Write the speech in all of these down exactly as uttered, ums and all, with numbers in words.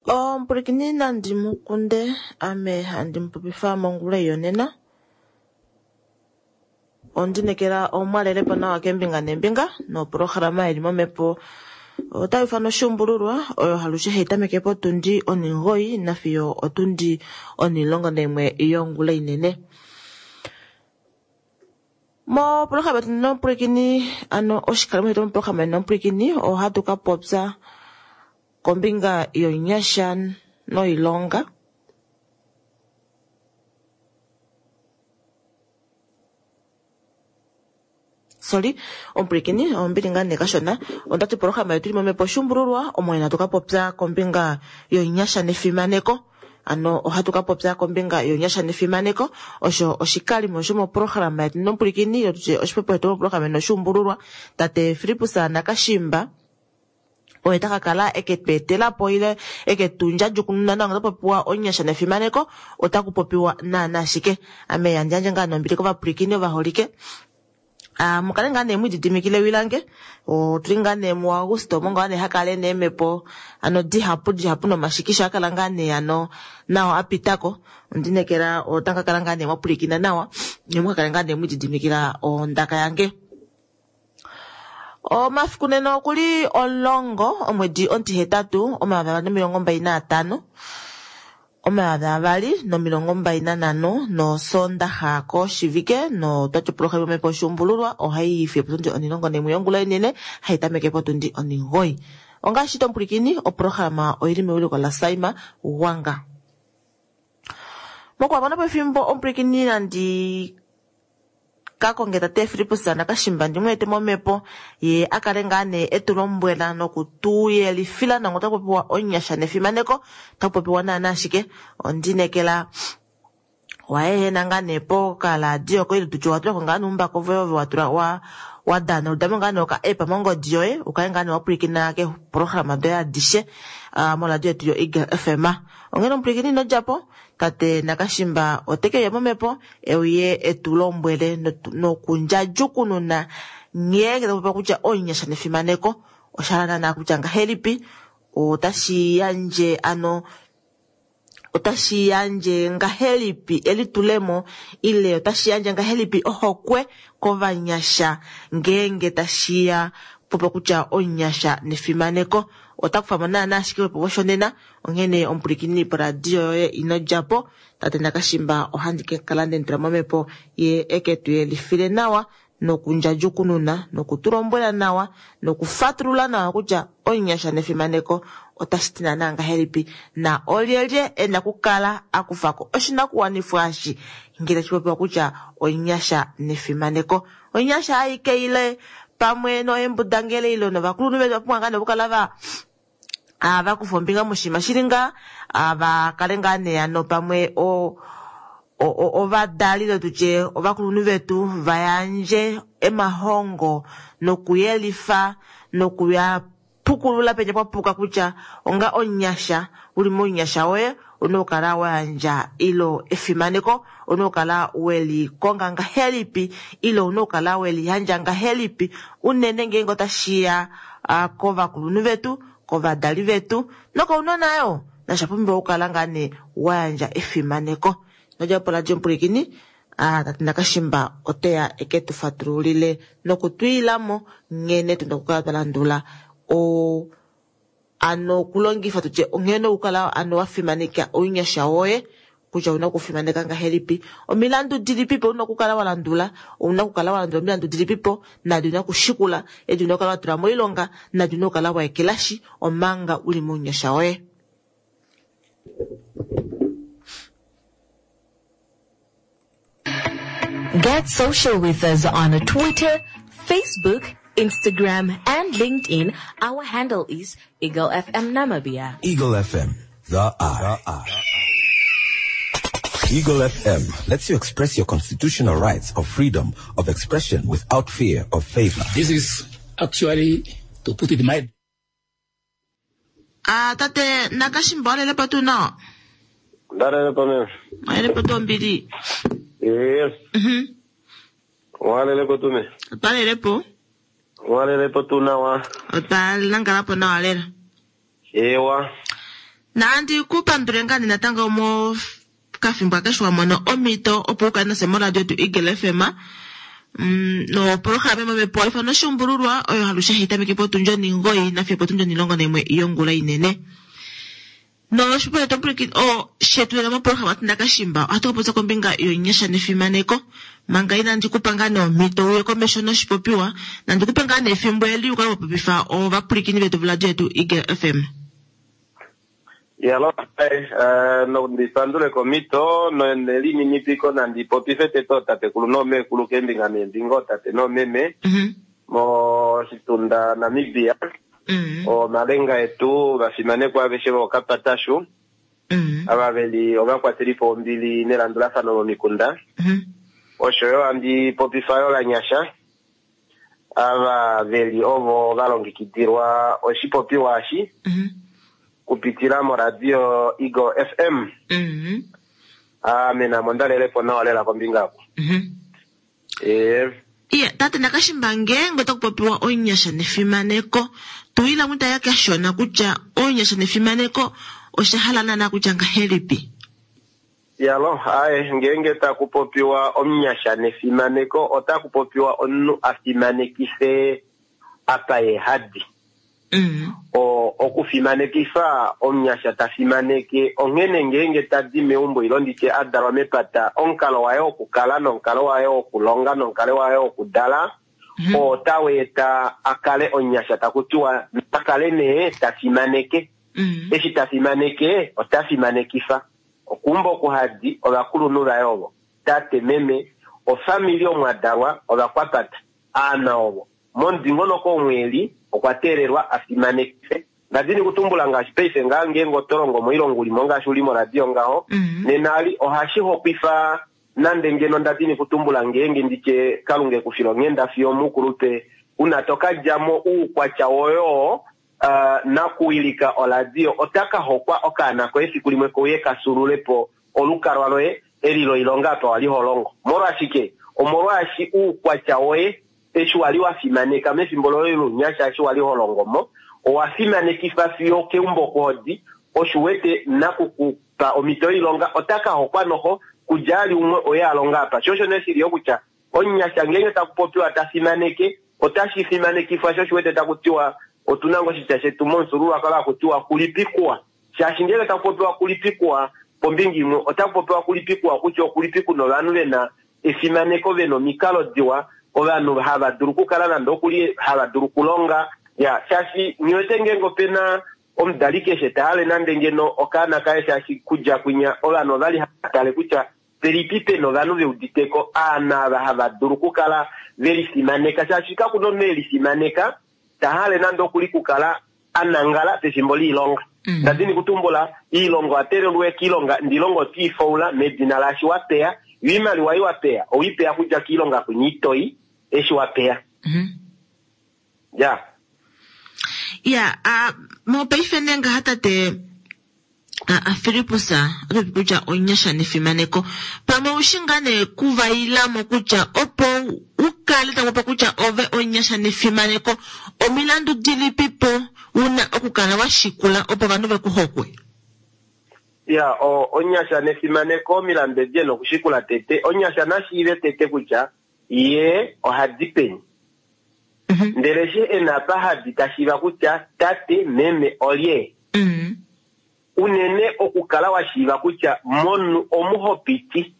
Omupulikini nandi mukunde ame handi mupopifa mongula yonena. Ondinekela omwalelepo nawa kembinga nembinga noprograma ili momhepo otayi ufana oshuumbululwa oyo halushe hayi tameke potundi oningoyi nafiyo otundi onilongo naimwe yongula inene. Moprograma yetu nomupulikini ano oshikalimo shetu moprograma nomupulikini ohatu ka popya kombinga yonyasha noilonga. Sorry, omupulikini ombili ngaa nee kashona ondati programa yetu ili momhepo oshuumbululwa omo hatu ka popya kombinga yonyasha nefimaneko. Ano ohatu ka popya kombinga yonyasha nefimaneko osho oshikalimo shomoprograma yetu nomupulikini ile oshipopiwa shetu moprograma noshuumbululwa tate Filippus Nakashimba oye taka kala eke tu etelapo ile eke tu ndjadjukununa nawa ngee popiwa onyasha nefimaneko otaku popiwa naana ashike. Ame yandjandje ngaa nombili kovapulikini ovaholike. Ah, mukale ngaa nee mwididimikile wilange otuli ngaa nee muAugusto omo ngaa nee hakale neemhepo ano dihapu dihapu nomashikisha akala ngaa nee ano nao apitako. Ondinekela otanga kala ngaa nee mwapulikina nawa nemukakale ngaa nee mwididimikila ondaka yange. Omafiku nena okuli omulongo omwedi omutihetatu omayovi avali nomilongo mbali naatano omayovi avali nomilongo mbali nanhano nosondaxa koshivike notwati oprograma yomhepo oshuumbululwa ohayi fiyo potundi onilongo naimwe yongula inene hayi tameke potundi oningoyi. Ongaashi tomupulikini oprograma oili mewiliko laSaima Wanga. Mokuhamona pefimbo omupulikini nandi kakonge tate Filippus Nakashimba ndimweete momhepo ye akale ngaa nee etu lombwela nokutuyelifila nango otaku popiwa onyasha nefimaneko otaku popiwa naana ashike. Ondinekela waehena ngaa nee pokaladio koye tutye watulako ngaa nuumbako voye ove watula wa wadana udamo ngaa nee oka app mongodi yoye ukale ngaa nee wapulikina keeprograma doye adishe uh, moradio yetu yo Eagle F M. Onghene omupulikini ino djapo tate Nakashimba oteke uya momhepo euye etu lombwele nokundjadjukununa nghee taku kutya onyasha nefimaneko osha naana kutya ngahelipi otashi yandje ano otashi yandje ngahelipi elitulemo ile otashi yandje ngahelipi ohokwe kovanyasha ngeenge tashiya popo kutya onyasha nefimaneko otaku famo naana ashike popo shonena. Onghene omupulikini poradio yoye ino djapo tate Nakashimba ohandi ke kala ndendula momhepo ye eke tu yelifile nawa nokundjadjukununa nokutulombwela nawa nokufatulula nawa kutya onyasha nefimaneko otashi ti naana ngahelipi na olyelye ena kukala akufako oshinakuwanifwa eshi ngele tashi popiwa kutya onyasha nefimaneko. Onyasha aike ile pamwe noembudangele ile novakulunhu vetu vapumbwa ngaa nee okukala va vakufa ombinga moshinima shili ngaa vakale ngaa nee ano pamwe o ovadali ile tutye ovakulunhu vetu vayandje emahongo nokuyelifa nokuya pukulula penya pwapuka kutya onga onyasha uli monyasha woye una okukala wayandja ilo efimaneko una okukala welikonga ngahelipi ile una okukala weliyandja ngahelipi unene ngeenge otashiya kovakulunhu vetu kovadali vetu nokounona yo nasha pumbiwa okukala ngaa nee wayandja efimaneko. Nodjapo radio omupulikini tate Nakashimba oteya eke tu fatululile nokutwiilamo nghene tuna okukala twa landula o ano okulongifa tutye onghene okukala ano wafimaneka ounyasha woye kutya ouna okufimaneka ngahelipi omilandu dilipipo ouna okukala walandula ouna okukala walandula omilandu dilipipo nadi una okushikula edi una okukala watula moilonga nadi una okukala waekelashi omanga uli mounyasha woye. Get social with us on Twitter, Facebook, Instagram, and LinkedIn. Our handle is Eagle F M Namibia. Eagle F M, the eye. The eye. Eagle F M lets you express your constitutional rights of freedom of expression without fear of favor. This is actually, to put it mildly. Ah, tate Nakashimba walelepo tuu nawa? Ndalelepo meme. Walelepo tuu ombili? Yes. Mhm. Walelepo tuu me. Otwalelepo. Walelepo tuu nawa. Otwalangalapo nawa lela. Ewa. Nandi kupandule ngaa nee natango mokafimbo akeshe wa mona omhito opo u kale nafye moradio yetu Eagle F M. Mm, nopolohalama yomomhepo ifano oshuumbululwa oyo alushe hai tameke potundi oningoi nafiyo potundi onilongo naimwe yongula inene. Noshipo shetu o shetu nena mopolohalama Tindakashimba ohatu ka popya kombinga yonyasha nefimaneko. Manga inandi kupa ngaa nee omhito uye komesho noshipopiwa, nandi kupe ngaa nee efimbo eli u kale wa popifa ovapwilikini vetu voradio yetu Eagle F M. Yalo, eh, nondipandule komito nelininipiko nandi popife tete otatekulu noomekulu kembinga neembinga otate noomeme Mhm. moshitunda Namibia. Mhm. Omalenga etu vafimanekwa aveshe vookapatashu Mhm. ava veli ovakwatelipo ombili nelandulafano momikunda. Mhm. Osho yo handi popifa yo lanyasha ava veli ovo valongekidilwa oshipopiwa eshi Mhm. kupitila moradio Eagle F M. Mhm. Ame namo ndalelepo nawa lela kombinga apo. Mhm. Eh, Iya, tate Nakashimba ngeenge otaku popiwa onyasha nefimaneko, tuila mwita ya kashona kutya onyasha nefimaneko osha hala naana kutya ngahelipi? Yalo, aye, ngeenge taku popiwa omunyasha nefimaneko, otaku popiwa omunhu a fimanekife apa ye hadi. Mm. O, okufimanekifa omunyasha ta fimaneke onghene ngeenge tadi meumbo ilo nditye a dalwa mepata, omukalo waye wokukala nomukalo waye wokulonga nomukalo waye wokudala, Mhm. oo tau eta a kale omunyasha taku tiwa a kale nee ta fimaneke. Mm. Eshi ta fimaneke, ota fimanekifa. Okumba okuhadi ovakulunhu vaye ovo, tate, meme, ofamili omo a dalwa, ovakwapata, aana ovo. Momudingonoko omweli okwa teelelwa a fimanekife. Ngadini kutumbula ngaashi paife ngaa ngeenge oto longo moilongo ulimo ngaashi uli moradio ngaho, Mhm. nena ali ohashi hokwifa nande ngeno ndadini kutumbula ngeenge nditye Kalunga ekufila onghenda fiyo mukulupe, una to ka djamo uukwatya woyo, uh, nakuwilika oradio ota ka hokwa okaana koye efiku limwe kouye ka sululepo olukalwa loye eli loilonga apa wali ho longo. Molwashike? Omolwaashi uukwatya woye eshi wali wa fimaneka mefimbo loye lounyasha eshi wali ho longo mo, owa fimanekifa fiyo keumbo kuhodi, osho wete nakukupa omhito yoilonga ota ka hokwa noho kudja ali umwe oye a longa apa. Sho osho nee shili yo kutya omunyasha ngeenge taku popiwa ta fimaneke, otashi fimanekifwa sho osho wete taku tiwa otuna ngoo oshitya shetu momufyuululwakalo haku tiwa kulipikwa. Shaashi ngeenge taku popiwa kulipikwa pombinga imwe, otaku popiwa kulipikwa kutya okulipiku novanhu vena efimaneko, vena omikalo diwa, ovanhu hava dulu okukala nande okuli hava dulu okulonga. Ya, shaashi ngiwete ngeenge opena omudali keshe ta hale nande ngeno okaana kaye, shaashi kudja kwinya ovanhu ovali hava tale kutya pelipi pena ovanhu ve uditeko aana ava hava dulu okukala ve lifimaneka, shaashi kakuna omunhu e lifimaneka ta hale nande okuli kukala a nangala pefimbo loilonga. Mm. Ndadini kutumbula iilonga owa teelelwa kiilonga, ndilonga otiifaula medina laashi wa peya, yo iimaliwa ei wa peya owiipeya kudja kiilonga kwinya itoi eshi wa peya. Mhm. Ya. Ya, a, mopaife nee ngaha tate, a, a Filippus, oto popi kutya onyasha nefimaneko. Pamwe oushi ngaa nee kuvailamo kutya opo u kale taku popi kutya ove onyasha nefimaneko, omilandu dilipipo una okukala wa shikula opo ovanhu ve ku hokwe? Ya, o, onyasha nefimaneko omilandu edi ena okushikula tete. Onyasha nashiive tete kutya ye ohadi peni. Mhm. Ndele she ena apa hadi tashiiva kutya tate, meme olye. Mhm. Unene okukala wa shiiva kutya monu omuhopiti,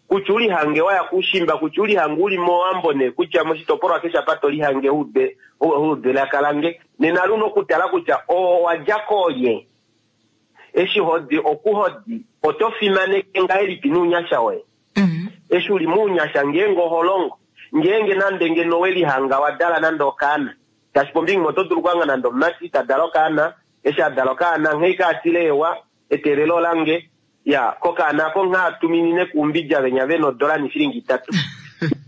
kutya ulihange waya kushimba, kutya ulihange uli mowambo ne, kutya moshitopolwa keshe apa to lihange ude, ude lakalange. Nena luno okutala kutya owa dja koolye. Eshi hodi okuhodi, oto fimaneke ngahelipi nounyasha woye? Mhm. Eshi uli mounyasha ngeenge oho longo, ngeenge nande ngeno we lihanga wa dala nande okaana, tashi pombinga imwe oto dulu okuhanga nande omumati ta dala okaana, eshi a dala okaana nghee ka atile ewa, eteelelo lange, ya, kokaana ako nghee atuminine kuumbidja venya vena odola nishilingi itatu.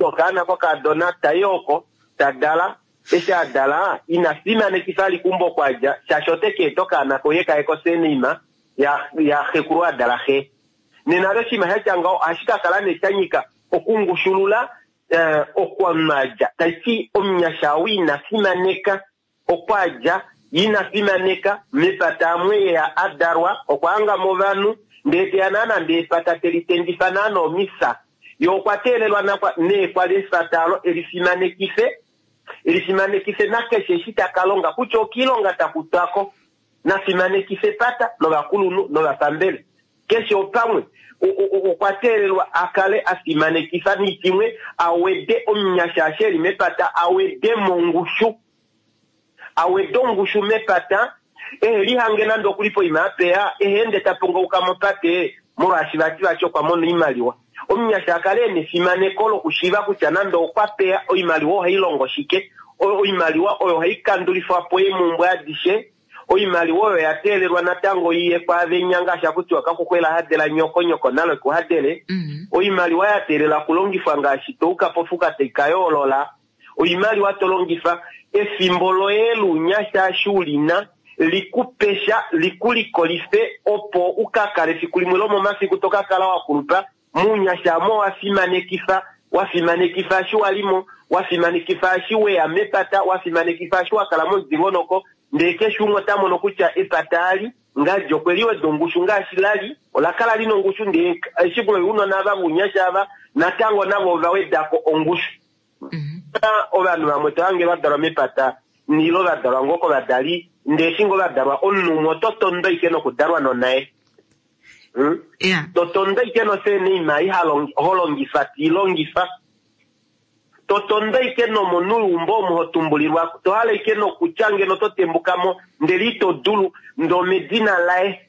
Okaana kokadona tai oko, ta dala, eshi a dala, ina fimanekifa ali kumbo kwadja, shaashi ote ka eta okaana koye kaye kosenima, ya, ya xekulu a dala xe. Nena oshinima sha tya ngaho ohashi ka kala nee sha nyika okungushulula, eh, okwamadja. Tashi ti omunyasha ou ina fimaneka okwadja, Ina fimaneka mepata amwe yeya a dalwa, okwa hanga mo ovanhu, ndee teya naana ndee epata te litendifa naana omisa. Ye okwa teelelwa nakwa, nee kwa li efata olo e lifimanekife, e lifimanekife nakeshe eshi ta ka longa, kutya okiilonga ta kutwa ko. Na fimanekife epata novakulunhu novapambele. Keshe opamwe, okwa teelelwa a kale a fimanekifa nitimwe, a wede omunyasha eshi e li mepata, a wede mongushu. A wede ongushu mepata, ehe lihange nande okuli poima apeya, ehe ende ta pongauka mopate, molwaashi vati vati okwa mona oimaliwa. Omunyasha a kale e na efimaneko lokushiiva kutya nande okwa peya, oimaliwa ohai longo shike, oimaliwa oyo ohai kandulifwa po eemumbwe adishe, oimaliwa oyo ya teelelwa natango iye kwaavenya ngaashi akutiwa kakuxwela hadela nyoko, nyoko nalo ekuhadele. Mm. Oimaliwa ya teelela okulongifwa ngaashi touka pofuka tai ka yoolola. Oimaliwa to longifa efimbo loye luunyasha eshi u lina, likupesha, likulikolife, opo u ka kale efiku limwe lomomafiku to ka kala wa kulupa. Muunyasha mo wa fimanekifa, wa fimanekifa eshi wa limo, wa fimanekifa eshi weya mepata, wa fimanekifa eshi wa kala momudingonoko, ndee keshe umwe ota mono kutya epata ali ngaashi okwe liweda ongushu ngaashi lali, ola kala lina ongushu, ndee eshi kulo ounona ava vounyasha ava natango navo ova wedako ongushu. Mm-hmm. Ovanhu vamwe to hange va dalwa mepata nilo va dalwa ngoo kovadali, ndee eshi ngoo va dalwa omunhu umwe oto tondo ike nokudalwa nonaye. Hmm? Yeah. To tondo ike noseeneima i ho longifa, ti longifa. To tondo ike nomonhu weumbo omo ho tumbulilwa, to hala ike nokutya ngeno to tembuka mo, ndele ito dulu, ndoo medina laye.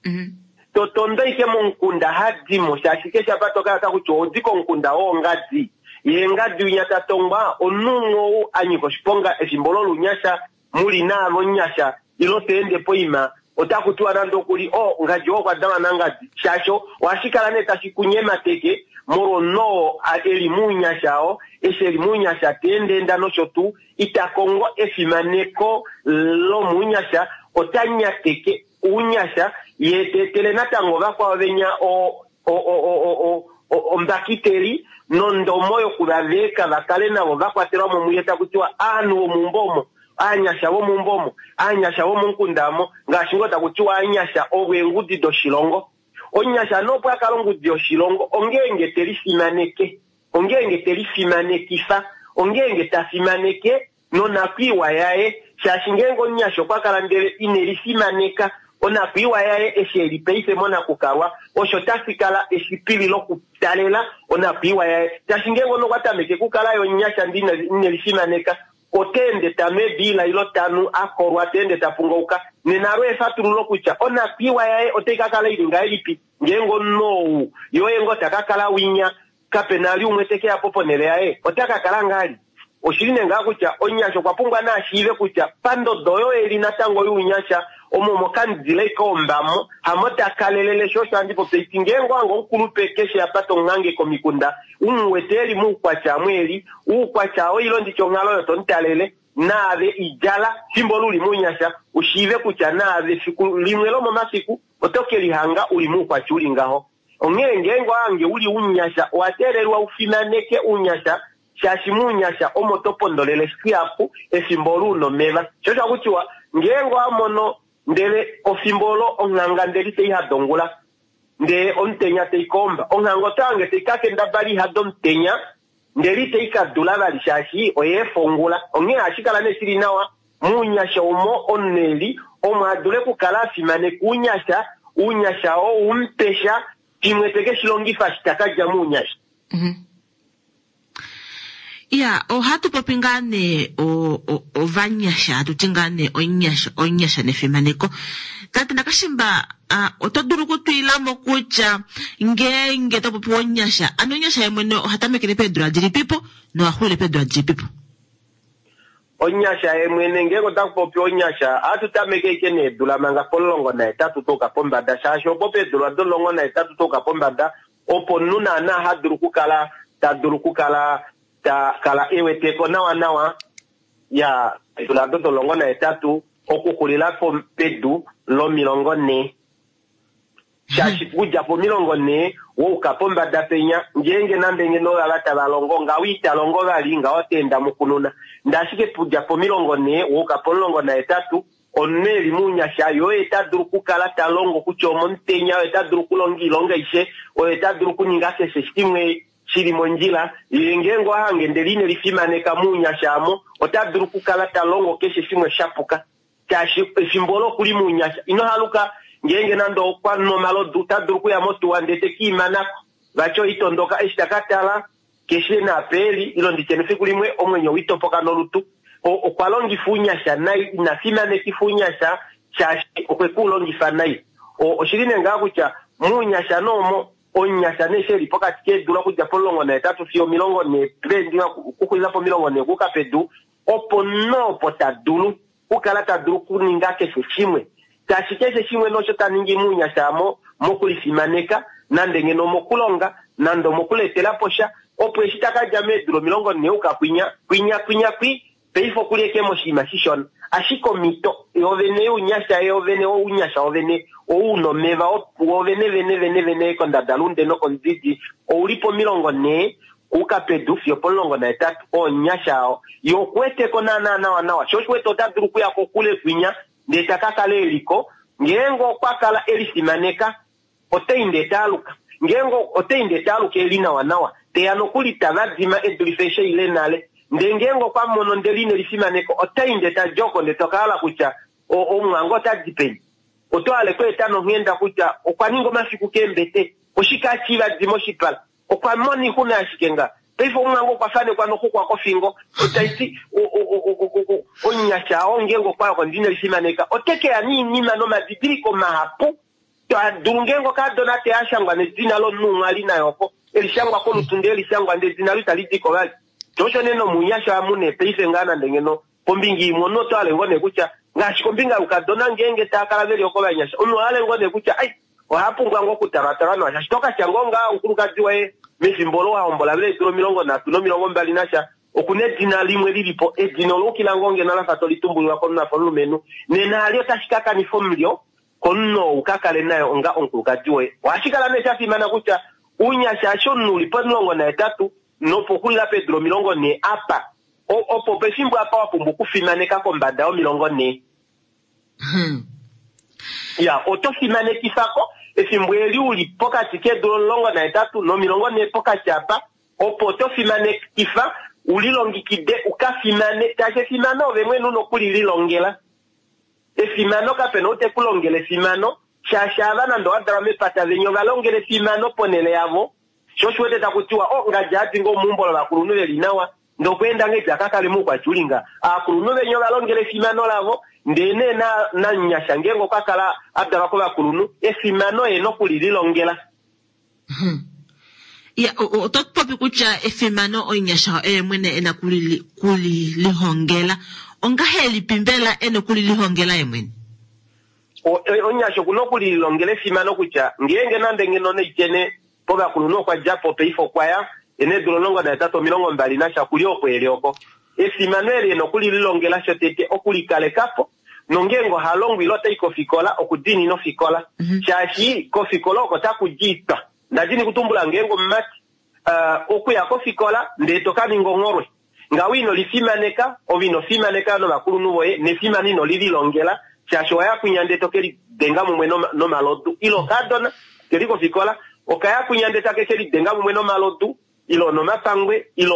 Mm-hmm. To tondo ike momukunda hadimo, shaashi keshe apa to kala kutya odi komukunda wongadi. Ye ngadi winya ta tongwa, omunhu umwe ou a nyika oshiponga efimbo lolunyasha, muli naavo nyasha, ilo te ende poima, ota kutiwa nande okuli, oh, ngadi oo okwa dalwa nangadi. Shaashi ohashi kala nee tashi kunyemateke, molwomunhu oo e li muunyasha oo, eshi e li muunyasha te endeenda nosho tuu, ita kongo efimaneko lomuunyasha, ota nyateke uunyasha, ye te etele natango vakwao venya o, o, o, o, o, o, ombakiteli nondomo yokuvaveka va kale navo va kwatelwa mo muye, taku tiwa aanhu vomuumbo omo, aanyasha vomuumbo omo, aanyasha vomomukunda omo, ngaashi ngoo taku tiwa aanyasha ovo eengudi doshilongo. Omunyasha nopo a kala ongudi yoshilongo, ongeenge te lifimaneke, ongeenge te lifimanekifa, ongeenge ta fimaneke nonakwiiwa yaye, shaashi ngeenge omunyasha okwa kala ndele ine lifimaneka, onakwiiwa yaye eshi e li paife monakukalwa, osho tashi kala eshipili lokutalela onakwiiwa yaye. Shaashi ngeenge omunhu okwa tameke kukala yo omunyasha ndele ine, ine lifimaneka, ota ende ta nu ebiila ilo ta nu a kolwa, ta ende ta pungauka, nena alo efatululo kutya onakwiiwa yaye otai ka kala ili ngahelipi ngeenge omunhu ou yoye ngoo ta ka kala winya, kape na li umwe te ke ya po ponhele yaye, ota ka kala ngali. Oshili nee ngaa kutya omunyasha okwa pumbwa naa shiive kutya pandodo oyo eli natango younyasha, omo mokamudile kombamo, hamo ta kalelele. Sho osho handi popi iti ngeenge owange omukulupe keshe apa tomuhange komikunda, u mu wete eli moukwatya amwe eli, oukwatya oo ilo nditye onghalo oyo tomutalele, naave idjala fimbo luli mounyasha, ushiive kutya naave fiku limwe lomomafiku oto ke lihanga uli moukwatya uli ngaho. Onghee ngeenge owange uli unyasha, owa teelelwa ufimaneke unyasha, shaashi muunyasha omo to pondolele shihapu efimbo olo una omeva. Sho osho hakutiwa ngeenge owa mono ndele ofimbo olo onghanga ndele itei hada ongula, ndee omutenya tei koomba, onghanga oto hange tei ka kendabala ihada omutenya, ndele itei ka dula vali shaashi oyeefa ongula. Onghee ohashi kala nee shili nawa muunyasha omo omunhu eli omo a dule okukala a fimaneka uunyasha, uunyasha oo umupesha shimwe te ke shi longifa shi ta ka dja muunyasha. Mm-hmm. Ya, ohatu popi ngaa nee ovanyasha, hatu ti ngaa nee onyasha, onyasha nefimaneko. Tate Nakashimba, oto dulu okutwila mo kutya ngeenge to popi onyasha, ano onyasha ye mwene oha tamekele peedula dilipipo noha xulile peedula dilipipo? Onyasha ye mwene ngeenge otaku popi onyasha, ohatu tameke ike needula manga pomulongo nahetatu touka pombada, shaashi opo peedula domulongo nahetatu touka pombada opo omunhu naana ha dulu okukala ta dulu okukala ta kala eweteko nawa nawa ya eedula do domulongo nahetatu okuxulila pedu lomilongo nhee. Shaashi kudja pomilongo nhee wouka pombada penya, ngeenge nande ngeno ova tava longo ngaho ita longo vali, ngaho ota enda mukununa. Ndee ashike kudja pomilongo nhee wouka pomulongo nahetatu Omunhu eli mounyasha yo ta dulu okukala ta longo kutya omomutenya, oye ta dulu okulonga oilonga aishe, oye ta dulu okuninga keshe shimwe shili mondjila. Ye ngeenge ohange ndele ine lifimaneka mounyasha amo, ota dulu okukala ta longo keshe shimwe shapuka. Shaashi efimbo olo okuli mounyasha, ino haluka ngeenge nande okwa nwa omalodu, ota dulu okuya motuwa ndele te kiimanako. Vati oitondoka eshi taka tala keshe napeeli, ilo nditye nefiku limwe omwenyo witopoka nolutu. Okwa longifa ounyasha nai, ina fimanekifa ounyasha shaashi okwe ku longifa nai. Oshili nee ngaa kutya muunyasha noomo omunyasha nee shi eli pokati keedula okudja pomulongo nahetatu fiyo omilongo nhee, okuxulila pomilongo nhee okuuka pedu, opo noopo ta dulu okukala ta dulu okuninga keshe shimwe. Shaashi keshe shimwe nosho ta ningi muunyasha amo mokulifimaneka, nande ngeno omokulonga, nande omokuletela po sha, opo eshi taka dja meedula omilongo nhee uka kwinya, kwinya, kwinya, kwi, paife okuli eke moshinima shishona. Ashike omhito yovene younyasha yovene, ounyasha wovene ou una omeva wovene vene vene vene kondadalunde nokomudidi ouli pomilongo nhee kuuka pedu fiyo pomulongo nahetatu. Ounyasha oo ye okuweteko naana nawa nawa, sho oshiwete ota dulu okuya kokule kwinya ndele taka kala eliko. Ngeenge okwa kala elifimaneka otai ndee taaluka, ngeenge otai ndee taaluka eli nawa nawa, teya nokuli tavadima edulife eshi ile nale. Ndele ngeenge okwa mono ndele ine lifimaneka otai ndee tadjoko ndee tokahala kutya omwango ota di peni. Oto hale kweeta nonghenda kutya okwa ninga omafiku keembete, oshike ashivadima oshipala, okwa mona oixuna ashike nga. Paife omwango okwa fanekwa noxuxwa kofingo, otaiti omunyasha oo ngeenge okwa yoko ndine lifimaneka ote keya niinima nomadidiliko mahapu. Dulu ngeenge okadona te ashangwa nedina lomunhu umwe ali naye oko, elishangwa kolutu ndele elishangwa ndele edina lo itali diko vali. Osho nee nomunyasha amune paife ngaa nande ngeno kombinga imwe omunhu oto hale ngoo nee kutya ngaashi kombinga youkadona ngeenge taa kala veli oko vanyasha, omunhu ohale ngoo nee kutya ai oha pumbwa ngoo okutalwatalwa nawa, shaashi tokatya ngoo ngaa omukulukadi waye mefimbo olo wahombola vele eedula omilongo nhatu nomilongo mbali nasha, okuna edina limwe lilipo, edina olo ukila ngoo ngeno lafa tolitumbulilwa komunhu afa omulumenhu, nena ali otashi ka kanifa omulyo komunhu oo uka kale naye onga omukulukadi woye. Ohashi kala nee sha fimana kutya ounyasha eshi omunhu uli pomulongo nahetatu nopoxulila peedula omilongo nhee apa, opo pefimbo apa wa pumbwa okufimaneka kombada yomilongo nhee. Ya, oto fimanekifako efimbo eli uli pokati keedula omulongo nahetatu nomilongo nhee pokati apa, opo oto fimanekifa ulilongekide ukafimane, shaashi efimano ove mwene una okulililongela. Efimano kapena ou tekulongele efimano, shaashi ava nande owa dalwa mepata venya ovalongele efimano ponele yavo. Sho oshiwete taku tiwa o ngadja adi ngoo meumbo lovakulunhu veli nawa, ndokweenda ngedi akakale moukwatyulinga. Aakulunhu venya ovalongele efimano lavo, ndele nee namunyasha ngeenge okwa kala a dalwa kovakulunhu, efimano ye nokulililongela. Ya, oto popi kutya efimano omunyasha oye mwene ena kulilihongela. Ongahelipi mbela ena okulilihongela ye mwene? Omunyasha okuna okulilongela efimano kutya ngeenge nande ngeno neitene povakulunhu okwa djapo paife okwa ya ena eedula omulongo nahetatu omilongo mbali nasha okuli oko eli oko. Efimano eli ena okulililongela shotete okulikalekapo, nongeenge oha longo ile otai kofikola okudiinina ofikola, shaashi kofikola oko taku diitwa. Ndadini kutumbula ngeenge omumati okuya kofikola ndele toka ninga ongholwe, ngawo ino lifimaneka, ove ino fimaneka novakulunhu voye, nefimano ino lililongela, shaashi owaya kwinya ndele toke lidenga mumwe nomalodu. Ile okadona keli kofikola okaya kwinya ndele take ke lidenga mumwe nomalodu, ile nomapangwe, ile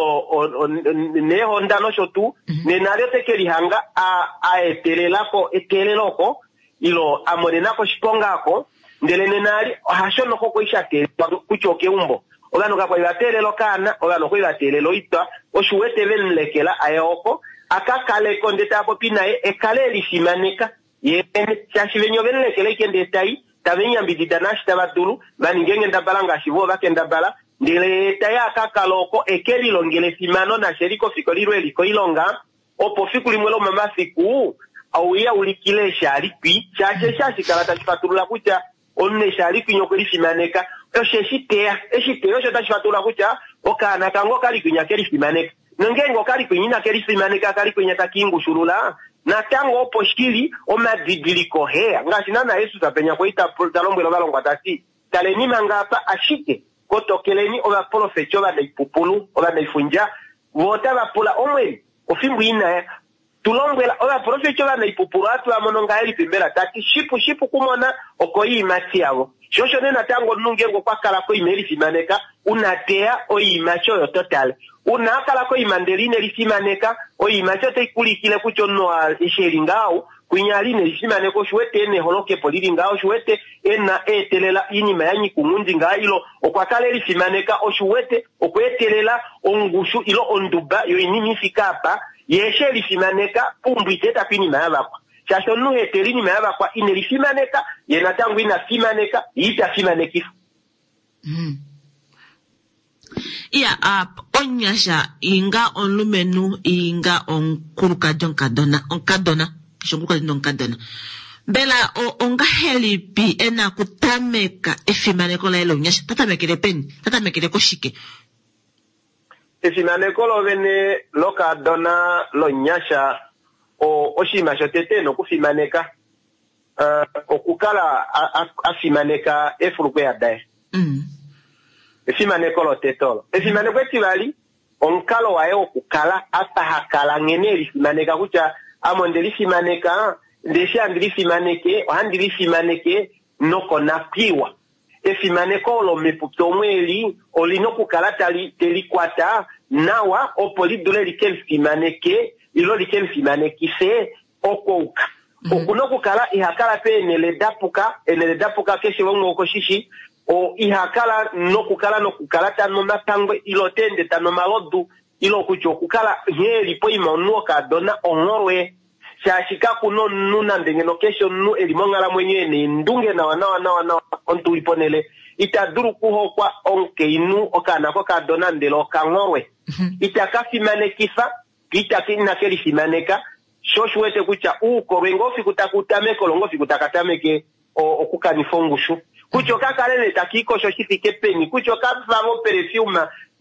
neehonda nosho tuu, nena lyo teke lihanga a etelelako eteelelo oko, ile a monenako oshiponga ako, ndele nena ali ohasho noko kwali sha teelelwa kutya okeumbo. Ovanhu kakwali va teelela okaana, ovanhu okwali va teelela oitwa, oshiwete ve mulekela aye oko, aka kaleko ndele tava popi naye, ekale elifimaneka ye shaashi venya ove mulekela ashike ndele tai, tave mu yambidida naashi tava dulu, va ninge enghendabala ngaashi vo vakendabala, ndele tai aka kala oko eke lilongele efimano nashe li kofikola ile eli koilonga, opo fiku limwe lomomafiku ouya ulikile eshi ali kwi, shaashi eshi hashi kala tashi fatulula kutya omunhu eshi ali kwinya okwe lifimaneka, osho eshi teya, eshi teya osho tashi fatulula kutya okaana kange okali kwinya ke lifimaneka. Nongeenge okali kwinya ina ke lifimaneka, kali kwinya takiingushulula, natango opo shili omadidiliko heya. Ngaashi naana Jesus penya kwali ta lombwela ovalongwa ta ti, taleni manga apa ashike kotokeleni ovaprofeti ovanaipupulu, ovanaifundja, vo otava pula Omwene ofimbo inaya. Tulombwela ovaprofeti ovanaipupulu ohatu va mono ngahelipi mbela? Tati shipu shipu kumona okoiimati yavo. Sho osho nee natango omunhu ngeenge okwa kala koima e lifimaneka, una teya oiimati oyo totale. Una a kala koima ndele ine lifimaneka, oiimati otai kulikile kutya omunhu eshi eli ngaho, kwinya ali ine lifimaneka, oshiwete ena eholokepo lili ngaho, oshiwete ena eetelela oinima ya nyika ounghundi ngaho, ilo okwa kala e lifimaneka, oshiwete okwa etelela ongushu ilo onduba yoinima ifike apa, ye eshi e lifimaneka, pumbwa ita eta po oinima ya vakwa. Shaashi omunhu ha etele oinima ya vakwa ine lifimaneka, ye natango ina fimaneka, ye ita fimanekifa. Mm. Iya, uh, onyasha inga omulumenhu inga omukulukadi omukadona, omukadona, keshe omukulukadi nomukadona. Mbela ongahelipi ena kutameka efimaneko laye lounyasha? Tatamekele peni? Tatamekele koshike? Efimaneko lovene lokadona lonyasha o oshinima shotete nokufimaneka uh, okukala a fimaneka efulukweya daye. Mm. Efimaneko lotete olo. Efimaneko etivali omukalo waye wokukala apa hakala nghene elifimaneka kutya ame onde lifimaneka, ndee eshi handi lifimaneke ohandi lifimaneke nokonakwiiwa. Efimaneko olo mepupi omweeli olina okukala tali telikwata nawa opo lidule like lifimaneke ilo like lifimanekife okouka. Mm. Okuna okukala ihakala peenhele dapuka, eenhele dapuka keshe umwe okoshishi, o ihakala nokukala nokukala tanu omapangwe ilo teende tanu omalodu ilo kutya okukala nghee eli poima omunhu wokadona ongholwe. Shaashi kakuna omunhu nande ngeno keshe omunhu eli monghalamwenyo ena eendunge nawa nawa nawa nawa omuntu uli ponhele ita dulu kuhokwa omukainhu okaana kokadona ndele okangholwe. Mm-hmm. Ita ka fimanekifa, ita ina ke lifimaneka, sho osho wete kutya uukolwe ngoo fiku taku tameke olo ngoo fiku taka tameke okukanifa ongushu. Kutya okakale nee takiikosho shi fike peni, kutya okafave operfume,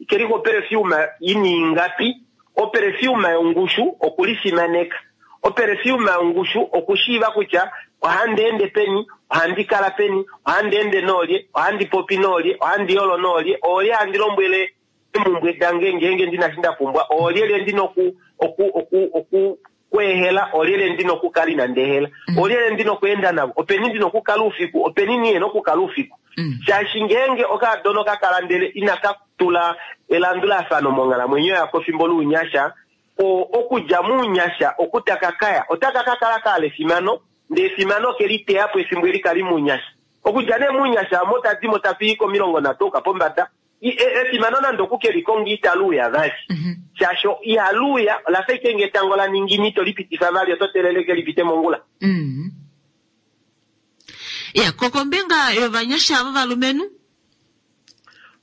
keliko operfume ini ingapi, operfume yongushu okulifimaneka. Operfume yongushu okushiiva kutya ohandi ende peni, ohandi kala peni, ohandi ende noolye, ohandi popi noolye, ohandi yolo noolye, oolye handi lombwele eemhumbwe dange ngeenge ndina shi nda pumbwa, oolyelye ndina oku oku oku oku kweehela, oolyelye ndina okukala inandi ehela, Mm. oolyelye ndina okweenda navo, openi ndina okukala oufiku, openi nihena okukala oufiku. Mm. Shaashi ngeenge okadona okakala ndele inaka tula elandulafano monghalamwenyo yako fimbo lounyasha, okudja mounyasha okutaka kaya, otaka ka kala kaala efimano, ndee efimano ke liteya po efimbo eli kali mounyasha. Okudja nee mounyasha omo tadimo tafi komilongo nhatu ouka pombada, efimano nande oku ke likonga italuuya vali. Mm-hmm. Shaashi ihaluuya, olafa ashike ngee etango la ningina ito lipitifa vali, oto teelele lipite mongula. Mm. Ya, kokombinga yovanyasha vovalumenhu?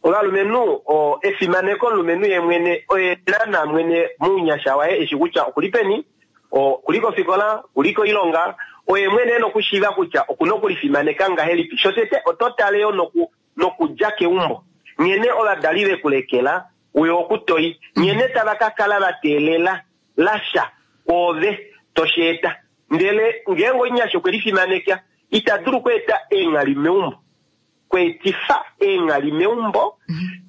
Ovalumenhu, o, efimaneko omulumenhu ye mwene, oye naana mwene mounyasha waye eshi kutya okuli peni, okuli kofikola, okuli koilonga, oye mwene ena okushiiva kutya okuna okulifimaneka ngahelipi. Shotete oto tale yo noku, nokudja keumbo. Nghene ovadali vekulekela, uyo okutoi. Nghene tava ka kala va teelela lasha kwoove tosheeta. Ndele ngeenge omunyasha okwe lifimaneka, ita dulu okweeta eenghali meumbo. Kweetifa eenghali meumbo,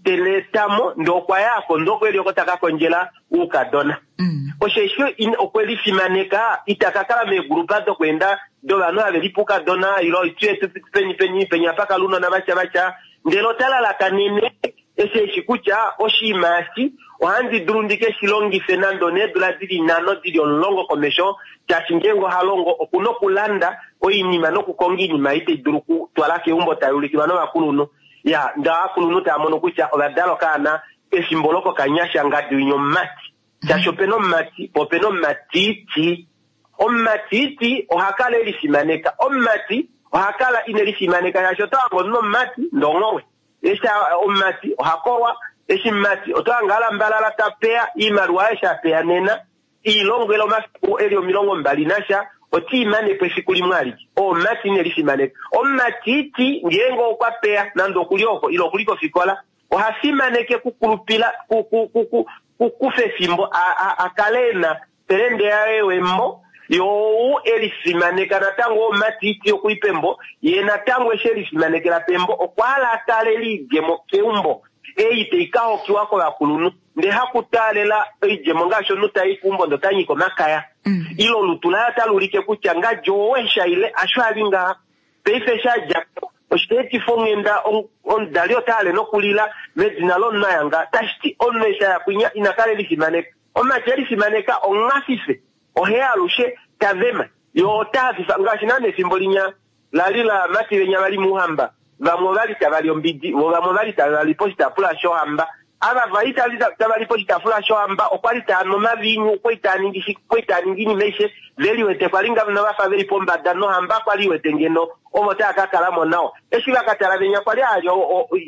teleetamo ndee okwa yako ndee okweli oko taka kondjela oukadona. Mm. Osheshi okwe lifimaneka, ita ka kala meegrupa dokweenda dovanhu have lipe oukadona ilo itu peni peni peni apa kala ounona vatya vatya, ndele ota lalakanene eshi eshi kutya oshinima eshi ohandi dulu ndike shi longife nande oneedula dili nhano dili omulongo komesho, shaashi ngeenge oha longo okuna okulanda oinima nokukonga oinima ei tai dulu okutwala keumbo tai ulikilwa novakulunhu. Ya, ndee ovakulunhu tava mono kutya ovadala okaana efimbo lokokanyasha ngadi winya omumati. Shaashi opena omumati, po opena omumatiti. Omumatiti oha kala e lifimaneka. Omumati oha kala ine lifimaneka shaashi oto hange omunhu omumati ndee ongholwe. Eshi omumati oha kolwa, eshi omumati oto hange alambalala ta peya oimaliwa eshi a peya nena, iilongwele omafiku eli omilongo mbali nasha, oti imanepo efiku limwe alike. Omumati ine lifimaneka. Omumatiti ngeenge okwa peya nande okuli oko ilo okuli kofikola, oha fimaneke kukulupila ku, ku, ku, ku, kukufa efimbo a, a, a kale ena pelende yaye wembo, yo ou elifimaneka natango omumatiti okuli pembo, ye natango eshi elifimanekela pembo okwa hala a tale liidjemo keumbo. Ei tai ka hokiwa kovakulunhu ndee hakutaalela oidjemo ngaashi omunhu tai kumbondo ota nyika omakaya Mm. ile olutu laye otali ulike kutya ngadjo owesha ile asho ali ngaha paife shadja oshiteetifa onghenda omudali ota hale nokulila medina lomunhu ayanga tashiti omunhu eshi aya kwinya ina kala elifimaneka omumati elifimaneka ongafife ohe alushe tavema yo ota hafifa ngaashi naana efimbo linya lali lavamati venya vali muuhamba vamwe ovali tavali ombidi vo vamwe ovali tavali poshitaafula shohamba ava vali tavali poshitaafula shohamba okwali taanu omaviinyu okwali taaningi shi okwali taaningi iinima aishe veliwete kwali ngeno vafa veli pombada nohamba kwali iwete ngeno ovo taya ka kalamo nawa eshi vakatala venya kwali hali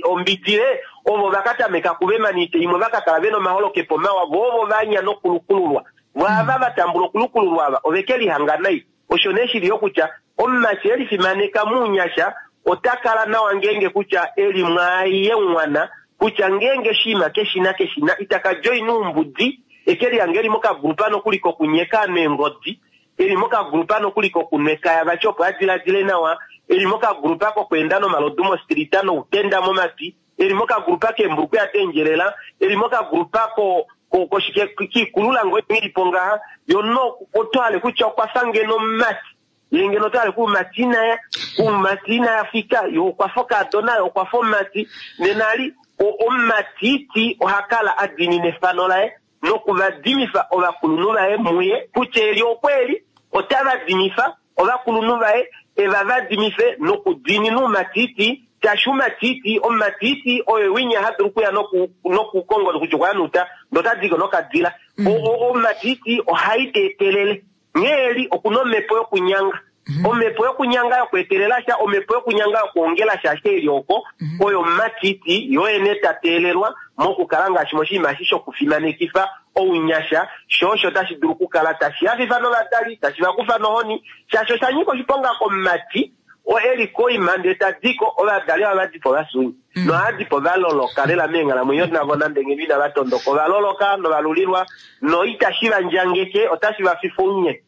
ombidile ovo vakatameka kuvemanite imwe vakakala vena omaholokepo mawa vo ovo vanya nokulukululwa vo ava vatambula okulukululwa ava oveke lihanga nai osho nee shili yo kutya omumati elifimaneka muunyasha ota kala nawa ngeenge kutya eli mwaaye mwana kutya ngeenge shiima keshina keshina itaka joina oumbudi eke lihange eli mokagrupa nokuli kokunyeka neengodi eli mokagrupa nokuli kokunwekaya vati opo adiladile nawa eli mokagrupa kokweenda nomalodu mostrita noutenda momatwi eli mokagrupa keembuluku yatendjelela eli mokagrupa ko koshike kiikulula ngo ilipo ngaha yo no otwale kutya okwafa ngeno omumati ye ngeno otwale kuumati inaya kuumati inaya fika yo okwafa okaadona yo okwafa omumati nenali omumatiti oha kala a diinina efano laye nokuvadimifa ovakulunhu vaye muye kutya eli okweli otava dimifa ovakulunhu vaye eva vadimife nokudiinina oumatiti tashi umatiti omumatiti oyo winya hadulu okuya nokukonga kutya okwa nuta ndotadiko nokadila omumatiti ohai teetelele nghee eli okuna omhepo yokunyanga omhepo yokunyanga yokweetelela sha omhepo yokunyanga yokwoongela sha ashe eli oko oyo omumatiti yoyene ta teelelwa mokukala ngaashi moshinima eshi shokufimanekifa ounyasha sho osho tashi dulu okukala tashi hafifa novadali tashi vakufa nohoni shaashi osha nyika oshiponga komumati eli koima ndee tadiko ovadali ava vadipo vasunyi nohadipo valoloka lela meenghalamwenyo navo nande ngeno inava tondoka ovaloloka novalulilwa no itashi vandjangeke otashi vafifa ounye.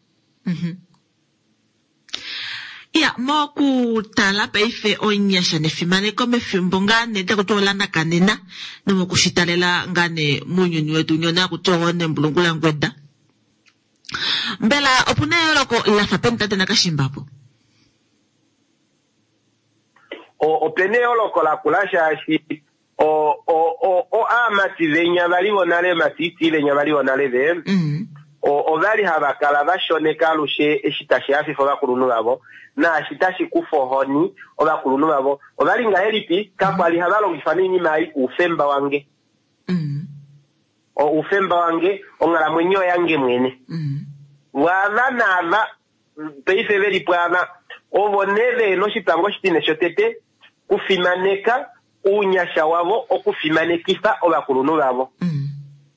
Ya mokutala paife onyasha nefimaneko mefimbo ngaa nee takuti olanakanena nomokushitalela ngaa nee mounyuni wetu nyona hakuti nembulungu langweda mbela opuna eyooloko lafa peni tate Nakashimbapo? Opena eyooloko lakula shaashi o o o aamati venya vali vonale matiti venya vali vonale ve ovali hava kala vashoneka alushe eshi tashi hafifa ovakulunhu vavo naashi tashi kufa ohoni ovakulunhu vavo ovali ngahelipi kakwali hava longifa noinima ai oufemba wange oufemba wange onghalamwenyo yange mwene waava naava paife veli pwaava ovo nee vena oshipango oshitine shotete kufimaneka ounyasha wavo okufimanekifa ovakulunhu vavo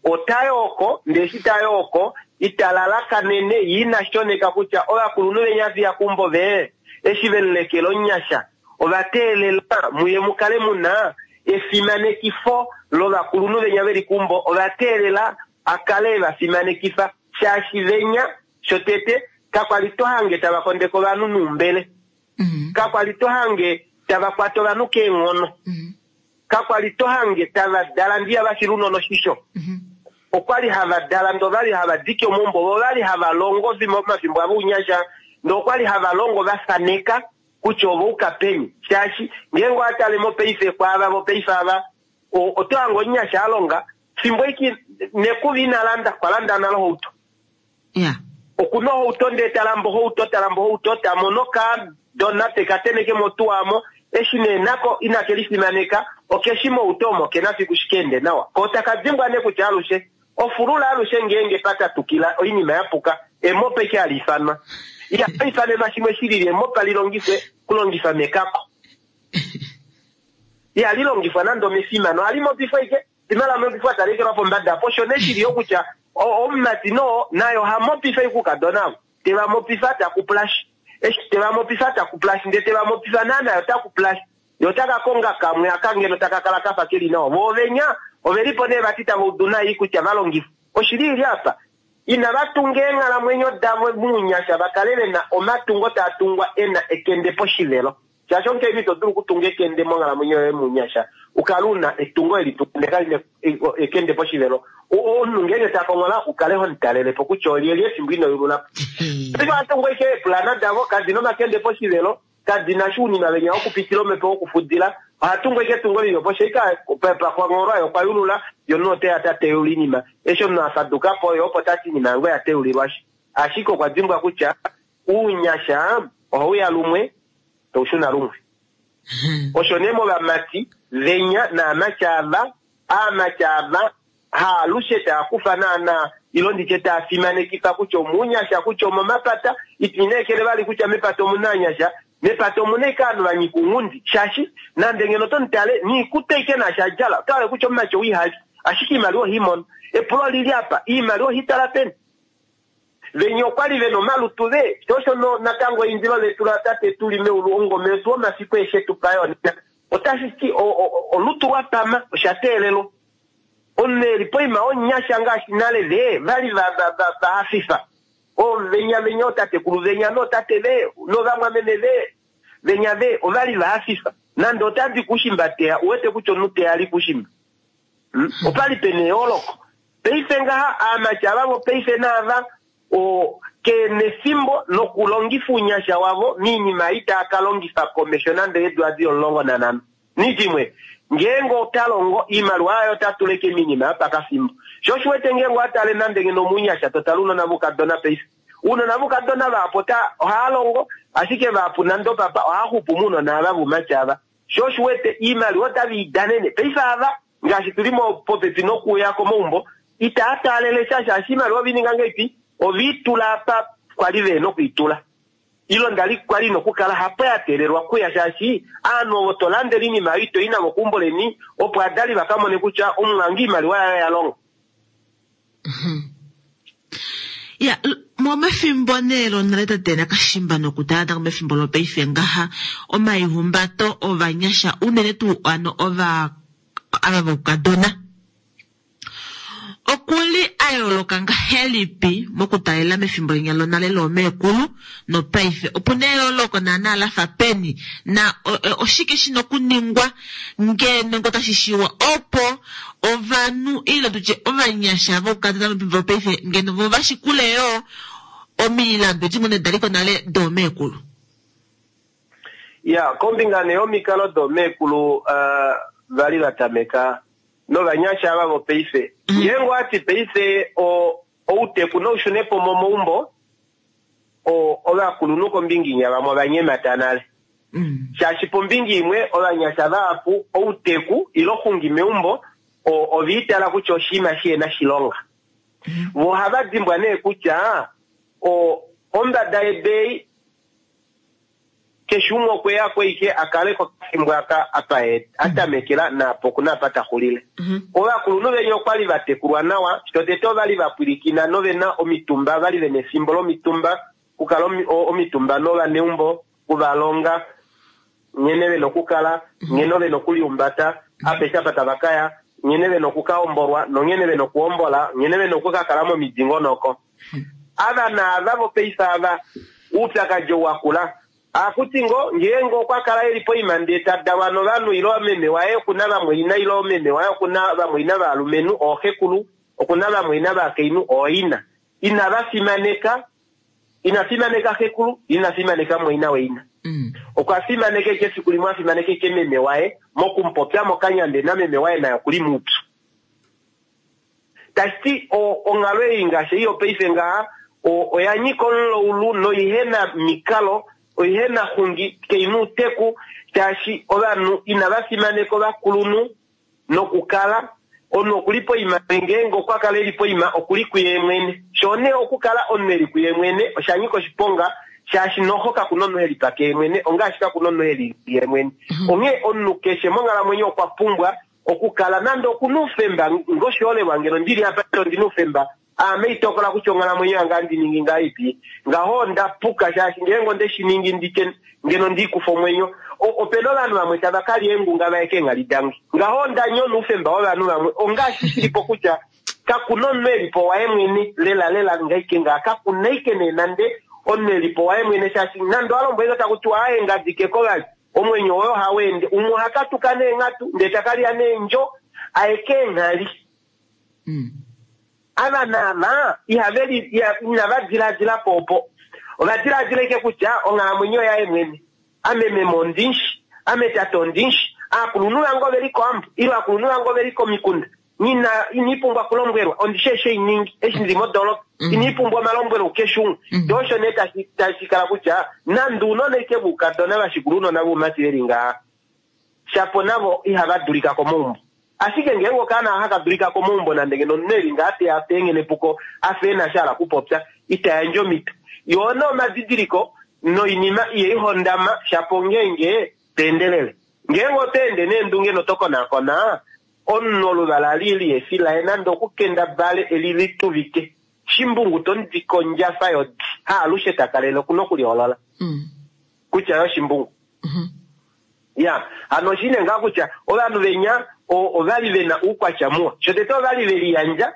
otayooko ndee eshi tayooko italalakanene ye ina shoneka kutya ovakulunhu venya fiya kumbo ve eshi velulekela onyasha ovateelela muye mukale muna efimanekifo lovakulunhu venya veli kumbo ovateelela akale evafimanekifa shaashi venya shotete kakwali tohange tava kondeka ovanhu nuumbele kakwali tohange tava kwata ovanhu keenghono kakwali tohange tava dala ndiya vashila unono oshisho okwali hava dala ndo vali hava dike omaumbo vo vali hava longo omafimbo avo ounyasha ndo okwali hava longo vafaneka kutya ovo uka peni shaashi ngeenge owatale mopaife kwaava vopaife ava otohange omunyasha alonga fimbo iki nekuvi inalanda kwalanda nale ohauto okuna ohauto ndee talamba ohauto talamba ohauto tamono kadona tekateneke motuwamo eshi nee nako inake lifimaneka okeshi mouto omo kena fiku shikeende nawa ko takadimbwa nee kutya alushe ofulula alushe ngeenge patatukila oinima yapuka emopa ike hali ifanwa ihali ifanenwa shimwe shilili emopa lilongifwe kulongifa mekako ihali longifwa nande omefimano ohali mopifwa ike fima lamopifwa talekelwa pombada apo osho nee shili yo kutya omumati noo naye ohamopifa ikukadona avo tevamopifa takupulashi eshi tevamopifa takupulashi ndee tevamopifa naa naye otakupulashi yo otakakonga kamwe aka ngeno takakala kafa keli nawa vo ovenya ovelipo nee vati tava udu nai kutya valongifa oshili ili apa inava tunga eenghalamwenyo davo muunyasha vakale vena omatungo taa tungwa ena ekende poshivelo Shaashi omukainhu ito dulu okutunga ekende monghalamwenyo yoye munyasha ukale una etungo eli tunga ekende poshivelo. Omunhu ngeenge ta konghola ukale ho mutalelepo kutya olyelye efimbo ino yulula. Paife ohatungu ashike eepulana davo kadina omakende poshivelo, kadina shuunima venya wokupitila omhepo wokufudila. Ohatungu ashike etungo lili opo sheika pakongholwa okwa yulula yo omunhu oteya ta teyula oinima. Eshi omunhu afadukapo yo opo tati oinima yange oya teyulilwashi. Ashike okwa dimbwa kutya uunyasha ohauya lumwe taushuna lumwe. Osho nee movamati venya naamati ava, aamati ava haalushe taakufa naana ilo nditye taafimanekifa kutya omuunyasha kutya omomapata, itineekele vali kutya mepata omuna anyasha, mepata omuna ashike ovanhu vanyika ounghundi shaashi nande ngeno otomutale niikutu ashike naashi adjala otohale kutya omumati ou ihali ashike oimaliwa ohaimono. Epulo olili apa, oimaliwa ohaitala peni? Venya okwali vena omalutu ve sho osho natango eindilo letu la tate tuli meulu omungome wetu womafiku eshe tupa yona otashi ti olutu lwapama osha teelelwa. Omunhu eli poima wonyasha ngaashi nale ve vali vahafifa ovenya venya ootatekulu venya nootate ve novamwameme ve venya ve ovali vahafifa nande otadi kushimba teya uwete kutya omunhu teya ali kushimba. Opali pena eyooloko. Paife ngaha aamati ava vopaife naava o kenefimbo lokulongifa uunyasha wavo miinima itaaka longifa komesho nande eedula dili omulongo nanhano. Nidimwe ngeenge ota longo iimaliwa yaye ota tuleke miinima yopakafimbo. Sho oshiwete ngeenge owatale nande ngeno omunyasha totale ounona voukadona paife. Ounona voukadona vahapu ota ohava longo ashike vahapu nande opapa ohava xupu mounona ava voumati ava. Sho oshiwete iimaliwa otave idanene. Paife ava ngaashi tuli popepi nokuuya komaumbo itaa taalele sha shaashi iimaliwa ovininga ngahelipi oviitula apa kwali vena okuitula. Ilo ndali kwali nokukala hapo ya teelelwa kuya shaashi aanhu ovo tolandele oinima oyo itoyi navo keumbo leni opo adali vakamone kutya omumwange oimaliwa yaye oya longa. Ya momefimbo nee lonale tate Nakashimba nokutala natango mefimbo lopaife ngaha omaihumbato ovanyasha unene tuu ano ova ava voukadona okuli a yooloka ngahelipi mokutalela mefimbo linya lonale loomeekulu nopaife opuna eyooloko naana lafa peni na oshike shina okuningwa ngeno ngo tashi shiwa opo ovanhu ile tutye ovanyasha voukadona mefimbo lopaife ngeno vo vashikule yoo omilandu edi ngoo daliko nale doomeekulu. Ya kombinga nee yomikalo doomeekulu uh, vali vatameka novanyasha ava vopaife. Ngeenge owati paife outeku noushunepo momaumbo ovakulunhu kombinga inya vamwe ovanyemata nale. Shaashi pombinga imwe ovanyasha vahapu outeku ilo xungi meumbo oviitala kutya oshinima shihena shilonga. Vo ohava dimbwa nee kutya ombada yebei keshe umwe okweya ko ashike akale kokafimbo aka apa atamekela naapo okuna apa taxulile. Ovakulunhu venya okwali vatekulwa nawa, shotete ovali vapwilikina novena omitumba, vali vena efimbo lomitumba, okukala omitumba novaneumbo, okuvalonga nghene vena okukala, nghene vena okulihumbata, apeshe apa tava kaya, nghene vena okukaombolwa nonghene vena okuhombola, nghene vena okukakala momidingonoko. Ava naava vopaife ava oupyakadi ou wakula akuti ngo ngeenge okwa kala eli poima ndee tadalwa novanhu ilo meme waye okuna vamwaina ilo meme waye okuna vamwaina valumenhu ooxekulu okuna vamwaina vakainhu ooina. Inava fimaneka, ina fimaneka xekulu, ina fimaneka mwaina waina. Okwa fimaneka eke efiku limwe afimaneka eke meme waye mokumupopya mokanya ndee nameme waye naye okuli muupyu. Tashiti onghalo ei ngaashi ei yopaife ngaha oya nyika omulaulu noihena mikalo oihena xungi keina outeku shaashi ovanhu inava fimaneka ovakulunhu nokukala omunhu okuli poima ngeenge okwa kala eli poima okuli kuye mwene. Sho nee okukala omunhu eli kuye mwene osha nyika oshiponga shaashi noho kakuna omunhu helipake ye mwene ongaashi kakuna omunhu helili ye mwene. Onghee omunhu keshe monghalamwenyo okwa pumbwa okukala nande okuna oufemba ngoshiholelwa ngeno ndili apa ndina oufemba aame itokola kutya onghalamwenyo yange andi ningi ngahelipi ngaho onda puka shaashi ngeenge onde shi ningi nditye ngeno ndiikufa omwenyo opena ovanhu vamwe tava kalya eengunga vaye keenghali dange ngaho onda nyona oufemba wovanhu vamwe ongaashi shilipo kutya kakuna omunhu elipo waye mwene lela lela ngaike ngaa kakuna ike nee nande omunhu elipo waye mwene shaashi nande owalombwele taku tiwa aaye ngadikeko vali Omwenyo woye ohau ende, umwe oha katuka neenghatu ndee takalya neendjo aeke eenghali. Mm. Ava naava ihave li inava diladila po opo. Ova diladila ike kutya onghalamwenyo yaye mwene. Ame meme ondinshi, ame tate ondinshi, aakulunhu vange oveli koambo, ile aakulunhu vange oveli komikunda. Nina inipumbwa kulombwelwa, ondishi eshi einingi, eshi ndili modoolopa. Inipumbwa omalombwelo kukeshe umwe. Ndee osho nee tashi tashi kala kutya nande ounona ike voukadona vashikula ounona voumati veli ngaha, shapo navo ihava dulika komaumbo. Ashike ngeenge okaana haka dulika komaumbo nande ngeno omunhu eli ngaa teya teengene puko afa ena sha hala kupopya, ita yandje omhito. Yoo nee omadidiliko noinima ihaihondama shapo ngeenge teendelele. Ngeenge oto ende neendunge notokonaakona, omunhu oluvala li lihefi laye nande okukendabale eli lituvike. Shimbungu tomudike ondjafa yodi, haalushe takalele okuna okuliholola. Mm. Kutya yo shimbungu. Mm-hmm. Ya, hano oshine ngaa kutya ovanhu venya ovali vena uukwatya muwa. Shotete ovali veliyandja,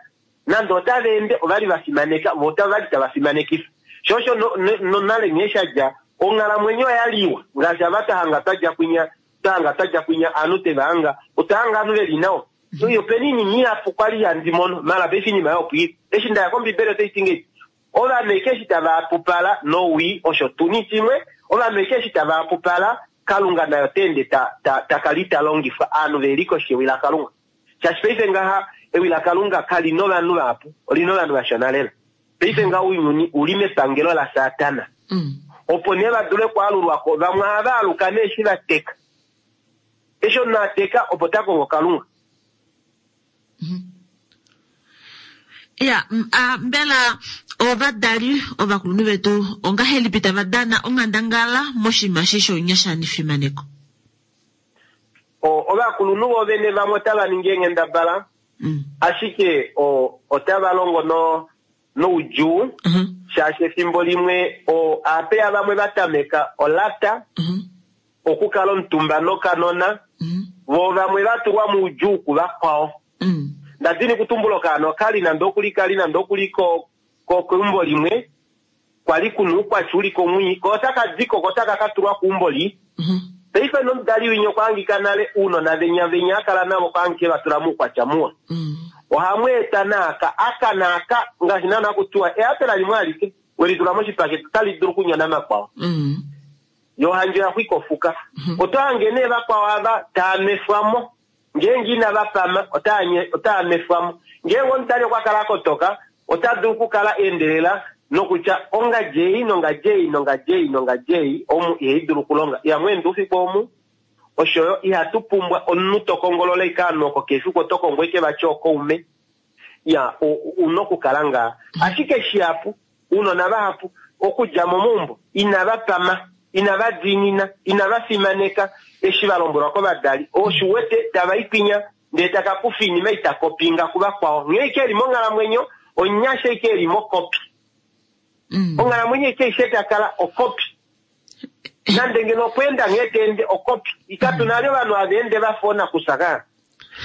nande otava ende ovali vafimaneka, vo otavali tava fimanekifa. Sho osho nonale nghee shadja, onghalamwenyo oya liwa. Ngaashi ava twahanga twadja kwinya, twahanga twadja kwinya, aanhu teva hanga, otwahanga aanhu veli nawa. Mm-hmm. Opena iinima ihapu kwali handi mono, mala paife iinima oyo opo ili. Eshi ndaya kombibeli otai ti ngei, ovanhu eke eshi tava hapupala nowii, osho tuni shimwe, ovanhu eke eshi tava hapupala, Kalunga nayo ota ende ta, ta, ta kala ita longifwa, aanhu veli koshi yewi laKalunga. Shaashi paife ngaha, ewi laKalunga kali novanhu vahapu, oli novanhu vashona lela. Paife ngaha ounyuni uli mepangelo laSatana. Mm. Opo nee va dule okwaalulwako, vamwe ohava aluka nee eshi va teka. Eshi omunhu a teka, opo ta kongo Kalunga. Mm-hmm. Ya, a, mbela ovadali ovakulunhu vetu ongahelipi tava dana onghandangala moshinima eshi shounyasha nefimaneko? Ovakulunhu vovene vamwe otava ningi eenghendabala, Mm. ashike o, otava longo no, noudjuu, Mm-hmm. shaashi efimbo limwe o, aapeya vamwe va tameka olata, Mm-hmm. okukala omutumba nokanona, Mm-hmm. vo vamwe va tulwa moudjuu kuvakwao. Mm. Ndadini kutumbula okaana okali nande okuli kali nande okuli ko, ko keumbo limwe, kwali kuna uukwatya uli komwii, ko otaka diko, ko otaka ka tulwa keumbo lii. Mm-hmm. Paife nomudali winya okwa hangika nale ounona venya venya a kala navo okwa hangika va tula muukwatya muwa. Mm. Ohamu eta naaka, aka naaka, ngaashi naana hakutiwa eapela limwe alike, welitula moshipakete otali dulu okunyona makwao. Mm. Yo handje oya xwika ofuka. Mm-hmm. Oto hange nee vakwao ava taa nwefwa Ngeenge inava pama, otaa nwefwa mo. Ngeenge omudali okwa kala a kotoka, ota dulu okukala endelela nokutya ongadji ei nongadji ei nongadji ei nongadji ei omu ihai dulu okulonga. Ihamu ende oufiku omu, oshoyo ihatu pumbwa omunhu to kongolola ike ovanhu oko kefiku oto kongo ike vati okaume. Ya, una okukala ngaa. Ashike shihapu, ounona vahapu okudja momaumbo inava pama, inava diinina, inava fimaneka eshi va lombwelwa kovadali. Oshiwete tava ikwinya ndee taka kufa iinima ita kopinga kuvakwao. Nghee ike eli monghalamwenyo, onyasha ike eli mokopi. Mm. Onghalamwenyo ike ishe takala okopi. Nande ngeno okweenda nghee teende okopi. Katuna ali ovanhu hava ende vafa oonakusa kaa.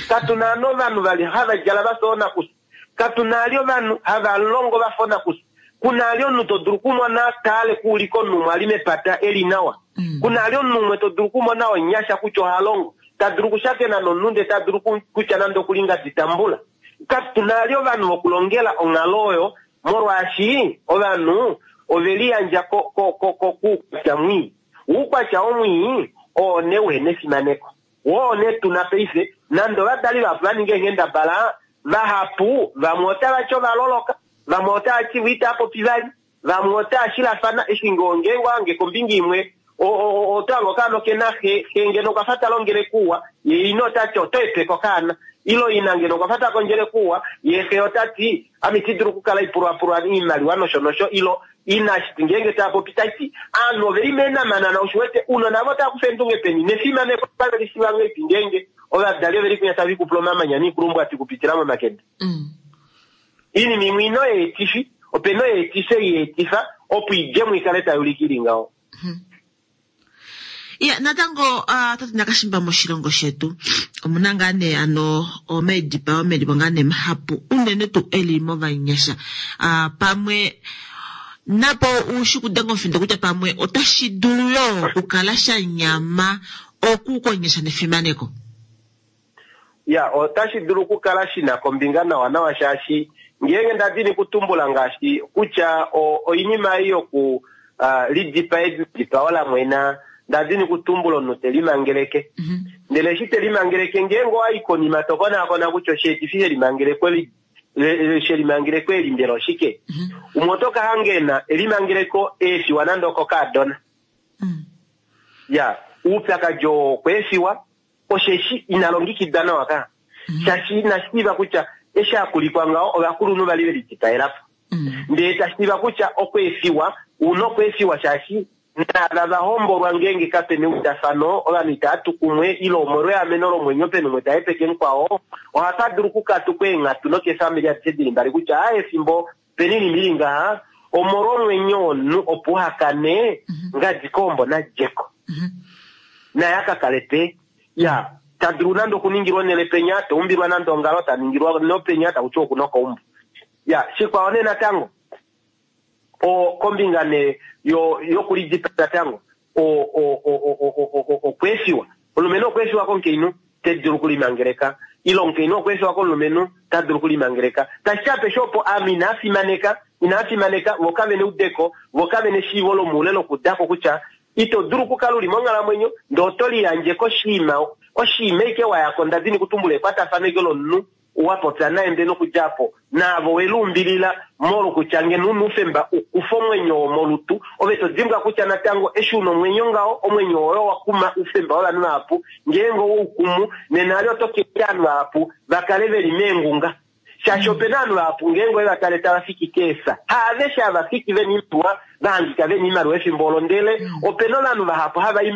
Katuna ali ovanhu vali hava djala vafa oonakusa. Katuna ali ovanhu hava longo vafa oonakusa. Kuna ali omunhu to dulu okumona taale kuulika omunhu umwe ali mepata eli nawa. Mm. Kuna ali omunhu umwe to dulu okumona onyasha kutya oha longo. Ta dulu okushakena nomunhu ndee ta dulu kutya nande okulinga ditambula. Katuna ali ovanhu vokulongela onghalo oyo, molwaashi ovanhu ove liyandja ko, ko, ko, ko, kuukwatya mwii. Uukwatya omwii oo nee uhena efimaneko. Woo nee tuna paife, nande ovadali vahapu va ninga eenghendabala, vahapu vamwe otava ti ovaloloka, vamwe otava ti vo itava popi vali, vamwe otava shilafana, eshi ngeenge ohange kombinga imwe, oto hange okaana okena xe, xe ngeno okwafa ta longele kuwa, ye ina ota ti oto epeka okaana. Ilo ina ngeno okwafa ta kondjele kuwa, ye xe ota ti ame iti dulu okukala ipulwapulwa oimaliwa nosho nosho, ilo ina shiti ngeenge tava popi tati aanhu oveli meenamanana, oshiwete ounona vo otava kufa eendunge peni nefimaneko otave li shiva ngahelipi ngeenge ovadali oveli kwinya tava ikupula omamanya niikulumbwati okupitila momakende. Mm. Iinima imwe ino yeetifi, opena oyeetifi ei yeetifa opo idjemo ikale tai ulike ili ngaho. Mm-hmm. Ya, natango uh, tate Nakashimba moshilongo shetu omuna ngaa nee ano omaidipao melipo ngaa nee mahapu unene tuu eli movanyasha. Uh, pamwe Napo ushi kudenga omufindo kutya pamwe otashi dulu yoo okukala sha nyama okukonyesha nefimaneko. Ya, otashi dulu okukala shina kombinga nawa nawa shaashi ngeenge ndadini kutumbula ngaashi kutya oinima ei yoku uh, lidipa edipao la mwena ndadini kutumbula omunhu te limangeleke. Mm-hmm. Ndele eshi te limangeleke ngeenge owayi konima to konaakona kutya osheetifi shelimangeleko shelimangeleko eli mbela oshike. Mm-hmm. Umwe oto ka hanga ena elimangeleko eefiwa nande okokaadona. Mm. Ya, oupyakadi oo okweefiwa osheshi ina longekidwa nawa ka. Mm-hmm. Shaashi ina shiiva kutya eshi akulikwa ngaho ovakulunhu vali ve lidipaelapo. Mm. Ndele tashiiva kutya okweefiwa una okweefiwa shaashi naava vahombolwa ngeenge kapena eudafano ovanhu itava tu kumwe ile omolwa eameno lomwenyo pena umwe tahepeke mukwao ohapa dulu okukatukwa eenghatu nokeefamili adishe dili mbali kutya aa efimbo pena oinima ili ngaha omolwa omwenyo womunhu opo uhakane ngadi koombo nadjeko. Mm-hmm. Naye akakale pe ya tadulu nande okuningilwa onhele penya taumbilwa nande ongalo taningilwa nopenya takutiwa okuna okaumbo. Ya, shikwao nee natango o kombinga ne yo yokulidipa natango o o o o o okweefiwa omulumenhu okweefiwa komukainhu tedulu okulimangeleka ile omukainhu okweefiwa komulumenhu tadulu okulimangeleka. Tashi apeshe opo ame inaa fimaneka inaa fimaneka vo kavena eudeko vo kavena eshiivo lomoule lokudako kutya ito dulu okukala uli monghalamwenyo ndee oto liyandje koshiima oshiima ike wayako ndadini kutumbula ekwatafano ike lomunhu wapopya naye ndee nokudjapo naavo weluumbilila molwokutya ngeno una oufemba ukufe omwenyo womolutu ove todimbwa kutya natango eshi una omwenyo ngaho omwenyo woye owakuma oufemba wovanhu vahapu ngeenge owoukumu nena ali oto keeta ovanhu vahapu vakale veli meengunga shaashi opena ovanhu vahapu ngeenge ove vatale tava fiki keesa haaveshe hava fiki vena oimaliwa vahangika vena oimaliwa efimbo olo ndele opena ovanhu vahapu hava i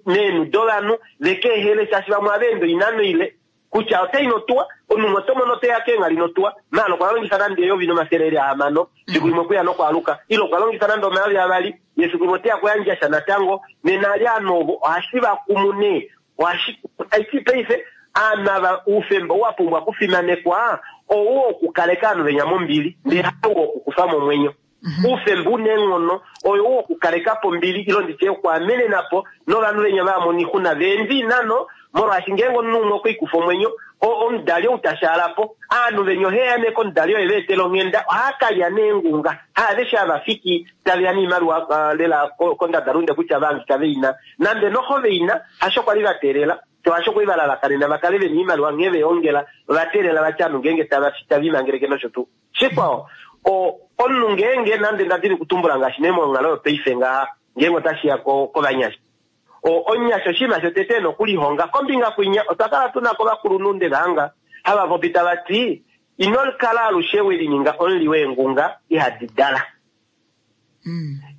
meenhu dovanhu vekeehele shaashi vamwe ohava ende oinano ile kutya otai notuwa omunhu oto mono oteya keenghali notuwa maala okwa longifa nande eyovi nomafele eli ahamano fiku limwe okuya nokwaaluka ile okwa longifa nande omayovi avali ye fiku limwe oteya kuyandja sha natango nena ali ovanhu ovo ohashi vakumu nee ohashi aiti paife aanhu ava oufemba ou wapumbwa okufimanekwa ou wokukaleka ovanhu venya mombili ndele hau wokukufa momwenyo. Oufemba una eenghono oyo ou wokukalekapo ombili ile nditye okwaamenenapo novanhu venya vamona oixuna veende oinano molwaashi ngeenge omunhu umwe okweikufa omwenyo omudali ou tashaalapo aanhu venya oheya nee komudali oye veetela onghenda ohaakalya neengunga haaveshe hava fiki taveya noimaliwa lela kondadalunde kutya vahangika veina nande noho veina hasho kwali vateelela hasho kwali valalakanena vakale vena oimaliwa nghee veongela ovateelela vati ovanhu ngeenge tavimangeleke nosho tuu. Shikwao omunhu ngeenge nande ndadini kutumbula ngaashi nee monghalo yopaife ngaha ngeenge otashiya kovanyasha omunyasha oshinima shotete ena okulihonga kombinga kwinya otwa kala tuna kovakulunhu nde vahanga hava popi tava ti ino kala alushe welininga omuli weengunga ihadi dala.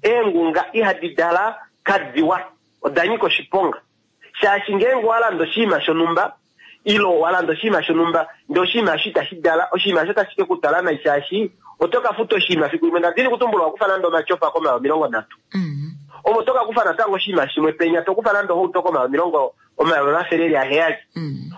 Eengunga ihadi dala kadiwa oda nyika oshiponga shaashi ngeenge owalanda oshinima shonhumba ile owalanda oshinima shonhumba ndee oshinima osho itashi dala oshinima osho otashi ke kutwala nai shaashi oto ka futa oshinima fiku limwe ndadini kutumbula owakufa nande omatyofa komayovi omilongo nhatu omo oto ka kufa natango oshinima shimwe penya tokufa nande ohauto komayovi omilongo omayovi omafele eli aheyali.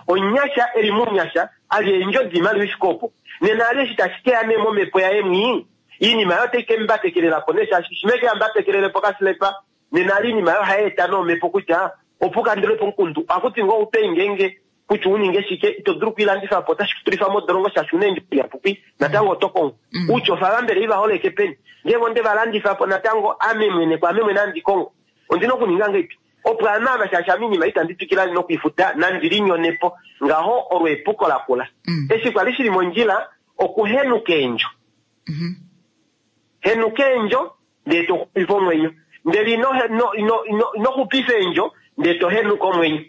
Omunyasha eli muunyasha ali eendjodi imaliwa ifike opo nena ali eshi tashi keya nee momhepo yaye mwii iinima yayo otai kembatekelelapo nee shaashi shimwe keyambatekelelepo kasilepa nena ali iinima yayo ohayeeta noomhepo kutya opo ukandulepo omukundu ohakuti ngoo upei ngeenge kutya uninge shike ito dulu okuilandifapo otashi kutulifa modolongo shaashi una eendjodi ihapuki natango oto kongo outyofa vambele ivaholeke peni ngeenge onde valandifapo natango ame mwene kwaame mwene handi kongo ondina okuninga ngeipi opo ame ava shaashi ame oinima itandi twikila nokuifuta nandi linyonepo ngaho olo epuko lakula. Eshi kwali shili mondjila okuhenuka eendjo. Henuka eendjo ndee toxupifa omwenyo ndele ino ino xupifa eendjo ndee tohenuka omwenyo.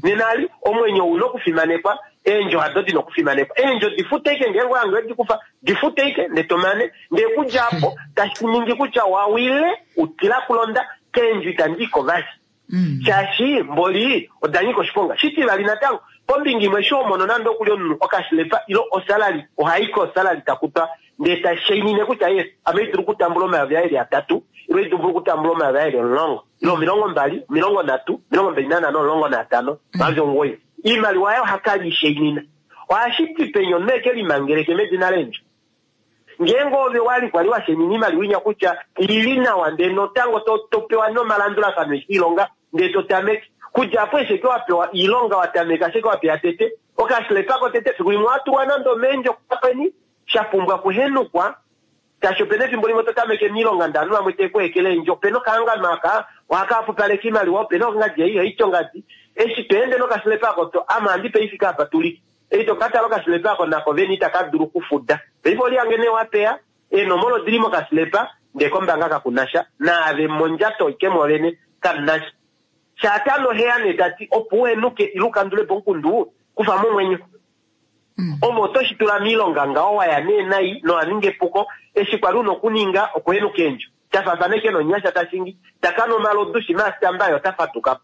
Nena ali omwenyo ouna okufimanekwa eendjo hado dina okufimanekwa eendjo difute ike ngeenge owange wedikufa difute ike ndee tomane ndee kudja apo tashi ningi kutya wawile utila kulonda keendjo itandi iko vali shaashi mboli oda nyika oshiponga. Shitivali natango kombinga imwe eshi omono nande okuli omunhu okashilepa ile osalali ohai kosalali takutwa ndee tashainine kutya yes ame idulu okutambula omayovi aeli atatu ile idulu okutambula omayovi aeli omulongo ile omilongo mbali omilongo nhatu omilongo mbali nanhano omulongo naatano omayovi omugoyi oimaliwa yayo ohakala ishainina ohashi ti penya omunhu eke limangeleke medina leendjo Ngeenge ove wali kwali washenina iimaliwa inya kutya ili nawa ndee notango to, to pewa nomalandulafano eshi ilonga ndee to tameke. Kudja apo esheke wapewa iilonga watameka sheke wapewa tete okasilepako tete fiku limwe watulwa nande omeendjo kapeni shapumbwa okuhenukwa tashi opena efimbo limwe to tameke miilonga ndee ovanhu vamwe teku ekele eendjo opena okahangano aka ohakapupaleka iimaliwa opena ongadi ei haiti ongadi eshi toende nokasilepako to ama handi peifika apa tuli ei tokatala okasilepa ako nako veni itaka dulu okufuda paife olihange nee wapeya eenomola odili mokasilepa ndee kombanga kakunasha naave mondjato ike mwovene kamunasha shaatano heya nee tati opo uhenuke ile ukandulepo omukundu kufa momwenyo omo oto shi tula miilonga ngaho waya nee nai nowaninga epuko eshi kwali una okuninga okuhenuka eendjo tafafaneke nonyasha tashingi takana omalodu shima asitamba yo otafadukapo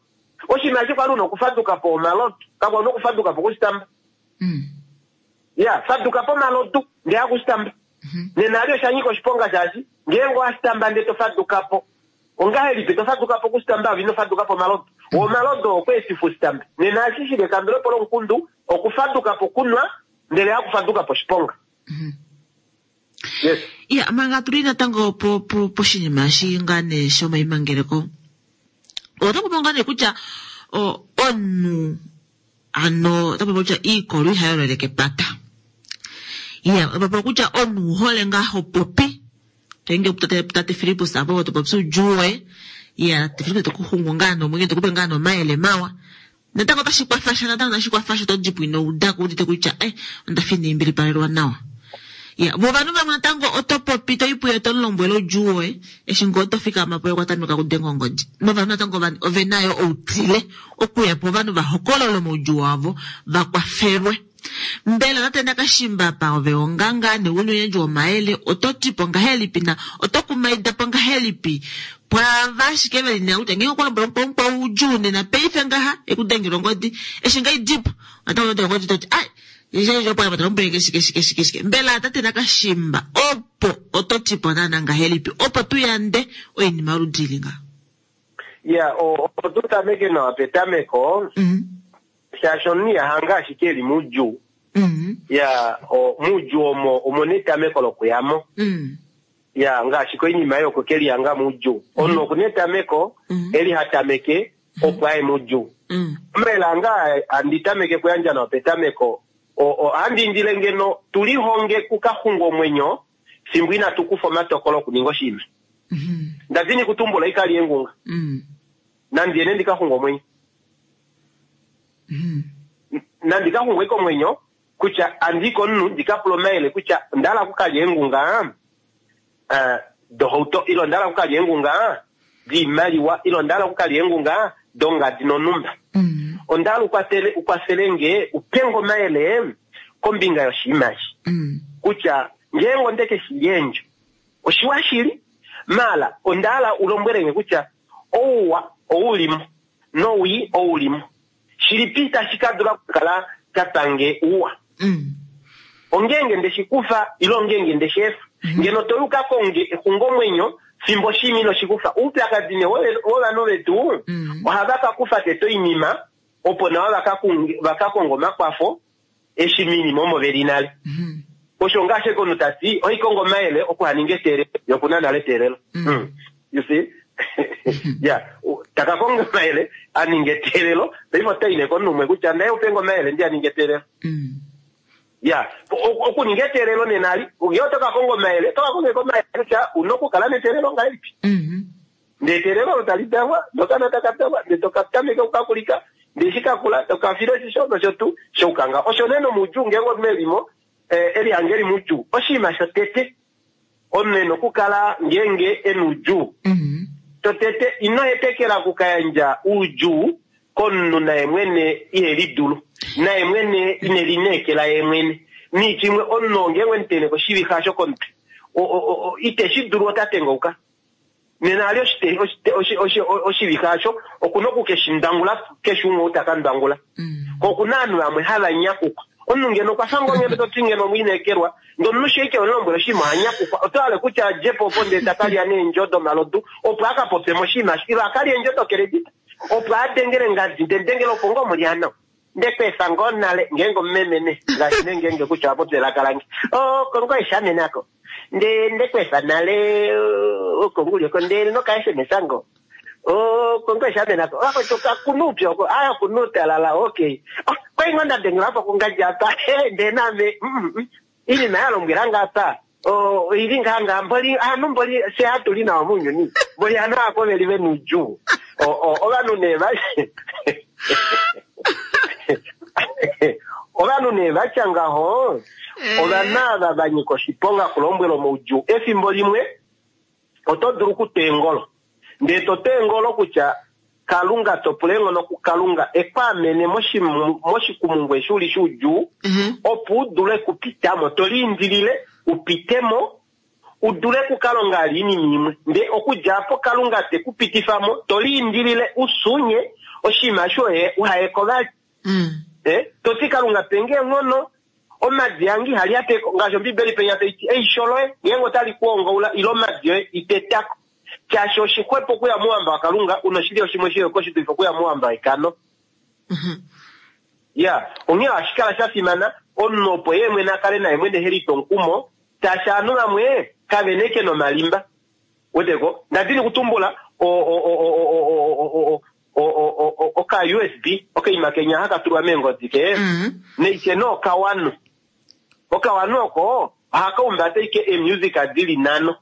oshinima eshi kwali una okufadukapo omalodu kakwa una okufadukapo okusitamba Mm. ya fadukapo omalodu ndee akusitamba nena ali oshanyika oshiponga shaashi ngeenge owasitamba ndee tofadukapo ongahelipi tofadukapo okusitamba ove ino fadukapo omalodu omalodu okweetifa usitambe nena ashi shili ekandulepo lomukundu okufadukapo okunwa ndele hakufadukapo oshiponga. Yes. Ya manga tuli natango po po poshinima eshi ngaa nee shomaimangeleko ota popi ngaa nee kutya o- omunhu ano ota popi kutya iikolo ihayi lolele kepata. Ya ota popi kutya omunhu ouhole ngaa ho popi toinge tate tate Filippus apo topopi oudjuu woye ya tate Filippus tokuxungu ngaa nomwenyo tokupe ngaa nomayele mawa natango otashi kwafasha natango otashi kwafasha to dipo ino udako udite kutya eh ondafa ina imbilipalelwa nawa. Ya vo ovanhu vamwe natango oto popi toipuye tomulombwele oudjuu woye eshi ngoo tofikama po okwatameka okudenga ongodi novanhu natango ovenayo outile okuya po ovanhu vahokolole omaudjuu wavo vakwafelwe. Mbela tate Nakashimba pa ove onganga neunuyandji womayele oto tipo ngahelipi na oto kumaida po ngahelipi pwaava ashike veli nena kutya ngeenge okwa lombwela mukwao mukwao oudjuu nena paife ngaha ekudengela ongodi eshi nga idipo natango oto ongodi toti ai shike shike shike mbela tate Nakashimba opo oto tipo naana ngahelipi opo tuyande oinima yoludi ili nga. Ya opo tutameke nawa petameko shaashi omunhu ihahanga ashike eli muudjuu ya muudjuu omo omuna etameko lokuyamo ya ngaashi koinima ei oko kelihanga muudjuu omunhu okuna etameko eli hatameke opo aye muudjuu. Omayele ange handi tameke kuyandja nawa petameko ohandi indile ngeno tulihonge kukaxunga omwenyo fimbo inatu kufa omatokolo okuninga oshinima. Ndadini kutumbula ikali engunga nandi ene ndikaxunga omwenyo nandi kaxunga ike omwenyo kutya andiko omunhu ndikapula omayele kutya ondahala okukalya engunga dohauto ile ondahala okukalya engunga diimaliwa ile ondahala okukalya engunga dongadi nonumba. Ondahala ukwatele ukwafelenge upenge omayele kombinga yoshinima eshi kutya ngeenge ondeke shili eendjo oshiwa shili mala ondahala ulombwelenge kutya ouwa oulimo nowii oulimo shilipi tashi kadula okukala kapange uwa ongeenge ndeshikufa ile ongeenge ndesheefa ngeno toyuka konge exungomwenyo fimbo shimi inoshikufa oupyakadi nee wovanhu vetu ohava kakufa tete oinima opo nawa vakakonga omakwafo eshi minima omo veli nale. Osho ngaashi omunhu tati oikonga omayele okuhaninga eteelelo yokuna nale eteelelo. You see? Ya takakonga omayele aninge eteelelo paife otaine komunhu umwe kutya naye upenga omayele ndi aninge eteelelo. Ya okuninga eteelelo nenali ngee otokakonga omayele otokakonga omayele kutya una okukala neteelelo ngahelipi ndee eteelelo olo tali dalwa nokana takadalwa ndee tokatameka okukakulika ndee eshi kakula tokafila oshisho nosho tuu shoukanga. Osho nee nomuudjuu ngeenge omunhu elimo elihange eli muudjuu oshinima shotete omunhu ena okukala ngeenge ena oudjuu totete ino hetekela okukayandja oudjuu komunhu naye mwene ihelidulu naye mwene inelineekela ye mwene niitya omunhu ngeenge wemutene koshivixa shokomutwe iteshi dulu ota tengauka nena ali oshivixa asho okuna okukeshindangula keshe umwe ou taka ndangula ko okuna ovanhu vamwe hava nyakukwa omunhu ngeno okwafa ngoo ngeno toti ngeno omwiinekelwa ndee omunhu sheike omulombwele oshinima oha oto hale kutya adjepo opo ndee takalya neendjo domalodu opo akapopye moshinima ile akalye eendjo dokeredita opo adengele ngadi ndee dengele opo ngoo mulyano ndekweefa ngoo nale ngeenge omumemene ngaashi nee ngeenge kutya wapopya elaka lange o kongo eshamenako Nde ndekwefa nale okonguli oko ndele noka S M S ngo. Okongo eshamena ko. Vakwetu kakuna upyu oko. Ah, okuna utalala, okay. Ah, kwai ngo ndadengela po kungadja apa. Ndee naame inima ya lombwela nga apa. Oili ngaa ngaa mboli anu mboli se hatu li nawa mounyuni. Mboli anu ako veli ve noudjuu. Ovanhu nee va ovanhu nee vatya ngaho ovanhu ava va nyika oshiponga kulombwela omaudjuu. Efimbo limwe oto dulu okutwa eengolo ndee to twa eengolo kutya Kalunga to pula eenghono kuKalunga ekwaamene moshikumungu eshi uli shoudjuu, opo u dule okupitamo, to liindilile upitemo u dule okukalonga ali oinima imwe. Ndee okudja apo Kalunga te ku pitifa mo, to liindilile usunye oshinima shoye uhayeko vali. Eh, to ti Kalunga penge eenghono, omadi ange ihali ateko, ngaashi Ombibeli penya tai ti, eisho loye ngeenge otali ku ongaula ile omadi oye itetako. Shaashi oshixwepo okuya mouhamba waKalunga, una oshilyo shimwe sheyoko shi dulife okuya mouhamba wekano. Ya, onghee ohashi kala sha fimana omunhu opo ye mwene a kale naye mwene he litwa omukumo, shaashi ovanhu vamwe kave na eke nomalimba. Weteko? Ndadini kutumbula oka U S B, okaima kenya haka tulwa meengodi ke, neike nee okawanu. Okawanu oko ohaka umbata ike eemusic dili nhano.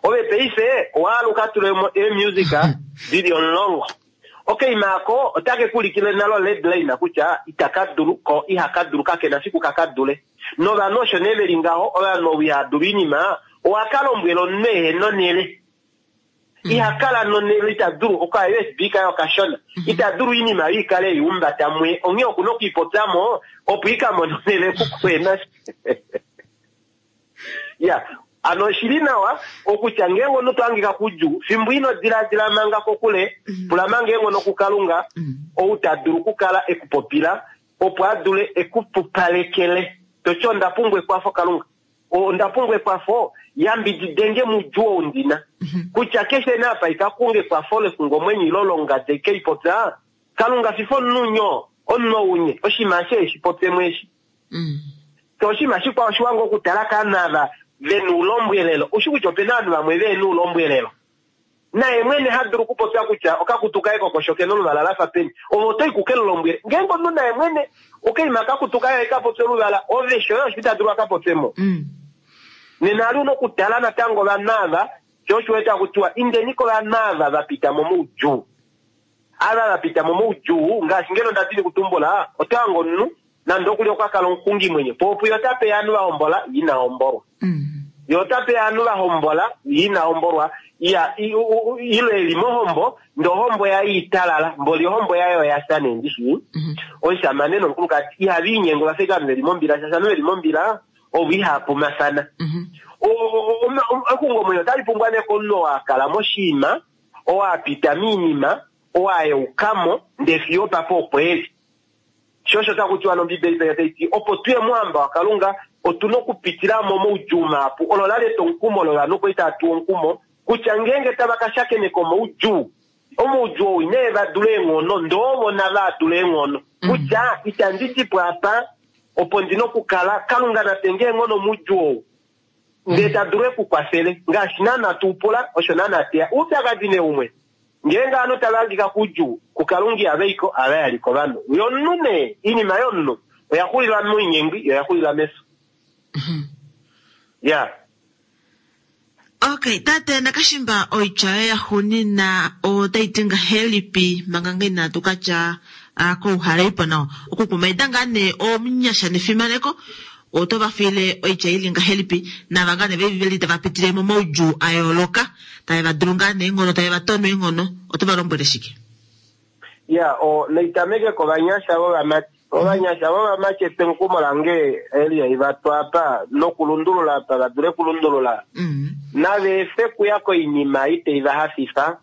Ove paife owaaluka tulemo eemusic dili omulongo. Okaima ako otake kuulikile nalo red line kutya itaka dulu ko ihaka dulu kakena fiku kaka dule. Novanhu osho nee veli ngaho, ovanhu ovo iha dulu oinima, owaka lombwela omunhu eheno nele. Iha kala nonele, ita dulu oka U S B kaye okashona. Ita dulu oinima oyo ikale ei umbata muye. Onghee okuna okuipopyamo opo ika mone onele kukwena. Ya, ano oshili nawa okutya ngeenge omunhu to hangika kudjuu, fimbo ino diladila manga kokule, pula manga eenghono kuKalunga, ou ta dulu okukala e ku popila, opo a dule e ku pupalekele. To ti onda pumbwa ekwafo Kalunga, onda pumbwa ekwafo, yambididenge mudjuu ou ndina. Kutya keshe nee apa ika kunga ekwafo lexungomwenyo ile longade ike i popya, Kalunga fifa omunhu nyo, omunhu ounye, oshinima ashe eshi popyemo eshi. To oshinima shikwao oshiwa ngoo okutala kaanhu ava ve na ulombwelelo. Ushi kutya opena ovanhu vamwe ve na ulombwelelo. Naye mwene ha dulu okupopya kutya okakutu kaye kokosho kena oluvala lafa peni. Ove oto i kuke lulombwele. Ngeenge omunhu naye mwene okaima kakutu kaye ka popye oluvala, ove shoye osho ita dulu aka popye mo. Nena ali una okutala natango ovanhu ava, sho osho wete hakutiwa indeni kovanhu ava va pita mo moudjuu. Ava va pita mo moudjuu, ngaashi ngeno nda dini kutumbula, oto hange omunhu nande okuli okwa kala omuxungimwenyo, po opo ota pe ovanhu va hombola, ye ina hombolwa. Ye ota pe ovanhu va hombola, ye ina hombolwa. Ya, i, u, u, ile eli mohombo, ndee ohombo yaye italala, mboli ohombo yaye oya fya nee ndishi. Omushamane nomukulukadi ihava inyengo va fika ovanhu veli mombila, shaashi ovanhu veli mombila ovo ihava pumafana. Exungomwenyo otali pumbwa nee komunhu oo a kala moshiima, oo a pita moinima, oo a yeukamo, ndee fiyo opapa opo eli. Sho osho taku tiwa nOmbibeli penya tai ti, opo tuye mouhamba waKalunga, otu na okupitila mo moudjuu mahapu. Olo la li etwomukumo lovanhu kwali tava tuwa omukumo kutya ngeenge tava ka shakeneka omaudjuu, omaudjuu ou inee va dula eenghono, ndee ovo nava dula eenghono. Kutya itandi di po apa, opo ndi na okukala, Kalunga na pe nge eenghono moudjuu ou, ndee ta dulu e ku kwafele. Ngaashi naana tu pula, osho naana teya. Oupyakadi nee umwe, ngeenge ovanhu tava hangika koudjuu, kuKalunga ihava i ko, ohava yali kovanhu. Yomunhu nee, oinima yomunhu oya xulila moinyengwi, yo oya xulila mefyo. Ya. Okay, tate Nakashimba, oitya yoye ya xunina otai ti ngahelipi manga nge inatu ka tya kouhaleipo nawa? Okukumaida ngaa nee omunyasha nefimaneko, oto va fiile oitya ili ngahelipi, nava ngaa nee veli tava pitile momaudjuu a yooloka, tave va dulu ngaa nee eenghono, tave va tono eenghono, oto va lombwele shike? Ya, o, naitameke kovanyasha vovamati. Ovanyasha vovamati etengumo lange Elia iva twa apa nokulundulula apa va dule kulundulula. Nava efe kuya koinima ei tai va hafifa,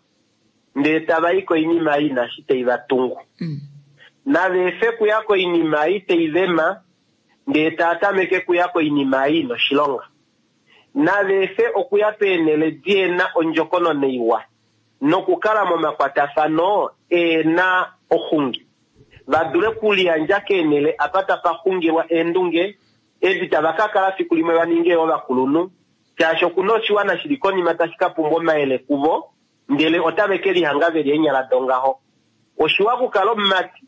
ndee tava i koinima ei inashi tai va tungu. Nava efe kuya koinima ei tai vema, ndee tava tameke kuya koinima ei ina oshilonga. Nava efe okuya peenhele diena ondjokonona iwa, nokukala momakwatafano eena oxungi. Va dule okuliyandja keenhele apa tapa xungilwa eendunge, edi tava ka kala fiku limwe va ninge ovakulunhu, Shaashi okuna oshiwana shili konima tashi ka pumbwa omayele kuvo, ndele otave ke lihanga veli eenyala dongaho. Oshiwa okukala omumati,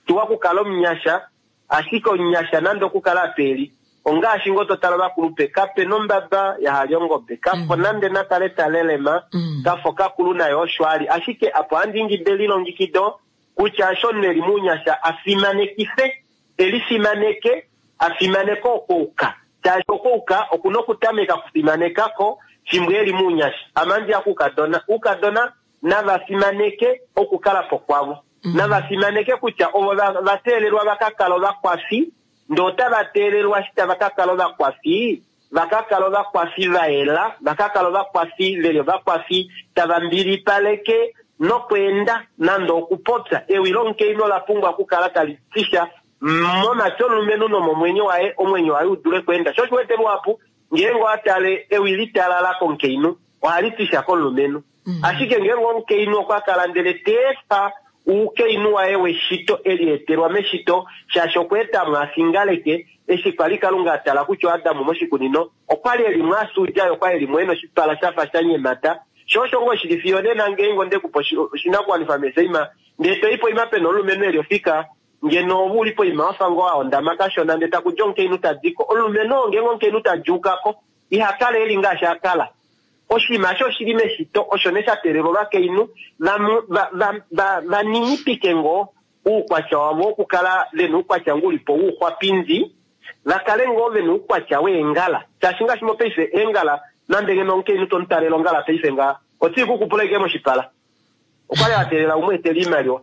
oshiwa okukala omunyasha, ashike omunyasha nande okukala apeli ongaashi ngoo totala ovakulupe kape nombaba yahali ongobe, kafo nande nakale talelema, kafo kakulu naye osho ali. Ashike apo handi ingide elilongekido kutya osho omunhu eli muunyasha afimanekife, elifimaneke, afimaneke okouka. Shaashi okouka okuna okutameka okufimanekako fimbo eli muunyasha. Ame handi ya kuukadona, uukadona nava fimaneke okukala po kwavo. Nava fimaneke kutya ovo va teelelwa va ka kala ovakwafi, ndee otava teelelwa eshi tava ka kala ovakwafi, va ka kala ovakwafi va yela, va ka kala ovakwafi veli ovakwafi tava mbilipaleke nokweenda nande okupopya. Ewi lomukainhu ola pumbwa okukala tali tisha momatwi omulumenhu nomomwenyo waye, omwenyo waye u dule kweenda. Sho osho wete luhapu ngeenge owa tale ewi litalala komukainhu ohali tisha komulumenhu. Ashike ngeenge omukainhu okwa kala ndele ta efa oukainhu waye weshito elietelwa meshito, shaashi okwa eta mo afingaleke, eshi kwali Kalunga a tala kutya Adamu moshikunino okwali eli mo asuudja, ye okwali eli mo ena oshipala shafa sha nyemata. Sho osho ngoo shili fiyo nena ngeenge onde kupa oshinakuwanifa meseima, ndee toi poima pena omulumenhu eli ofika, ngeno ove uli poima wafa ngoo a ondama kashona, ndee takudja omukainhu tadiko. Omulumenhu oo ngeenge omukainhu tadjuukako iha kala eli ngaashi a kala. Oshinima osho oshili meshito, osho nee sha teelelwa ovakainhu va ninipike ngoo oukwatya wavo wokukala vena oukwatya ngoo ulipo wouxwapindi, va kale ngoo vena oukwatya weengala. Shaashi ngaashi mopaife eengala, nande ngeno omukainhu tomutalele ongala paife ngaa, otii ku kupula ike moshipala. Okwali a teelela umwe etele oimaliwa.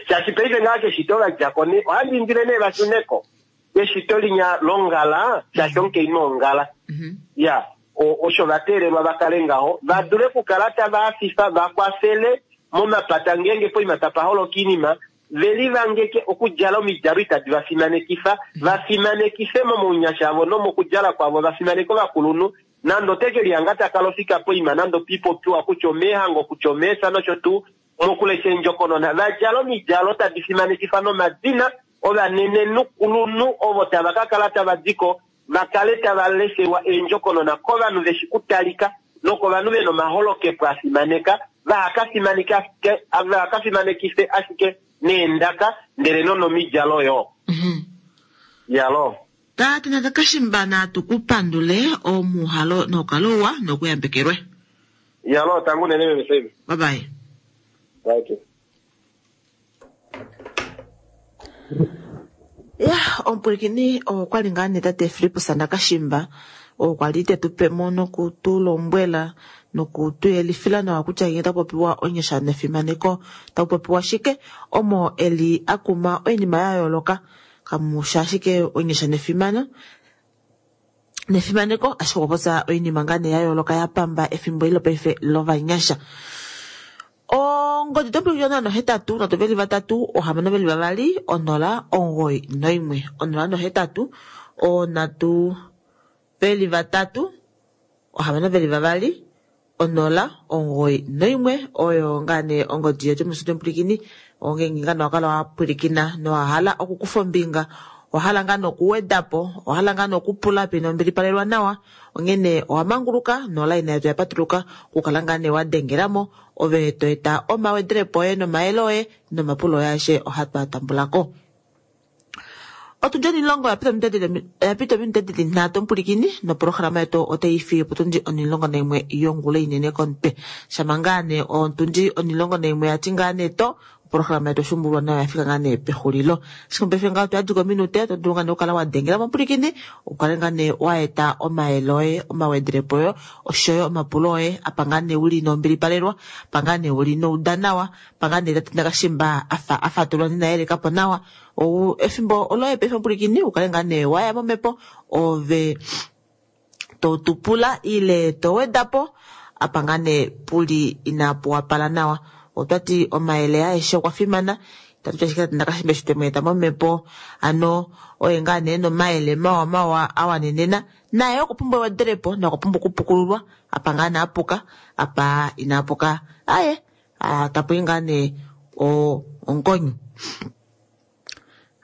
Shaashi paife ngaa keshito va djako nee, ohandi indile nee va shuneko keshito linya longala, shaashi omukainhu ongala. Ya, osho va teelelwa va kale ngaho, va dule okukala tava hafifa, va kwafele momapata ngeenge poima tapa holoka oinima, ve livangeke okudjala omidjalo itadi va fimanekifa, va fimanekife momaunyasha avo nomokudjala kwavo, va fimaneke ovakulunhu. Nande oteke lihanga taka lofika poima, nande opipopiwa kutya omeehango, kutya omeesa nosho tuu, mokulesha eendjokonona, va djala omidjalo tadi fimanekifa nomadina ovanenenhu ovo tava ka kala tava diko, va kale tava leshelwa eendjokonona kovanhu veshi kutalika nokovanhu vena omaholokepo a fimaneka, vaha ka fimanekife ashike neendaka ndele nonomidjalo yo. Yalo. Tate Nakashimba natu kupandule omuhalo nokalowa nokuyambekelwe. Yalo, tangu nene meme Save. Bye bye. Bye. Ya, omupulikini okwali ngaa nee tate Filippus Nakashimba, okwali tetupe mo nokutulombwela nokutuyelifila nawa kutya ngee takupopiwa onyasha nefimaneko takupopiwa shike, omo eli akuma oinima ya yooloka. Kamusha ashike onyasha nefimano nefimaneko, ashike okwa popya oinima ngaa nee ya yooloka ya pamba efimbo eli lopaife lovanyasha. Ongodi tompwilikina nohetatu nhatu veli vatatu ohamano veli vavali onola omugoyi noimwe onola nohetatu onhatu veli vatatu ohamano veli vavali onola omugoyi noimwe oyo ngaa nee ongodi yetu mustudio mpwilikini. Ongeenge ngaa nowakala wapwilikina nowahala okukufa ombinga, owahala ngaa nokuwedapo, owahala ngaa nokupula pena ombilipalelwa nawa, onghene owamanguluka nolaina yetu yapatuluka okukala ngaa nee wadengelamo ove to eta omawedelepo oye nomayele oye nomapulo oye aeshe ohatu a tambulako. Otundi onilongo yapita ominute dili nhatu omupulikini noprograma yetu otai fiyo potundi onilongo naimwe yongula inene komutwe. Shama ngaa nee otundi onilongo naimwe yati ngaa nee to oprograma yetu oshumbulwa nayo yafika ngaa nee pexulilo. Ashike mopaife ngaho toyadika ominute oto dulu ngaa nee okukala wadengela momupulikini ukale ngaa nee waeta omayele oye, omawedelepo oye oshoyo omapulo oye apa ngaa nee uli nombilipalelwa, apa ngaa nee uli nouda nawa, apa ngaa nee tate Nakashimba afa afatulwa ninayelekapo nawa. Ou efimbo oloye paife omupulikini ukale ngaa nee waya momhepo ove totupula ile towedapo apa ngaa nee puli inapu wapala nawa. Otwati omayele aeshe okwa fimana, itatu ti ashike tate Nakashimba eshi twemweeta momhepo ano oye ngaa nee nomayele mawa mawa awanenena, naye okwa pumbwa ewedelepo nokwa pumbwa okupukululwa apa ngaa nee apuka, apa inapuka aye tapuyi ngaa nee ongonyo.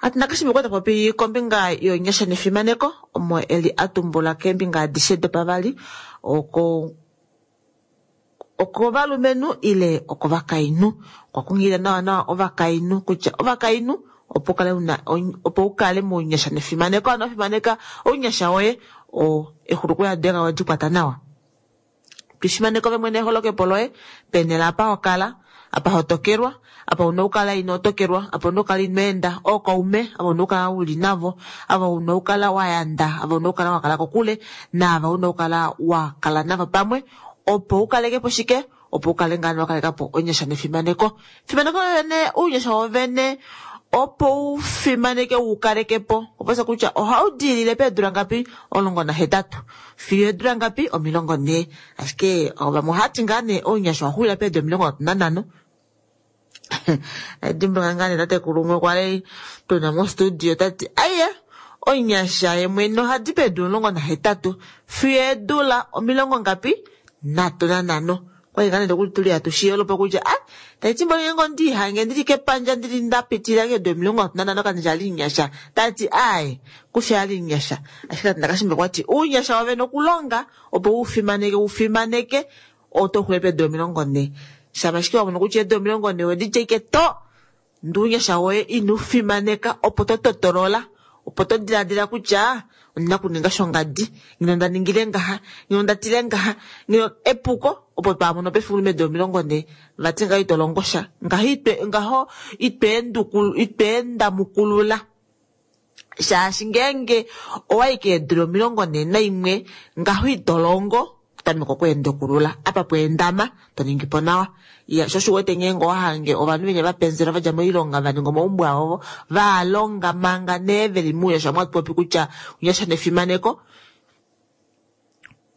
Tate Nakashimba okwa popi kombinga yonyasha nefimaneko omo eli atumbula keembinga adishe dopavali oko okovalumenhu ile okovakainhu. Okwa kunghilila nawa nawa ovakainhu kutya ovakainhu opo ukale una opo ukale mounyasha nefimaneko, ano fimaneka ounyasha woye o exuluko yadenga wadi kwata nawa. Twifimaneka ove mwene eholokepo loye penela apa hokala, apa hotokelwa, apa una okukala ino tokelwa, apa una okukala ino enda, ookaume ava una okukala uli navo, ava una okukala wayanda, ava una okukala wakala kokule, naava una okukala wakala navo pamwe, opo ukalekepo shike, opo ukale ngaa wakalekapo onyasha nefimaneko. Fimaneko vene, ounyasha wovene opo ufimaneke ukalekepo, oposa kutya ohaudilile peedula ngapi, omulongo nahetatu fiyo eedula ngapi, omilongo nhee. Ashike vamwe ohati ngaa nee ounyasha owaxulila peedula omilongo nhatu nanhano. Dimbuluka ngaa nee tatekulu umwe kwali tuna mostudio tati aiye onyasha yemwene ohadi peedula omulongo nahetatu fiyo eedula omilongo ngapi, nhatu nanhano. Kwali ngaa nee nokuli tuli hatu kutya ah tati mboli ngeenge ondiihange ndili kepandja ndili ndapitilila keedula omilongo nhatu nanhano kandja ali nyasha, tati aye kusha ali nyasha. Ashike tate Nakashimba okwati uunyasha wovene okulonga opo ufimaneke ufimaneke oto xule peedula omilongo nhee. Shama ashike wamona kutya eedula omilongo nhee wedi tyeke to ndee ounyasha woye inofimaneka opo to totolola, opo to diladila kutya ondina okuninga shongadi, ngeno nda ningile ngaha, ngeno nda tile ngaha, ngeno epuko opo twamono pefimbo meedula omilongo nhee vati ngaho ito longo sha, ngaho itwe ngaho itweendamukulula. Shaashi ngeenge owayi keedula omilongo nhee naimwe ngaho ito longo, totameke okweendekulula apa pweendama to ningipo nawa. Ya sho osho uwete ngeenge owahange ovanhu venya vapenzela vadja moilonga vaninga omaumbo avo valonga manga nee veli mounyasha omo hatu popi kutya ounyasha nefimaneko.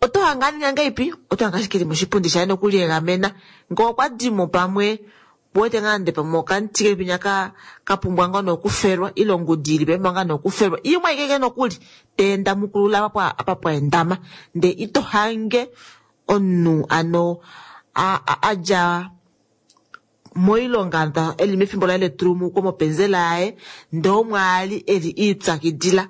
Oto hange aninga ngahelipi? Oto hange ashike eli moshipundi shaye nokuliegamena. Ngee okwa dimo pamwe uwete ngaa nande pamwe okamuti keli penya ka kapumbwa ngoo nokufelwa ile ongudi ili penya ngaa nokufelwa imwe ashike nokuli teenda mukulula apa apa pwaendama, ndee ito hange omunhu ano adja moilonga eli mefimbo laye letulumuko mopenzela yaye ndee omwe ali eli ipyakidila.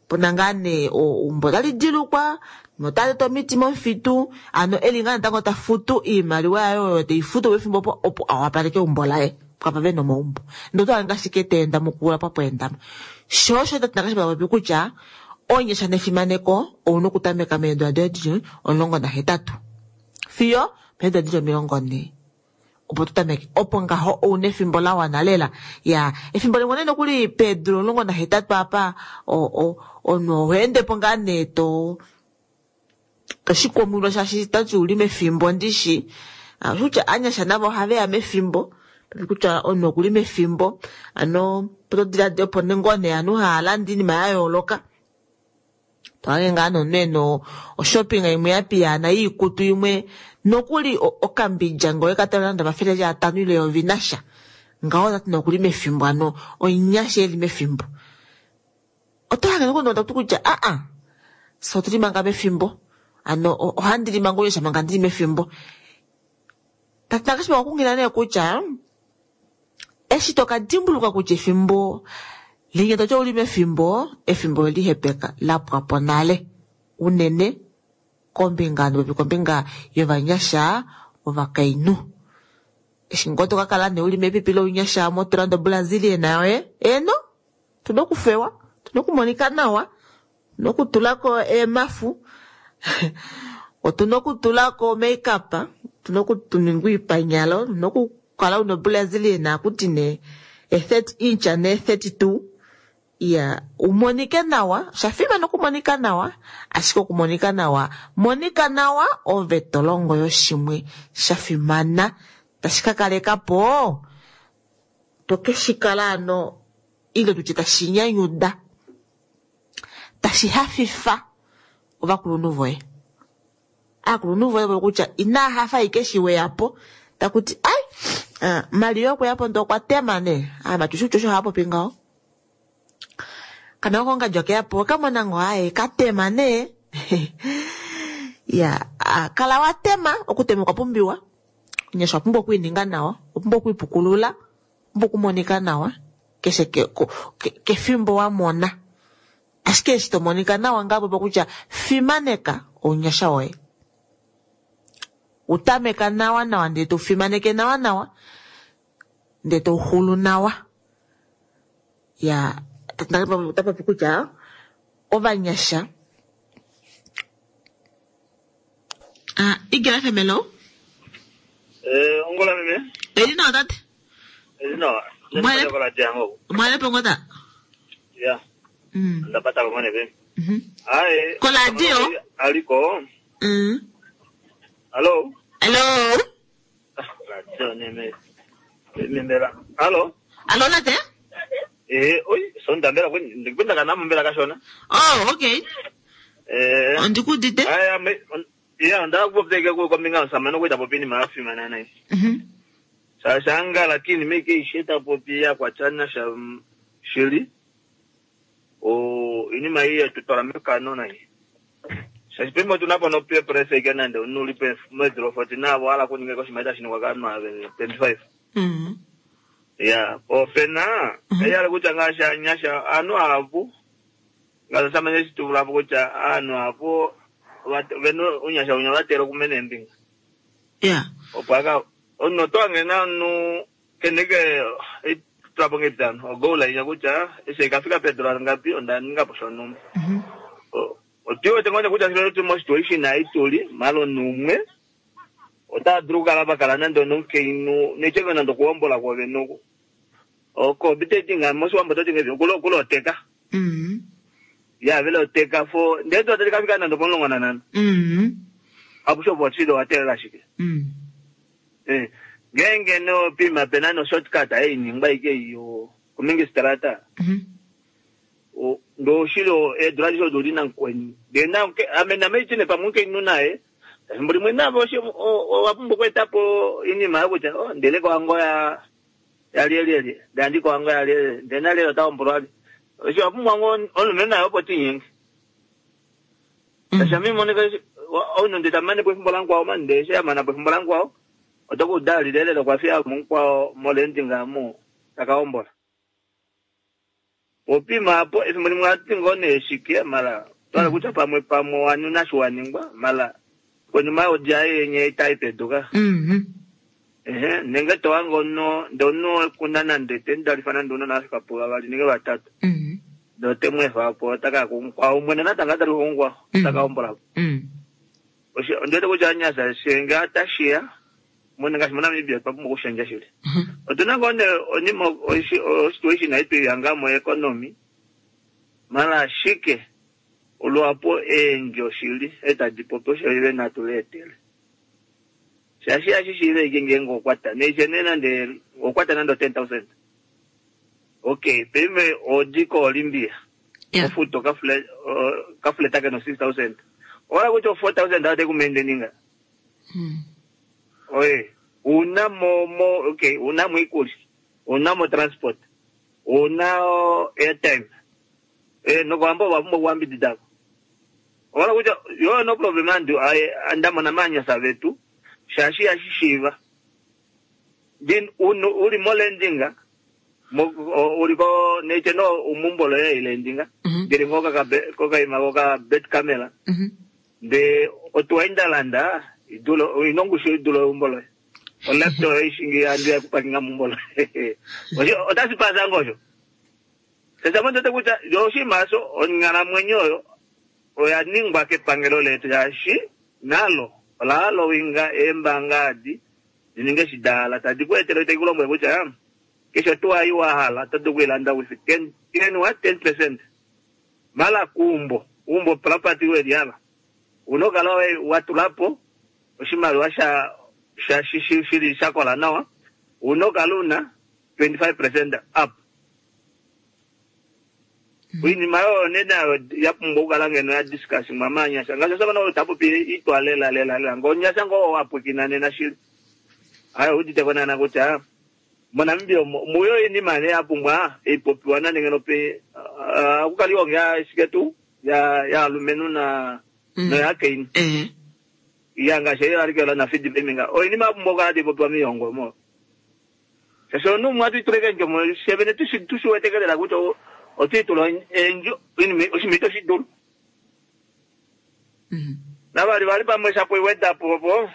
Puna ngaa nee eumbo otali dilukwa notali omiti momufitu, ano eli ngaa natango tafutu iimaliwa yaye oyo teifutu pefimbo opo opo awapaleke eumbo laye pwapa vena omaumbo. Ndee oto hange ashike teenda mukula pwapweendama. Sho osho tate Nakashimba popi kutya onyasha nefimaneko ouna okutameka meedula doye dili omulongo nahetatu fiyo peedula dili omilongo nhee opo tutameke, opo ngaho ouna efimbo la wana lela. Ya efimbo limwe nee nokuli peedula omulongo nahetatu apa omunhu oho ngaa nee to toshikwamwilwa shaashi tati uli mefimbo ndishi. Kutya anyasha navo ohaveya mefimbo, kutya omunhu okuli mefimbo ano todiladila opo ngoo nee ovanhu hava landa oinima ya yooloka. Tohange ngaa nomunhu ena oshopping imwe ya piyaana yiikutu imwe nokuli okambidja ngee oweka landa omafele eli atano ile eyovi nasha ngaho tati nokuli mefimbo ano onyasha eli mefimbo. Oto hange nokuli tatu kutya aa fye otuli manga mefimbo, ano ohandi li manga ounyasha manga ndili mefimbo. Tate Nakashimba okwa kunghilila nee kutya eshi toka dimbuluka kutya efimbo linya toti ouli mefimbo, efimbo olihepeka lapwapo nale unene kombinga nopopi kombinga yovanyasha ovakainhu. Eshi ngoo tokakala nee uli mepipi lounyasha motolanda oBrazilian yoye, eno tuna okufewa, tuna okumonika nawa, tuna okutulako eemafu, otuna okutulako makeup, tuna okuninga oipanyalo, tuna okukala una oBrazilian akuti nee e thirty inch ne thirty two. Ya umonike nawa, oshafimana okumonika nawa, ashike okumonika nawa, monika nawa ove tolongo yoshimwe shafimana tashi ka kalekapo tokeshikala ano ile tutye tashi nyanyuda tashi hafifa ovakulunhu voye. Aakulunhu voye voye kutya inaa hafa ashike eshi weyapo takuti ai Maria okweyapo ndee okwa tema nee aamati osho osho haapopi ngaho. Kana kongadji okeyapo okamona ngoo aye katema nee. Ya kala watema, okutema okwa pumbiwa. Onyasha owa pumbwa okwiininga nawa, owa pumbwa okwiipukulula, owa pumbwa okumonika nawa. Keshe ke, ke, kefimbo wa mona. Ashike eshi to monika nawa ngaa popa kutya fimaneka ounyasha woye. Utameka nawa nawa ndee to fimaneke nawa nawa ndee to xulu nawa. Ya tapopi kutya ovanyasha ah Eagle F M hello. Eh ongola meme. Eli nawa tate. Eli nawa. Mwale mwale pongota. Ya. Mm. Ndapata kwa mwane be. Mhm. Aye. Koladio. Aliko. Mm. Hello. Hello. Radio neme. Membela. Hello. Hello nate. Eh, oi, sonda mbela kweni ndikupenda kana mbela kashona. Oh, okay. Eh. Ondikudite. Aya me ya ndakupoteka kwa minga samano kuita popini maafi manana. Mhm. Sashanga lakini meke isheta popi ya kwa chana sha shili. O inima hii tutora mekano na hii. Sasipembo tunapo no peer pressure ikena nde unulipe mwezi forty na wala kuninga kwa shimaita shini kwa kanu twenty-five. Mhm. Ya, opena eyali kutya ngasha nyasha anu apo ngasamanye situvulapo kutya anu apo venu unyasha unya vatela kumene embinga. Yeah. Opo aka ono twangena nu keneke itulapo ngebitano ogola inya kutya ese ikafika pedro ngapi onda ningapo shonuma. Mhm. Otiwe tengoja kutya shilo tumo situation aituli malo numwe otadulu kukala pakala nande onomukainhu nechenge nande okuhombola kwove noku oko bitetinga moshiwambo totinga kuloteka. Mhm. Ya vele oteka fo ndee totati kafika nande pomulongo nanhano. Mhm. Apo watilo watelela shike. Mhm. Eh ngenge no pima pena no shortcut ainingwa ike iyo kumingi strata. Mhm. O ndo shilo edula lisho dolina nkweni. Ndena amena meitine pamuke naye. Mbuli mwina voshi wapumbwa kuetapo inima kutya oh ndele kwango ya ya lielieli ndandi kwango ya lieli ndena lelo taombolwa oshi wapumbwa ngo olume nayo opo tinyingi. Sasa mimi moneka ono nditamane pefimbo langu ao mande shama pefimbo langu ao otokudali lelelo kwafia munkwao molendinga mu takaombola. Opima apo efimbo limwe atingo neshike mala twala kutya pamwe pamwe wanu nashiwaningwa mala kwenuma odya yenye itaipeduka. Mhm. Ehe nenge towango no ndono kuna nande tendalifana ndono nafika po vavali nenge vatatu. Mhm. Ndotemwefa apo taka kwa umwene natanga tali kungwa takaombola. Mhm. Oshe ndete kutya nyasa shenga tashiya mwene ngashi mona Namibia papumbwa kushendja shili. Otuna ngone onima situation aitu yangamo economy mala shike olwapo endjo shili etadipopo shili natuletele. Shashi ashishile ikenge ngokwata neche nande okwata nando ten thousand. Okay, pime odiko Olimpia. Yeah. Ofuto kafule kafule take no six thousand. Ora kucho four thousand ate kumendeninga. Mm. Oye, una mo mo okay, una mo ikuli. Una mo transport. Una airtime. Eh no kwamba wambo wambididako. Ora kucho yo no problem andu andamona manya savetu. Shashi ashishiva. Then unu uli molendinga. Mo uli ko neche no umumbolo ya ilendinga. Ndiri ngoka ka koka ima koka bet camera. Mhm. De otwaindalanda idulo inongusho idulo umbolo. Olapto ishingi andu ya kupakinga mumbolo. Osho otasipaza ngosho. Sasa mtu tekuta yoshi maso ongala mwenyoyo oyaningwa kepangelo letu yashi nalo olalo winga embangadi dininge shidala tadikwetela itekulomwe kutya kesho tuwayiwa hala tatukwilanda with ten ten what ten percent mala kumbo umbo property weliala unokala watulapo oshimaliwa sha sha shili shakola nawa unokala una twenty-five percent up. Inima yo nena yapumbwa okukala ngeno ya discuss mamanyasha ngasho sabana otapopi itwalela lela lela ngonyasha ngo wapwikina nena shili ayo udite konana kutya moNamibia muyo inima ne yapumbwa ipopiwa nande ngeno pe akukaliwa nge shiketu ya ya alumenu na no yakaini Eh. ya ngasho yo alikela na feed beminga o inima yapumbwa okukala tipopiwa miyongo mo Shaashi omunhu umwe ohatu itula eendjo shevene tushi wete lela kutya otu itula eendjo oshinima ito shi dulu. Navali vali pamwe shapo iwedapo opo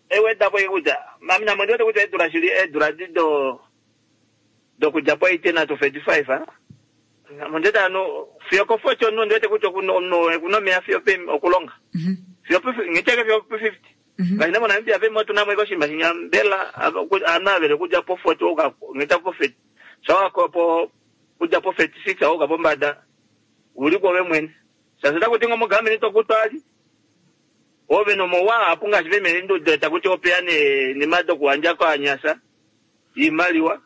ewedapo kutya mami namo ndiwete kutya eedula shili eedula di do dokudja po eighteen to thirty five namo ndiwete ano fiyo ko forty omunhu ndiwete kutya okuna omeya fiyo okulonga fiyo ngiteke fiyo po fifty ngaashi ne moNamibia pemo otuna mo oshinima shinya mbela ovanhu avele okudja po forty ngita po thirty shawako po kudja po thirty six auka pombada uli kwoove mwene shaashi otakuti ngo mogameni tokutwali ove nomowa apu ngaashi vemeenduda takuti opeya nemadi okuhandja koanyasa iimaliwa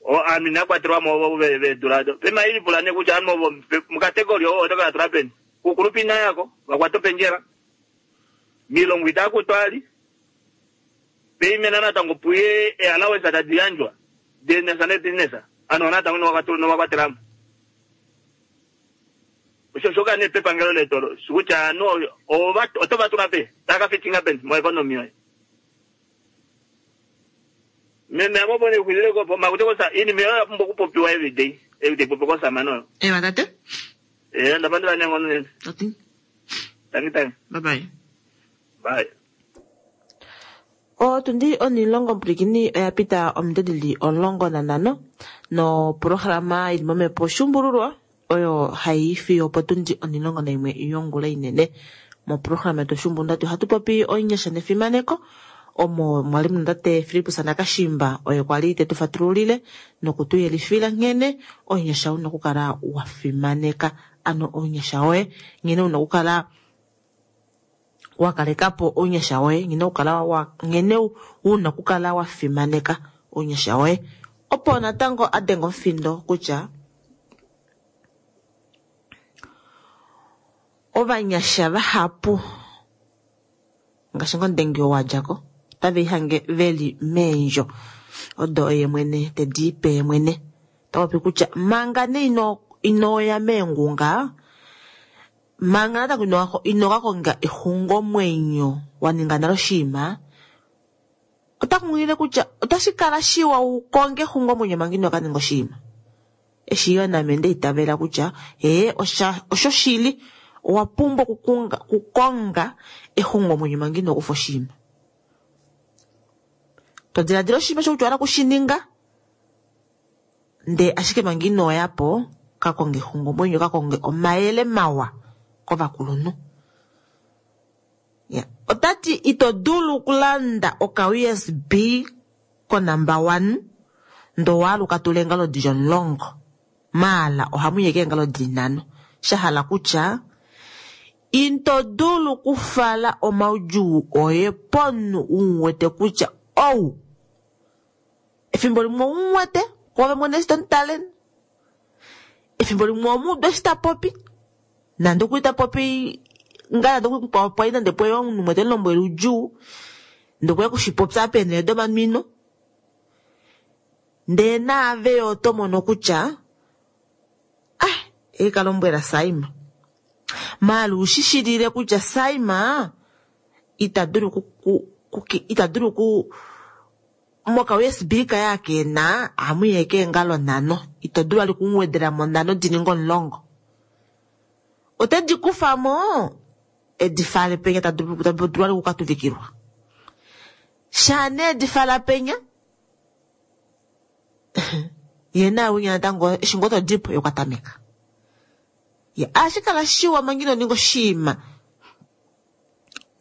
ovanhu inakwatelwamo ovo veedula do pema ilipula ne kutya ovanhu ovo mukategori ovo otokala tula peni kukulupa inayako vakwata opendjela milongo itakutwali peimena natango puye eallowance tadi yandjwa denesa nebusiness ano natango novakwatelamo osho shoka ne pepangelo letu olo kutya ovanhu oto vatula pe takafitinga peni moeconomy yoye meme amopone kuxwilile kopo makuti kosa iinima oyo yapumbwa okupopiwa everyday everyday popi kosamana oyo ewa tate ee ndapandula neenghono nene tati tangi tangi bye bye bye. Otundi onilongo mpwilikini oya pita omudedili omulongo nanhano nopolohalama ili momhepo Shuumbululwa oyo hai fiyo potundi onilongo naimwe yongula inene. Mopolohalama yetu Shuumbululwa ohatu popi oinyasha nefimaneko omo mwali muna tate Filippus Nakashimba oye kwali tetu fatululile nokutuyelifila nghene oinyasha una okukala wa fimaneka ano oinyasha woye nghene una okukala wakalekapo ounyasha woye nghene ukala wa nghene una okukala wa fimaneka ounyasha woye opo natango adenga omufindo kutya ovanyasha vahapu ngaashi ngomudengi oo wadjako otave lihange veli meendjo odo oye mwene tedi ipe ye mwene tapopi kutya manga nee ino inoya meengunga manga natango inokakonga exungomwenyo waninga nale oshinima ota kunghilile kutya otashi kala shiwa ukonge exungomwenyo manga inokaninga oshinima. Eshi yo name ndeitavela kutya ee osho shili owa pumbwa okukunga kukonga exungomwenyo manga inokufa oshinima. To diladila oshinima shokutya owahala okushininga ndee ashike manga inoyapo kakonge exungomwenyo kakonge omayele mawa kovakulunhu. Ya otati ito dulu okulanda oka U S B ko number one ndo waaluka tula eengalo dili omulongo maala ohamu yeke eengalo dili nhano shahala kutya ito dulu okufala omaudjuu oye pomunhu umuwete kutya ou efimbo limwe oumuwete kwoove mwene eshi tomutale efimbo limwe omuudu eshi tapopi nande okuli tapopi ngaa nande okuli nande pweya omunhu umwe temulombwele oudjuu ndee okweya okushipopya peenhele domanwino ndee naave yo oto mono kutya ah eikalombwela Saima maala ushishilile kutya Saima ita dulu ku ita dulu ku moka U S B kaye akena ohamu yeke eengalo nhano ito dulu vali okumuwedela mo nhano di ninge omulongo otedi kufamo edi fale penya tadulu vali okukatuvikilwa shaa nee edi fala penya ye nawinya natango eshi ngoo todipo yokatameka ye ashikala shiwa manga ino ninga oshinima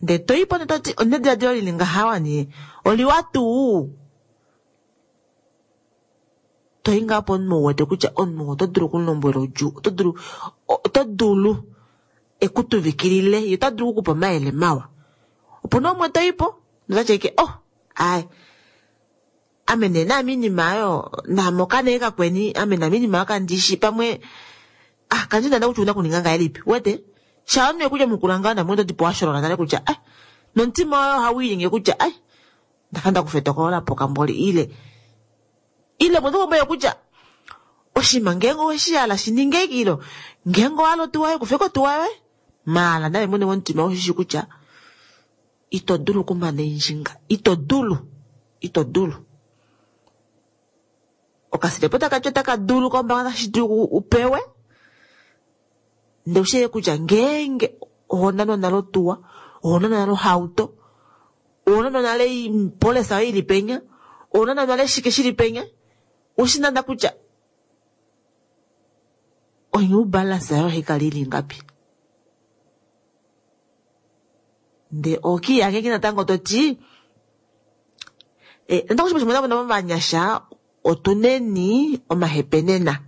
ndee toipo ndee toti onediladilo lili ngaha wani oliwa tuu toyi ngaa pomunhu uwete kutya omunhu oto dulu okumulombwela oudjuu oto dulu oto dulu ekutuvikilile ye ota dulu okukupa omayele mawa opuna umwe toyipo notati eke oh ai ame nee naame iinima oyo naame okanee kakweni ame naame iinima oyo kandishi pamwe ah kandi nda kutya una kuninga ngahelipi wete shaa omunhu ekuja mukula ngaho namwe todipo washolola nale kutya ai nomutima woye ohawiinyenge kutya ai ndafa ndakufa etokolo lapuka mboli ile ile mwene kumboye kutya oshinima ngeenge oweshihala shininge ilo ngeenge owahala otuwa yoye kufeko otuwa yoye maala naye mwene womutima oshishi kutya ito dulu okumana endjinga ito dulu ito dulu Okasilepo takati otaka dulu kombaanga tashi dulu upewe. Ndele ushiye kutya ngeenge oho nanwa nale otuwa, oho nanwa nale ohauto, oho nanwa nale polesa yoye ili penya, oho nanwa nale shike shili penya, ushi nana kutya onew balance yayo ohaikala ili ngapi. Nde okiiyange natango toti eh, natango shimwe shimwe navo vanyasha otuneni omahepenena.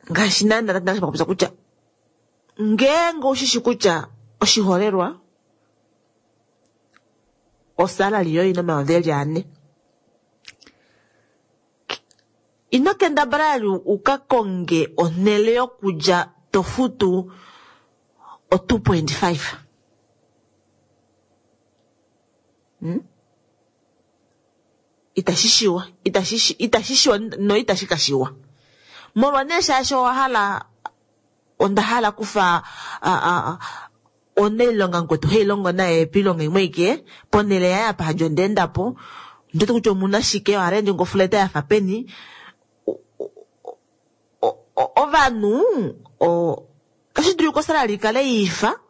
Ngaashi nana natango popya kutya ngeenge ushishi kutya oshiholelwa osalali yoye ina omayovi eli ane, ino kendabala uka konge onhele yokulya to futu o two point five. Hmm? Itashi shiwa, itashi itashi shiwa no itashi kashiwa. Molwa nee shaashi owa hala onda hala kufa a a onailonga nkwetu hailongo naye piilonga imwe ike ponhele yaye apa hadjo ndeendapo ndete kutya omuna shike oharendi ngofuleta yafa peni. Ovanhu otashi dulu osalali ikale ifa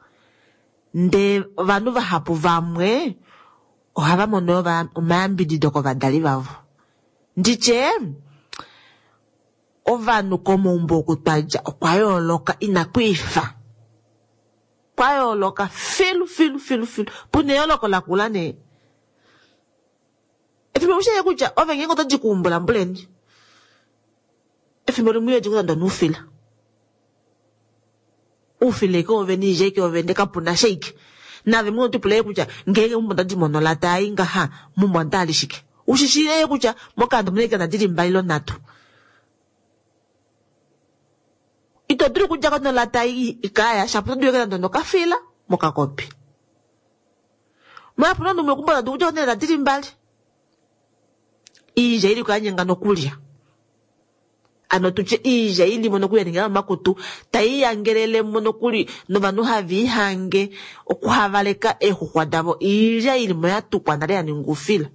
ndee ovanhu vahapu vamwe ohava mono omayambidido kovadali vavo. Nditye ovanhu komaumbo oku twadja okwa yooloka inakwiifa. Kwa yooloka filu filu filu filu. Puna eyooloko lakula nee. Efimbo ushiye kutya ove ngeenge oto di kuumbula mbuleni. Efimbo limwe iyo di nuufila. Uufila ike ove niije ike ove ndee kapuna sha ike. Nave mwe otipula kutya ngeenge mumbo ndadi mono lata ai ngaha mumbo ndali shike. Ushishile kutya mokando mune ike nadili mbali lo nhatu. Ito dulu kudja kono lata ikaya shapo to dulu nando nokafila mokakopi. Mwa puna numwe kumbo ndu kudja kono nadili mbali. Iija ili kuyanyenga nokulya. Ano tutye iija ili mono kuya makutu taiyangelele mono kuli novanhu haviihange okuhavaleka eexuxwa davo iilya ili mo yatukwa nale yaninga oufila.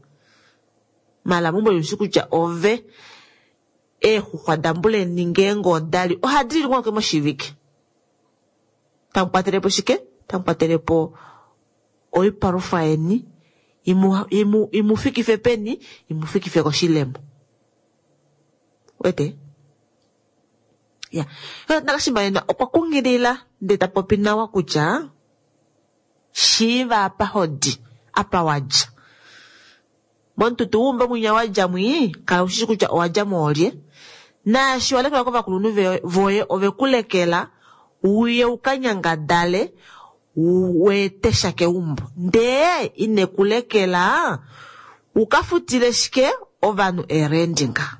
Mala mumbo yushi kutya ove eexuxwa dambuleni ngeenge odali ohadi li ngoo moshivike. Tamukwatelepo shike? Tamukwatelepo oipalufa yeni imu imu imufikife peni, imufikife koshilemo. Wete? Ya. Nakashimba okwa kungilila ndee ta popi nawa kutya shiiva apa hodi apa wadja. Momututu wumba mwinya wadja mwi kala ushishi kutya owadja moolye. Naashi walekelwa kovakulunhu voye ove kulekela uye ukanyangadale weetesha keumbo. Ndee ine kulekela ukafutile shike ovanhu erendinga.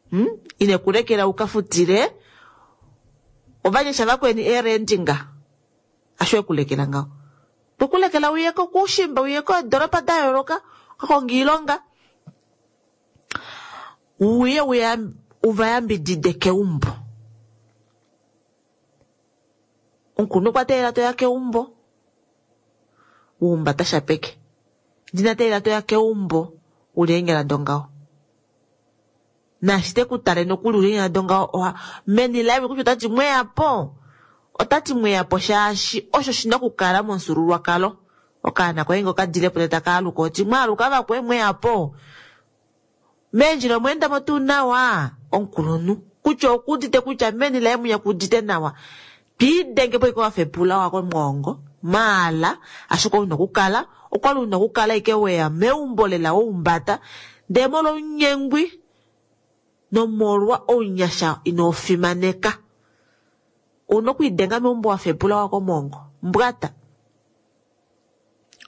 Hmm? Ine kulekela ukafutile ovanyasha vakweni erendinga. Asho ekulekela ngaho. Pokulekela uyeko kushimba uyeko doropa da yooloka kakonga iilonga uye uya uvayambidide keumbo. Omukulunhu okwa teelela toya keumbo uhumbata sha peke. Ndina teelela toya keumbo uli eenyala dongaho. Naashi tekutale nokuli uli eenyala dongaho oha meni laye kutya otati mweyapo. Otati mweyapo shaashi osho shina okukala momufyuululwakalo. Okaana koye nge okadilepo ndele taka aluka oti mwaaluka vakwe mweyapo. Meendjila omweendamo tuu nawa omukulunhu kutya okuudite kutya meni laye mwinya kuudite nawa. Twiidenge po ike wafepula wako mwoongo maala ashike ouna okukala okwali una okukala ike weya meumbo lela woumbata ndee molwa ounyengwi nomolwa ounyasha inofimaneka. Ouna okwiidenga meumbo wafepula wako mwoongo mbwata.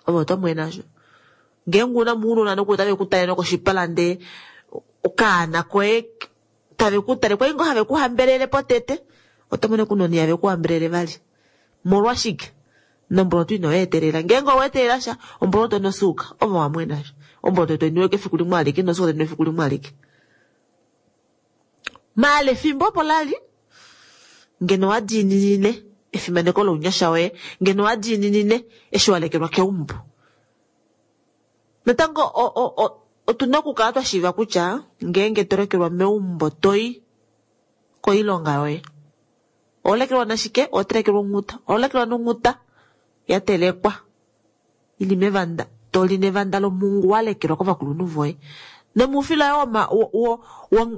Ove oto mwene asho. Ngeenge una muunona nokuli otave kutale nokoshipala ndee okaana koye tave kutale kwali ngoo have kuhambelele potete oto mono kunoni have kuhambelele vali. Molwashike? Nomboloto ino etelela. Ngeenge owa etelela sha omboloto nosuuka ove wamwena asho. Omboloto toiniwe kefiku limwe alike nosuuka toiniwe efiku limwe alike. Maala efimbo opo lali ngeno wadiininine efimaneko lounyasha woye, ngeno wadiininine eshi walekelwa keumbo. Natango Otuna okukala twa shiiva kutya ngeenge to lekelwa meumbo toi koilonga yoye. Oho lekelwa nashike? Oho telekelwa onghuta. Oho lekelwa nonghuta ya telekwa ili mevanda, to li nevanda lomungu wa lekelwa kovakulunhu voye. Nomoufila woma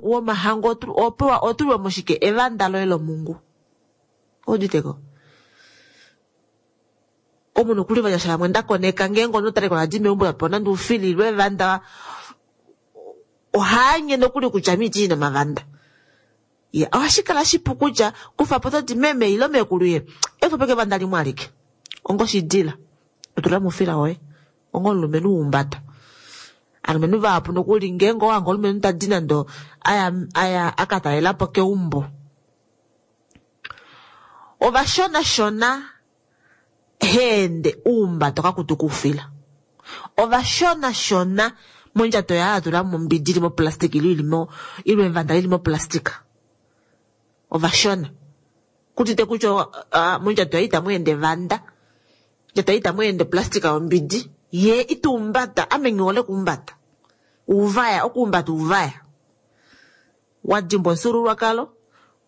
womahango opewa otulwa moshike evanda loye lomungu. Ouditeko. Omunhu kuli vanyasha vamwe ndakoneka ngeenge omunhu ta lekelwa adi meumbo lapewa nande oufila ile evanda ohaanye nokuli kutya miti ina mavanda. Ya, ohashi kala shipu kutya kufa po toti meme ile mekulu ye efo peke evanda limwe alike. Ongoshidila. Otula moufila woye. Ongo omulumenhu wumbata. Alumenhu vahapu nokuli ngeenge owange omulumenhu tadi nando aya aya akatalelapo keumbo. Ovashonashona heende uumbato kakutu kuufila. Ovashonashona mondjato yaye atula mombidi ili moplastic ile ili mo ile evanda lili moplastic. Ovashona. Kutite kutya uh, mondjato yaye itamu ende evanda. Mondjato yaye itamu ende plastic yombidi. Ye ituumbata ame ngihole kuumbata. Uvaya okuumbata uvaya. Wadimbwa omufyuululwakalo,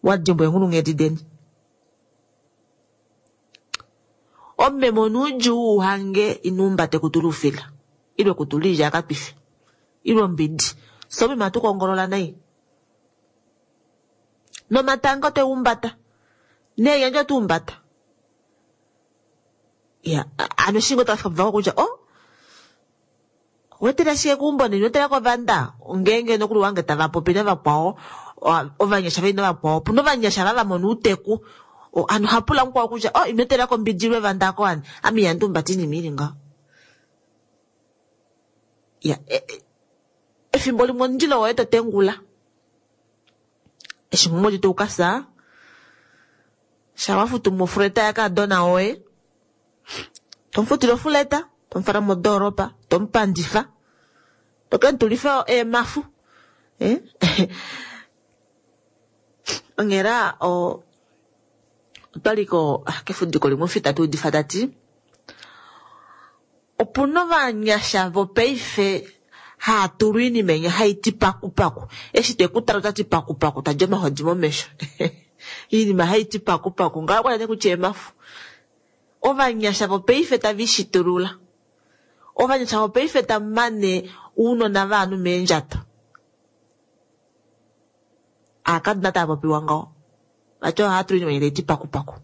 wadimbwa eenghulunghedi deni. Omumeme onuudjuu uhange inuumbate kutula oufila. Ile kutula oilya yakatwife. Ile ombidi. So omeme ohatu kongolola nai. Nomatanga oteumbata. Neenyandja otuumbata. Ya, ano shingo tafika puvako kutya oh wetela shike keumbo neni wetela kovanda ngeenge nokuli wange tava popi navakwao ovanyasha veli navakwao opuna ovanyasha va vamona outeku ano ohapula mukwao kutya oh ino etelako ombidi ile evanda ako ani ame ihandi humbata oinima ili ngaho. Ya, efimbo limwe omundilo woye to tengula eshi mumwe to ukafya sha wafutu mofuleta yakadona woye tomufutile ofuleta tomufala modoolopa tomupandifa tokemutulifa eemafu eh onghela o otwaliko kefudiko limwe ofita tuudifa tati opuna ovanyasha vopaife haatulwa oinima enya haiti pakupaku eshi tekutala otati pakupaku tadja omahodi momesho oinima haiti pakupaku ngaho kwali kutya eemafu. Ovanyasha vopaife tava ishitulula. Ovanyasha vopaife tamane ounona vaanhu meendjato. Aakadona tava popiwa ngaho. Vati ohava tula oinima taiti pakupaku.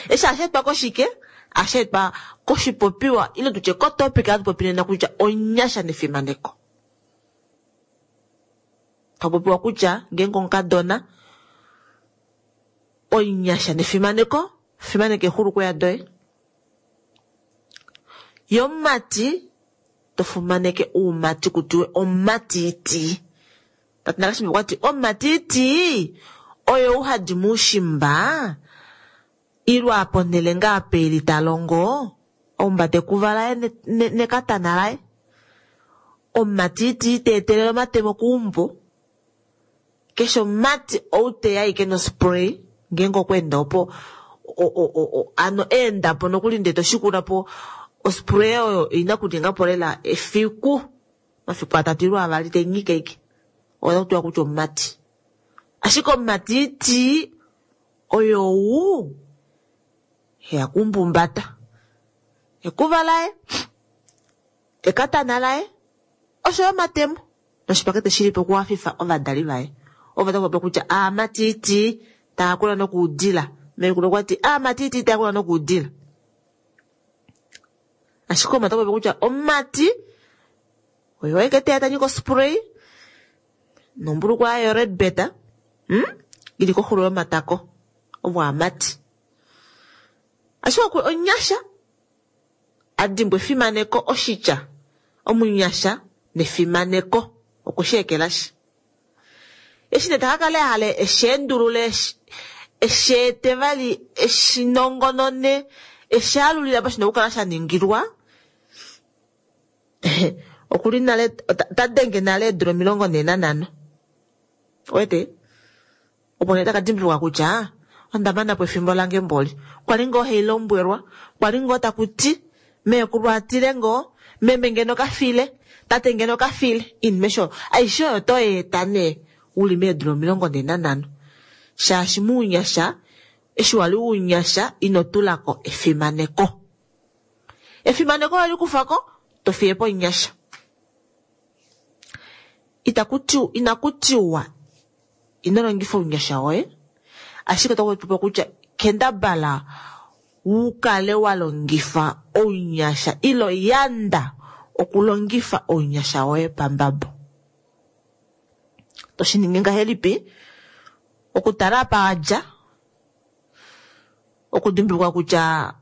Eshi ohashi etwa koshike? Ohashi etwa koshipopiwa ile tutye kotopic hatu popi nena kutya onyasha nefimaneko. Tapopiwa kutya ngeenge omukadona onyasha nefimaneko, fimaneka exulukweya doye. Yomumati tofumaneke uumati kutiwe omumatiti. Tati nakashimba okwati omumatiti oyo uhadi muushimba ilwa ponhele ngaa peli talongo omumbate ekuva laye nekatana laye. Omumatiti teetelele omatemo keumbo. Keshe omumati ou teya ashike nospray ngeenge okweenda opo ano eendapo nokuli ndee toshikula po ospray oyo ina kuningapo lela efiku mafiku atatu ile avali tenyike ike otakutiwa kutya omumati. Ashike omumatiti oyo ou heya kumbumbata ekuva laye ekatana laye oshoyo omatemo noshipakete shilipo okuhafifa ovadali vaye. Ovo tava kutya aamatiti taakula nokuudila. Mekulu okwati aamatiti taakula nokuudila. Ashike omata popi kutya omumati oyo eke teya tanyika ospray nombulukwa yayo red beta hmm? ili koxulo yomatako ovo aamati. Ashike onyasha adimbwa efimaneko oshitya omunyasha nefimaneko okweshi ekelashi. Eshi nee takakala ehale esheendulule esheete vali eshinongonone eshaalulila po shina okukala sha ningilwa okuli nale ota denge nale eedula omilongo nhee nanhano. Owete opo nee taka dimbuluka kutya onda mana po efimbo lange mboli. Kwali ngoo hailombwelwa, kwali ngoo taku ti meekulu atile ngoo meme ngeno kafile Tate ngeno kafile iinima aishe oyo toyeeta nee uli meedula omilongo nhee nanhano. Shaashi muunyasha eshi wali unyasha ino tulako efimaneko. Efimaneko wali kufako to fiyepo omunyasha. Itaku inakutiwa ino longifa ounyasha woye, ashike otaku kutya kendabala ukale wa longifa ounyasha ilo yanda okulongifa ounyasha woye pambabo. Toshiningi ngahelipi? Okutala apa wadja, okudimbuluka kutya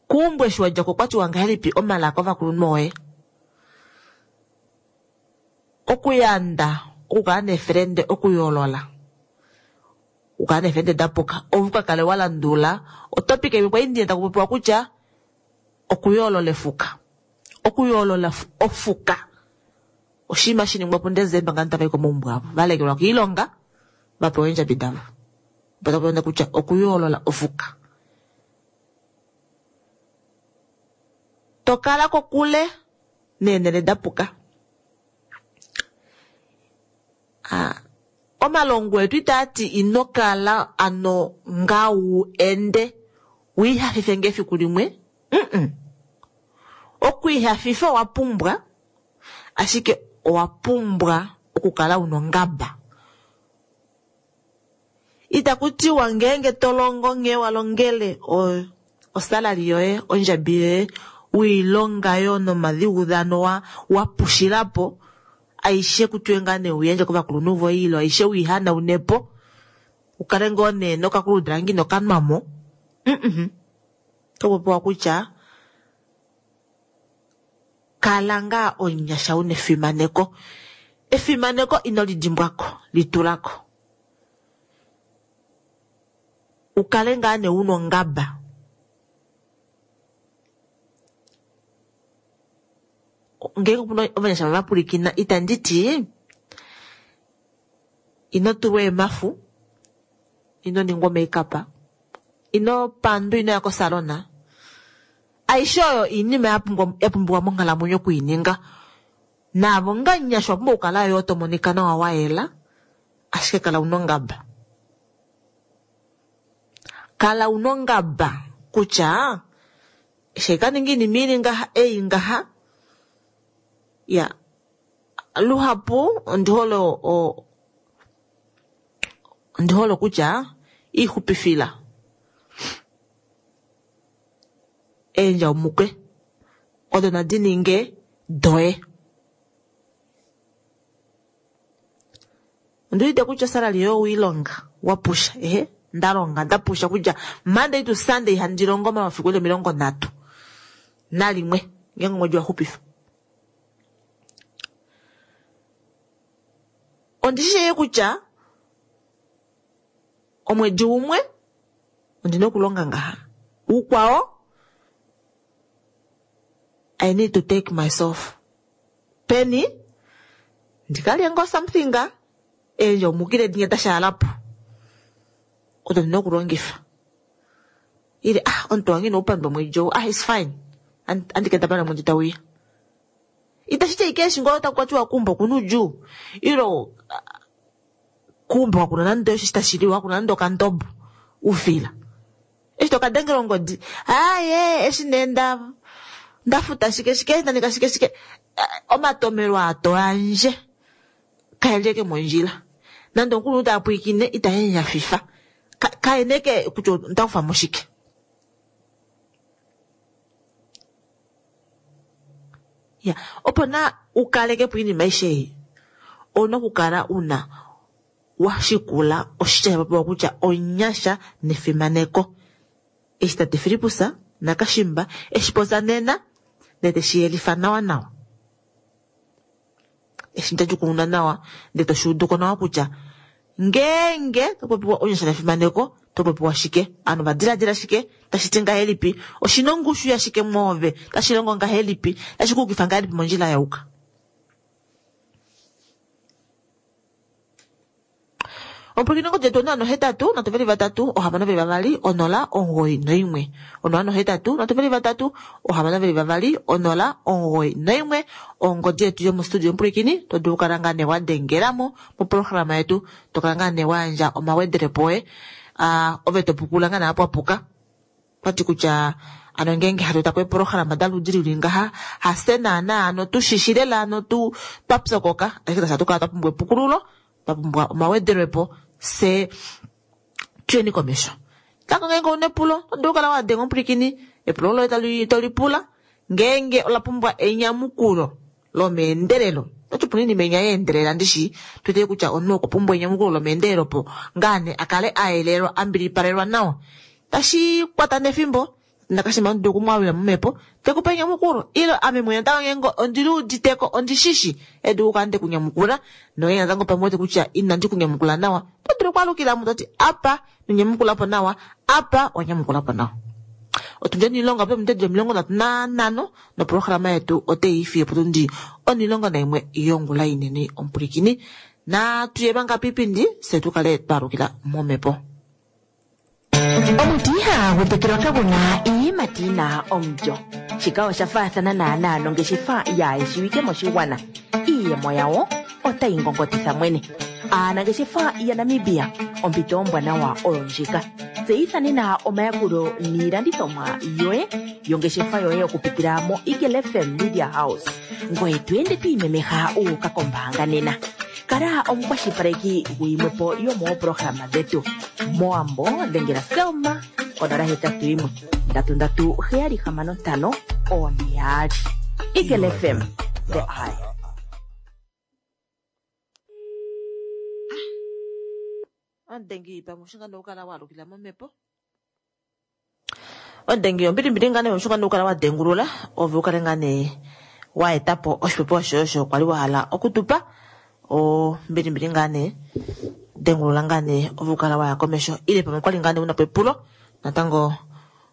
kuumbwe eshi wadja ko kwatiwa ngahelipi omalaka ovakulunhu woye. Okuyanda okukala neefrende okuyoolola, okukala neefrende dapuka, ove ukakale wa landula otopika imwe kwali taku popiwa kutya okuyoolola efuka, okuyoolola ofuka oshinima shiningwa puDesemba ngano tava i komaumbo avo valekelwa koilonga vapewa eendjabi davo, opo taku popiwa kutya okuyoolola ofuka. Tokala kokule neenhele dapuka. Ah, omalongo etu itaati ino kala ano nga wu ende wiihafife ngefiku limwe. Mm-mm. Okwiihafifa owa pumbwa, ashike owa pumbwa okukala una ongaba. Itaku tiwa ngeenge to longo nghee wa longele osalali yoye, ondjabi yoye, wiilonga yo nomadhiudhano wa wa pushilapo, aishe kutiwe ngaa nee uyandje kovakulunhu voye ilo aishe wiihanaunepo, ukale ngoo nee nokakuludrangi nokanwamo. Mm-mm. Topopiwa kutya kala ngaa omunyasha una efimaneko. Efimaneko ino lidimbwako, litulako. Ukale ngaa nee una ongaba. Ngeenge opuna ovanyasha vava pwilikina, itandi ti ino tulwa eemafu, ino ningwa makeup, ino pandwa, ino ya kosalona. Aishe oyo iinima ya pumbiwa monghalamwenyo okuininga. Naavo nga nyasha owa pumbwa okukala yo to monika nawa wa yela, ashike kala una ongaba. Kala una ongaba kutya eshi ka ninga iinima ili ngaha, ei ngaha. Ya, luhapu ondi hole ondi hole kutya iixupifila eendja omukwe odo nadi ninge doye. Ondi wete kutya osalali yoye owiilonga wapusha, ehe ndalonga ndapusha kutya Monday to Sunday handi longo omafiku eli omilongo nhatu nalimwe ngeenge omwedi waxupifa. Ondi shi kutya omwedi umwe ondina okulonga ngaha, ukwao I need to take myself peni ndikalye ngoo something eendja omukile dinye dashaalapo odo ndina okulongifa. Ile ah omuntu wange ina upandwa omwedi ou, ah it's fine, andikendabala omwedi tauya. Itashi ti ashike eshi ngoo taku kwatiwa kuumba okuna oudjuu ilo kuumba kakuna nande osho tashi liwa, kakuna nande okandobo ufila. Eshi tokadengela ongodi, aaye eshi nee nda ndafuta shike shike ndaninga shike shike, omatomelo aa to yandje kaeli eke mondjila. Nande omukulunhu ta pwilikine ita nyafifa, kaene ke kutya onda kufa mo shike. Ya, opo na ukalekepo iinima aishe ei, ouna okukala una washikula oshitya shapopiwa kutya onyasha nefimaneko. Eshi tate Filippus naKashimba eshi popya nena ndele teshi yelifa nawa nawa, eshi ndadjukununa nawa ndele toshuuduko nawa kutya ngeenge topopiwa onyasha nefimaneko topopiwa shike, ovanhu vadiladila shike, tashi ti ngahelipi, oshina ongushu yashike mwoove, tashi longo ngahelipi, tashi kuukifa ngahelipi mondjila yauka. Omupwilikini ongodi yetu onola nohetatu nhatu veli vatatu ohamano veli vavali onola omugoyi noimwe. Onola nohetatu nhatu veli vatatu ohamano veli vavali onola omugoyi noimwe. Ongodi yetu yomostudio omupwilikini to dulu okukala ngaa nee wa dengelamo moprograma yetu to kala ngaa nee wa yandja omawedelepo oye uh, ove to pukula ngaa nee apa wapuka. Twati kutya ano ngeenge hatu eta po eeprograma daludi lili ngaha hafye naana ano tushishi lela ano tu twa pyokoka ashike tashi atu kala twa pumbwa epukululo twa pumbwa omawedelwepo fye tuyeni komesho. Tango ngeenge ouna epulo oto dulu okukala wa denga omupwilikini epulo loye tali tolipula ngeenge ola pumbwa enyamukulo lomeendelelo otati puna oinima inya yeendelela ndishi tuwete kutya omunhu okwa pumbwa enyamukulo lomeendelelo opo ngaa nee akale ayelelwa ambilipalelwa nawa tashi kwata nefimbo nakashima omudu okumwalula momhepo tekupe enyamukulo ile ame mwene natango ngeenge ondiliuditeko ondishishi edu okukala ndekunyamukula nongeenge natango pamwe wete kutya inandi kunyamukula nawa oto dulu okwaalukilamo toti apa nonyamukulapo nawa apa wanyamukulapo nawa. Otundi onilongo pomutedi omilongo nhatu nanhano noprograma yetu oteiifiye potundi onilongo naimwe yongula inene omupwilikini natuye manga piipindi fye tukale twaalukila momhepo. Omuti ihagu tekelwa kaguna iiyimati yina omulyo. Shika osha faathana naanaa nongeshefa yaayeshiwike moshigwana. Iiyemo yawo otayi ngongotitha mwene. Aanangeshefa yaNamibia, ompito ombwanawa oyo ndjika. Tseyitha nena omayakulo niilandithomwa yoye yongeshefa yoye okupitila mo Eagle F M Media House. Ngoye to ende to imemeha uuka kombaanga nena. Kala omukwashilipaleki guyimwepo yomooprograma dhetu. Moambo dhengela Selma konola hetatu yimwe ndatu ndatu heyali hamano ntano one yaali. Eagle F M, the eye. Omudengi pamwe oshinga nokukala waalukila momhepo. Omudengi ombilimbili ngaa nee oshinga nokukala wa dengulula ove ukale ngaa nee wa etapo oshipopiwa shoye osho kwali wa hala okutupa. Ombilimbili ngaa nee dengulula ngaa nee ove ukala waya komesho ile pamwe kwali ngaa nee unapo epulo natango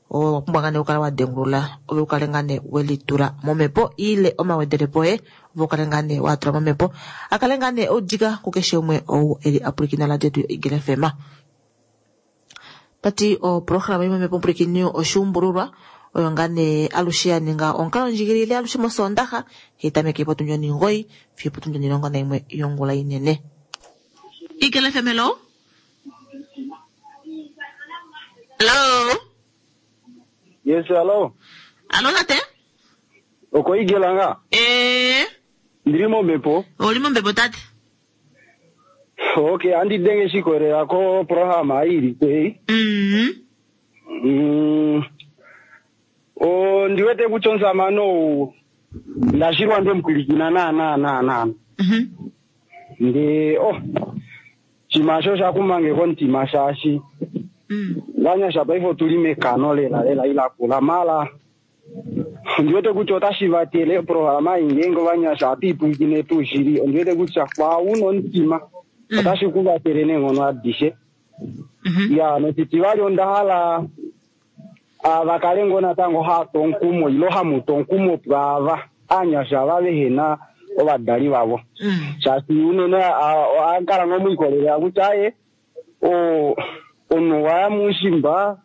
owa pumbwa ngaa nee okukala wa dengulula ove ukale ngaa nee welitula momhepo ile omawedelepo oye ove ukale ngaa nee watula momhepo akale ngaa nee oudika kukeshe umwe ou eli apwilikina radio yetu Eagle F M. Tati oprograma imwe momhepo omupwilikini oshuumbululwa oyo ngaa nee alushe ya ninga omukalo ndjigilile alushe mosoondaxa hetameke potundi omugoyi fiyo potundi omulongo naimwe yongula inene. Eagle F M, hello? Hello? Yes, hello. Allo, tate? Oko Eagle nga? Eh. Ndiri momhepo. Oli momhepo, tate? Okay, andi denge shikorera ko programa iri kwei. Mhm. Mm. O ndiwete kuchonza mano ndashirwa ndomupwilikina na na na na. Mhm. Ndi oh chimasho shakumange kontima shashi. Mm. Vanyasha paifo tuli mekano lela lela ila kula mala. Ndiwete kuti otashivatele programa ingengo vanyasha atipwikine tushiri ndiwete kuti kwa uno ntima Mm. otashikuvatele neng'ono adishe. Mhm. Ya notiti vali ondahala avakale ngo natango hatonkumo ilo hamutonkumo pwava anyasha vavehena ovadali vavo. Mm. Shasi unene akala ngomwikolelera kuti aye o omunhu waya mushimba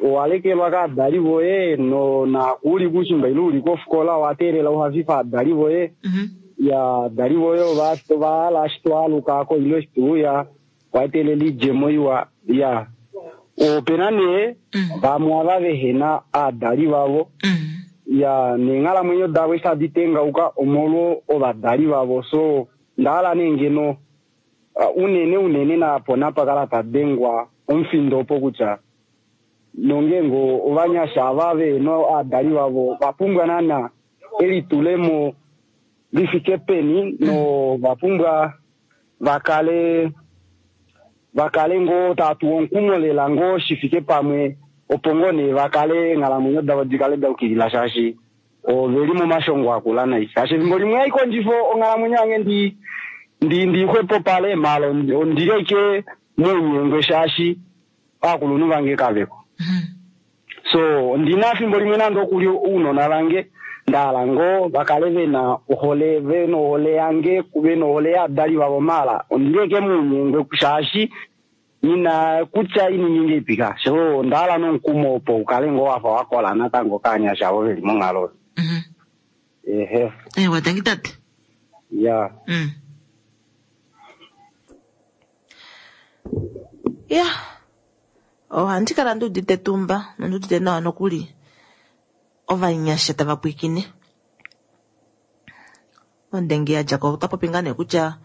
owalekelwa kaadali voye no nakuuli kushimba ile uli kofikola wateelela uhafifa adali voye. Mhm. Ya adali voye ova ovahala ashike twaalukako ile shituuya waetelela idjemo iwa. Ya opena nee Mm. vamwe ava vehena aadali vavo. Mm. Ya neenghalamwenyo davo eshi tadi tengauka omolwo ovadali vavo. So ndahala nee ngeno uh, unene unene napo napakala tadengwa omufindo opo kutya nongengo ovanyasha ava vehena aadali vavo vapumbwa naana elitulemo lifike peni no vapumbwa vakale vakale ngoo tatu omukumo lela ngoo shifike pamwe opo ngoo nee vakale eenghalamwenyo davo dikale daukilila shaashi oveli momashongo akula nai. Shaashi efimbo limwe haikondjifo onghalamwenyo yange ndi ndi ndixwepopale mala ondileke mounyengwe shaashi aakulunhu vange kaveko. Mhm. So ndina efimbo limwe nande okuli ounona vange Ndahala ngoo vakale vena ohole, vena ohole yange, vena ohole yavadali vavo maala ondili eke muunyengwe shaashi ina kutya iningi ipika. So ndahala nomukumo opo ukale ngoo wafa wakola natango kaanyasha avo veli monghalo. Mhm. Ehe. Ewa, tangi tate. Ya. Mm. Ya. Ohandi kala ndi udite etumba nondi udite nawa nokuli ovanyasha tava pwiikine. Ondenge ya dja ko ota popi ngaa nee kutya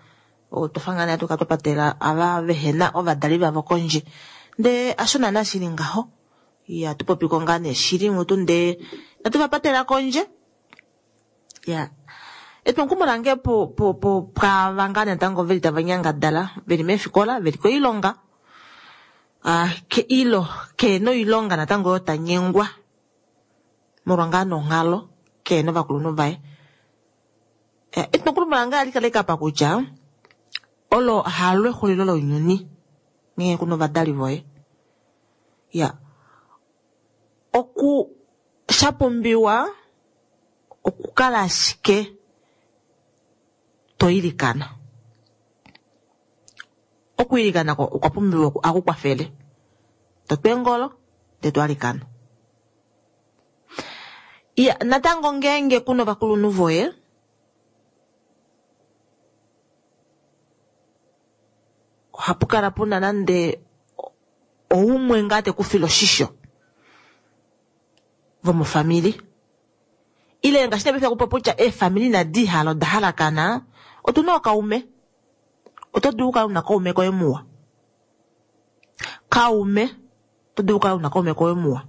otwa ngaa nee hatu kala twa patela ava vehena ovadali vavo kondje. Ndee hasho naana shili ngaho. Ya tu popiko ngaa nee shili mutu ndee inatu va patela kondje. Ya. Etwomukumo lange po po po pwaava ngaa natango veli tava nyangadala veli meefikola veli koilonga. Ah, ke ilo keena oilonga natango oyo tanyengwa molwa ngaa nonghalo keena ovakulunhu vaye. Etwomukumo lange ohali kala kapa kutya olo halo exulilo lounyuni ngee kuna ovadali voye. Ya. Oku shapumbiwa okukala ashike to ilikana. Okwiilikana okwa pumbiwa akukwafele. Totwa eengolo ndee to alikana. Ya, natango ngeenge kuna ovakulunhu voye ohapu kala puna nande oumwe ngaa tekufile oshisho vomofamili. Ile ngaashi nee paife kutya eefamili inadi hala oda halakana, otuna ookaume. Oto dulu okukala una kaume koye muwa. Kaume, oto dulu okukala una kaume koye muwa.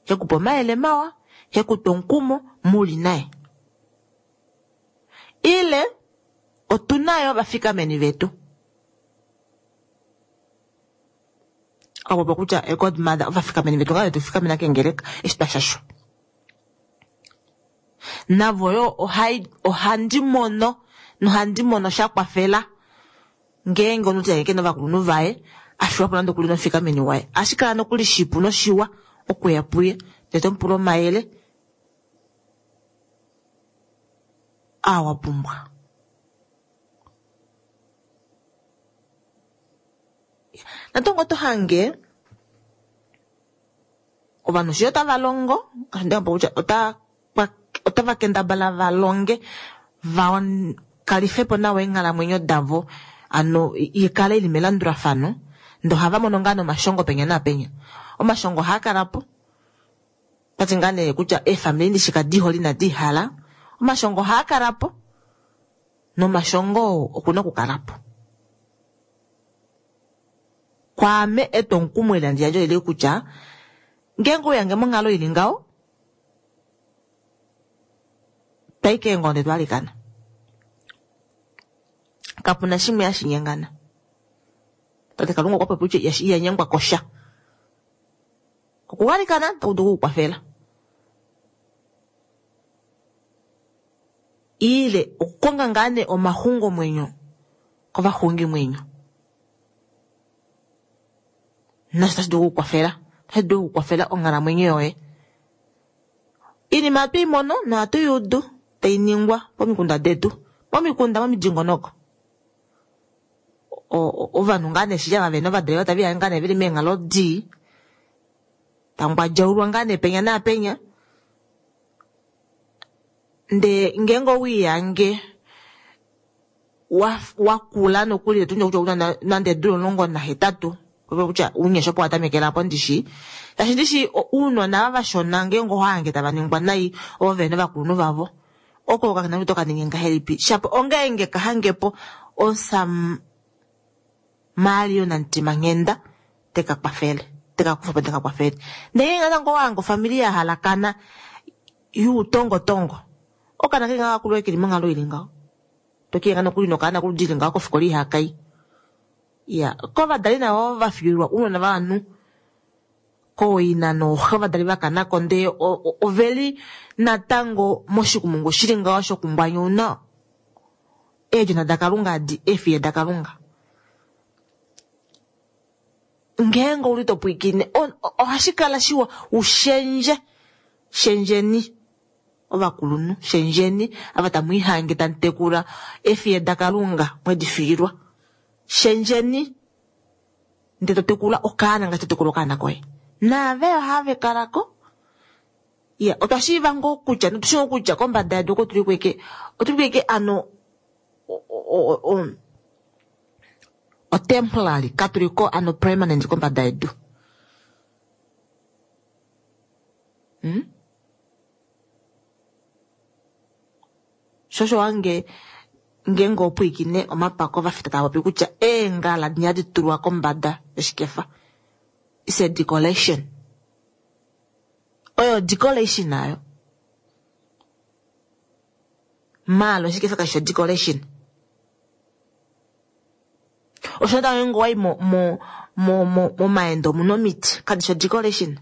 Hekupe omayele mawa, hekupe omukumo, muli naye. Ile otuna yo ovafikameni vetu. Opo kutya godmother ovafikameni vetu ngaa tufikamena kengeleka eshi twashashwa. Navo yo ohai ohandi mono nohandi mono sha kwafela ngeenge omunhu te kena ovakulunhu vaye afiwa po nande okuli nomufikameni waye. Ohashi kala nokuli shipu noshiwa okuya puye ndee tomupula omayele aa wa pumbwa. Natango oto hange ovanhu shi otava longo kutya otava kendabala va longe va kalifepo nawa eenghalamwenyo davo ano ikale ili melandulafano ndee ohava mono ngaa nomashongo penya naapenya. Omashongo ohaa kala po tati ngaa nee kutya eefamili ndishi kadihole inadi hala. Omashongo ohaa kala po nomashongo okuna okukala po. Kwaame etwomukumo eli handi yandje olili kutya ngeenge ouyange monghalo ili ngaho twayi keengonde twalikana. Kapuna shimwe hashi nyengana. Tate Kalunga okwa popi kutya ihanyengwa kosha. Okugalikana otaku dulu okukukwafela. Ile okukonga ngaa nee omaxungomwenyo kovaxungimwenyo. Nasho otashi dulu okukukwafela. Otashi dulu okukukwafela onghalamwenyo yoye. Iinima ohatu i mono nohatu i udu tai ningwa pomikunda detu. Momikunda momidingonoko. Ovanhu ngaa nee shili ava vena ovadali vavo tave ngaa nee veli meenghalo dii. Tangwadjaulwa ngaa nee penya naapenya. Ndee ngeenge owiiyange wakula nokuli tundja kutya una nande eedula omulongo nahetatu kutya ounyasha opo watamekela apo ndishi. Shaashi ndishi ounona ava vashona ngeenge ohahange tava ningwa nai ovo vena ovakulunhu vavo. Oko okakana to kaninge ngahelipi. Shapo ongeenge kahangepo omusam Mario namutima-nghenda teka kwafele. Teka kufa po teka kwafele. Ndee natango owahange ofamili ya halakana yuutongotongo. Okaana keli ngaho kakulwa keli monghalo ili ngaho. Tokiyenga nokuli nokaana kuludili ngaho kofikola ihakai. Ya, kovadali navo vafiilwa ounona vovanhu kooina nooxe ovadali vakanako ndee oveli natango moshikumungu shili ngaho shokumbwanyuna eedjona daKalunga adi eefiye daKalunga. Ngeenge ouli to pwiikine ohashi kala shiwa ushendje shendjeni. Ovakulunhu shendjeni ava tamu ihange tamu tekula efiye daKalunga mwedi fiilwa. Shendjeni ndele to tekula okaana ngaashi to tekula okaana koye. Naave ohave kalako. Ya, otwa shiiva ngoo kutya notu shii kutya kombada yedu oko tuli kweke, otuli kweke ano o, o, o, o temporary katuliko ano permanent kombada yedu. Hmm? Shosho wange ngeenge opwiikine omapako vafita tava popi kutya eengala dinya hadi tulwa kombada yoshikefa. It's a decoration. Oyo decoration nayo. Maalo oshikefa kashi decoration. Osho natango ngeenge wai mo mo mo mo momaendo omuna omiti kadi shi decoration.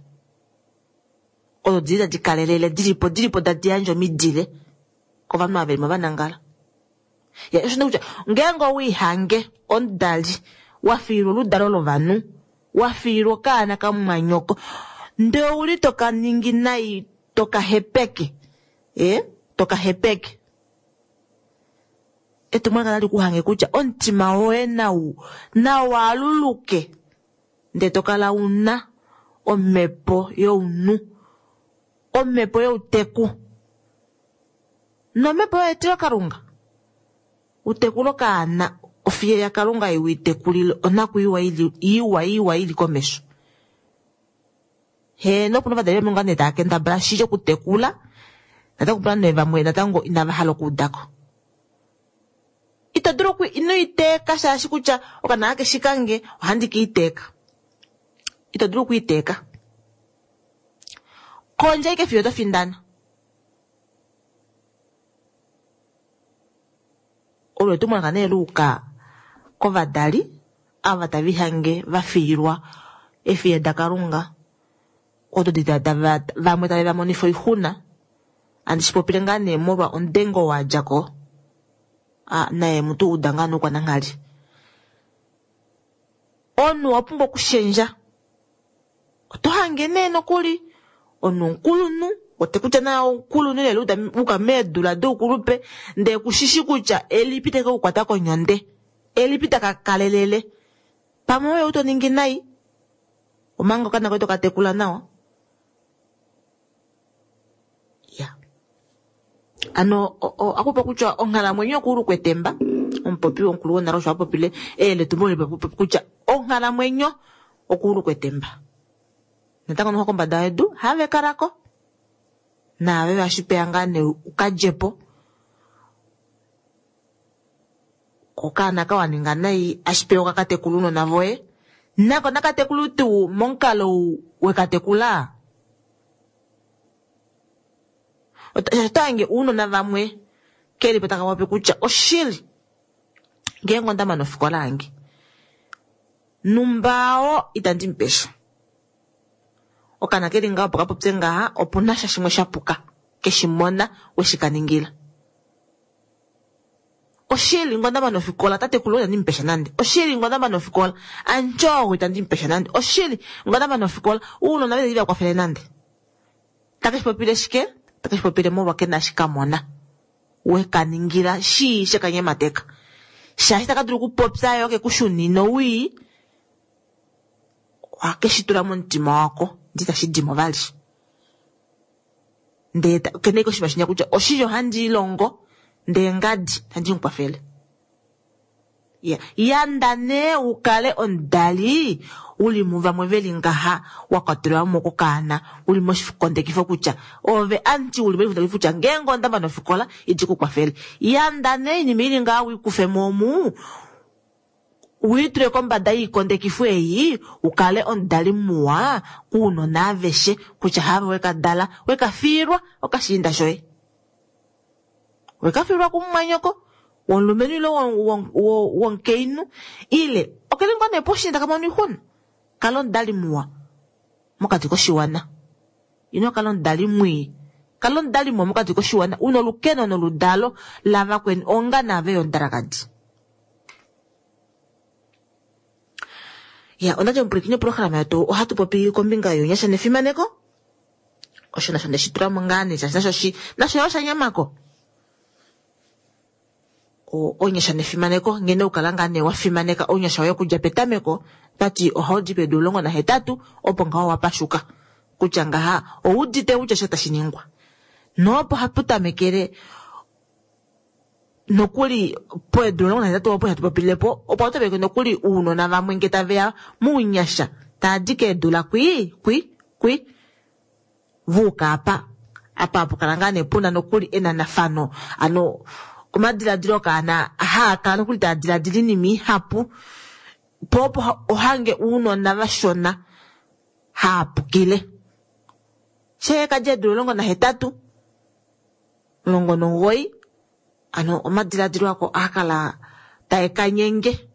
Odo dili tadi kalelele dilipo dilipo tadi yandje omidile kovanhu ava velimo vanangala. Ya, osho kutya ngeenge owiihange omudali wafiilwa oludalo lovanhu, wafiilwa okaana kamumwanyoko, ndee ouli toka ningi nai, toka hepeke, eh, toka hepeke. Etumwalaka tali kuhange kutya omutima woye nau nawaaluluke, ndee tokala una omhepo younhu, omhepo youteku nomhepo yetilokalunga. Utekula okaana ofiye yaKalunga iwitekulile onakwiiwa ili iwa iwa ili komesho. He nopuna ovadali vamwe ngaa nee tava kendabala shili okutekula, natango opuna nee vamwe natango inava hala okuudako. Ito dulu oku ino iteeka shaashi kutya okaana kakeshi kange ohandi ka iteeka. Ito dulu okuiteeka. Kondja ike fiyo oto findana. Olo etumwalaka nee luuka kovadali ava tava ihange va fiilwa efiye daKalunga, odo vamwe tave va monifa oixuna. Andi shi popile ngaa nee molwa omudengo wa dja ko. Ah, naye mutu uda ngaa noukwananghali. Omunhu owa pumbwa okushendja. Oto hange nee nokuli omunhu omukulunhu, ote kutya naye omukulunhu lelo uka meedula doukulupe, ndee kushishi kutya elipi teke kukwata konyonde, elipi taka kalelele. Pamwe oye uto ningi nai, omanga okaana koye toka tekula nawa. Ya. Ano akupa kutya onghalamwenyo okuulukwa etemba, omupopi womukulu wonale osho a popile eyeletumbulo lipopi kutya onghalamwenyo okuulukwa etemba. Natango noho kombada yedu have kalako. Naave vashipeya ngaa nee ukadjepo. Okaana ka waninga nai ashipeya okakatekula uunona voye. Nako nakatekula tuu momukalo wekatekula. Otange uunona vamwe kelipo taka popi kutya oshili ngeenge onda mana ofikola yange numbao itandi mupesha. Okaana keli ngaho opo kapopye ngaha opuna sha shimwe sha puka keshimona weshikaningila. Oshili ngonda mana ofikola tatekulu itandi mupesha nande. Oshili ngonda mana ofikola anjogo itandi mupesha nande. Oshili ngonda mana ofikola uunona veli vakwafele nande. Takeshipopile shike? Takeshipopile molwa kena shikamona wekaningila shi shekanyemateka. Shaashi takadulu okupopya yo kekushunina owii, ohakeshitula momutima wako ndee itashi dimo vali. Ndee kene koshinima shinya kutya oshili ohandi ilongo ndee ngadi tandi mukwafele. Ya, yanda nee ukale omudali uli muvamwe veli ngaha wakwatelwa mo kokaana uli moshikondekifo kutya ove anti uli moshikondekifo kutya ngeenge onda mana ofikola iti kukwafele. Yanda nee iinima ili ngaha wikufe mo omu uitule kombada yiikondekifo ei ukale omudali muwa kuunona aveshe kutya have wekadala wekafiilwa okashiinda shoye. Wekafiilwa kumumwanyoko womulumenhu ile womukainhu ile okeli ngoo nee poshiinda kamona oixuna. Kala omudali muwa mokati koshiwana. Ino kala omudali mwii. Kala omudali muwa mokati koshiwana una olukeno noludalo lavakweni onga naave yomudalakadi. Ya, ondati omupwilikini programa yetu ohatu popi kombinga younyasha nefimaneko. Osho nasho ndeshi tula mo ngaa nee shaashi nasho shi nasho yo oshanyamako. Ounyasha nefimaneko nghene ukala ngaa nee wafimaneka ounyasha woye okudja petameko tati ohaudi pedu omulongo nahetatu opo ngaho wapashuka kutya ngaha oudite kutya sho tashi ningwa noopo hapu tamekele nokuli poedu omulongo nahetatu opo hatu popilepo opo hapu nokuli uunona vamwe nge taveya muunyasha taadi keedula kwi kwi kwi vuuka apa apa hapu kala ngaa nee puna nokuli enanafano ano omadiladilo kaana haakala nokuli taa diladila iinima ihapu po opo ohange uunona vashona haapukile shee kadja eedula omulongo nahetatu omulongo nomugoyi ano omadiladilo ako ohakala taekanyenge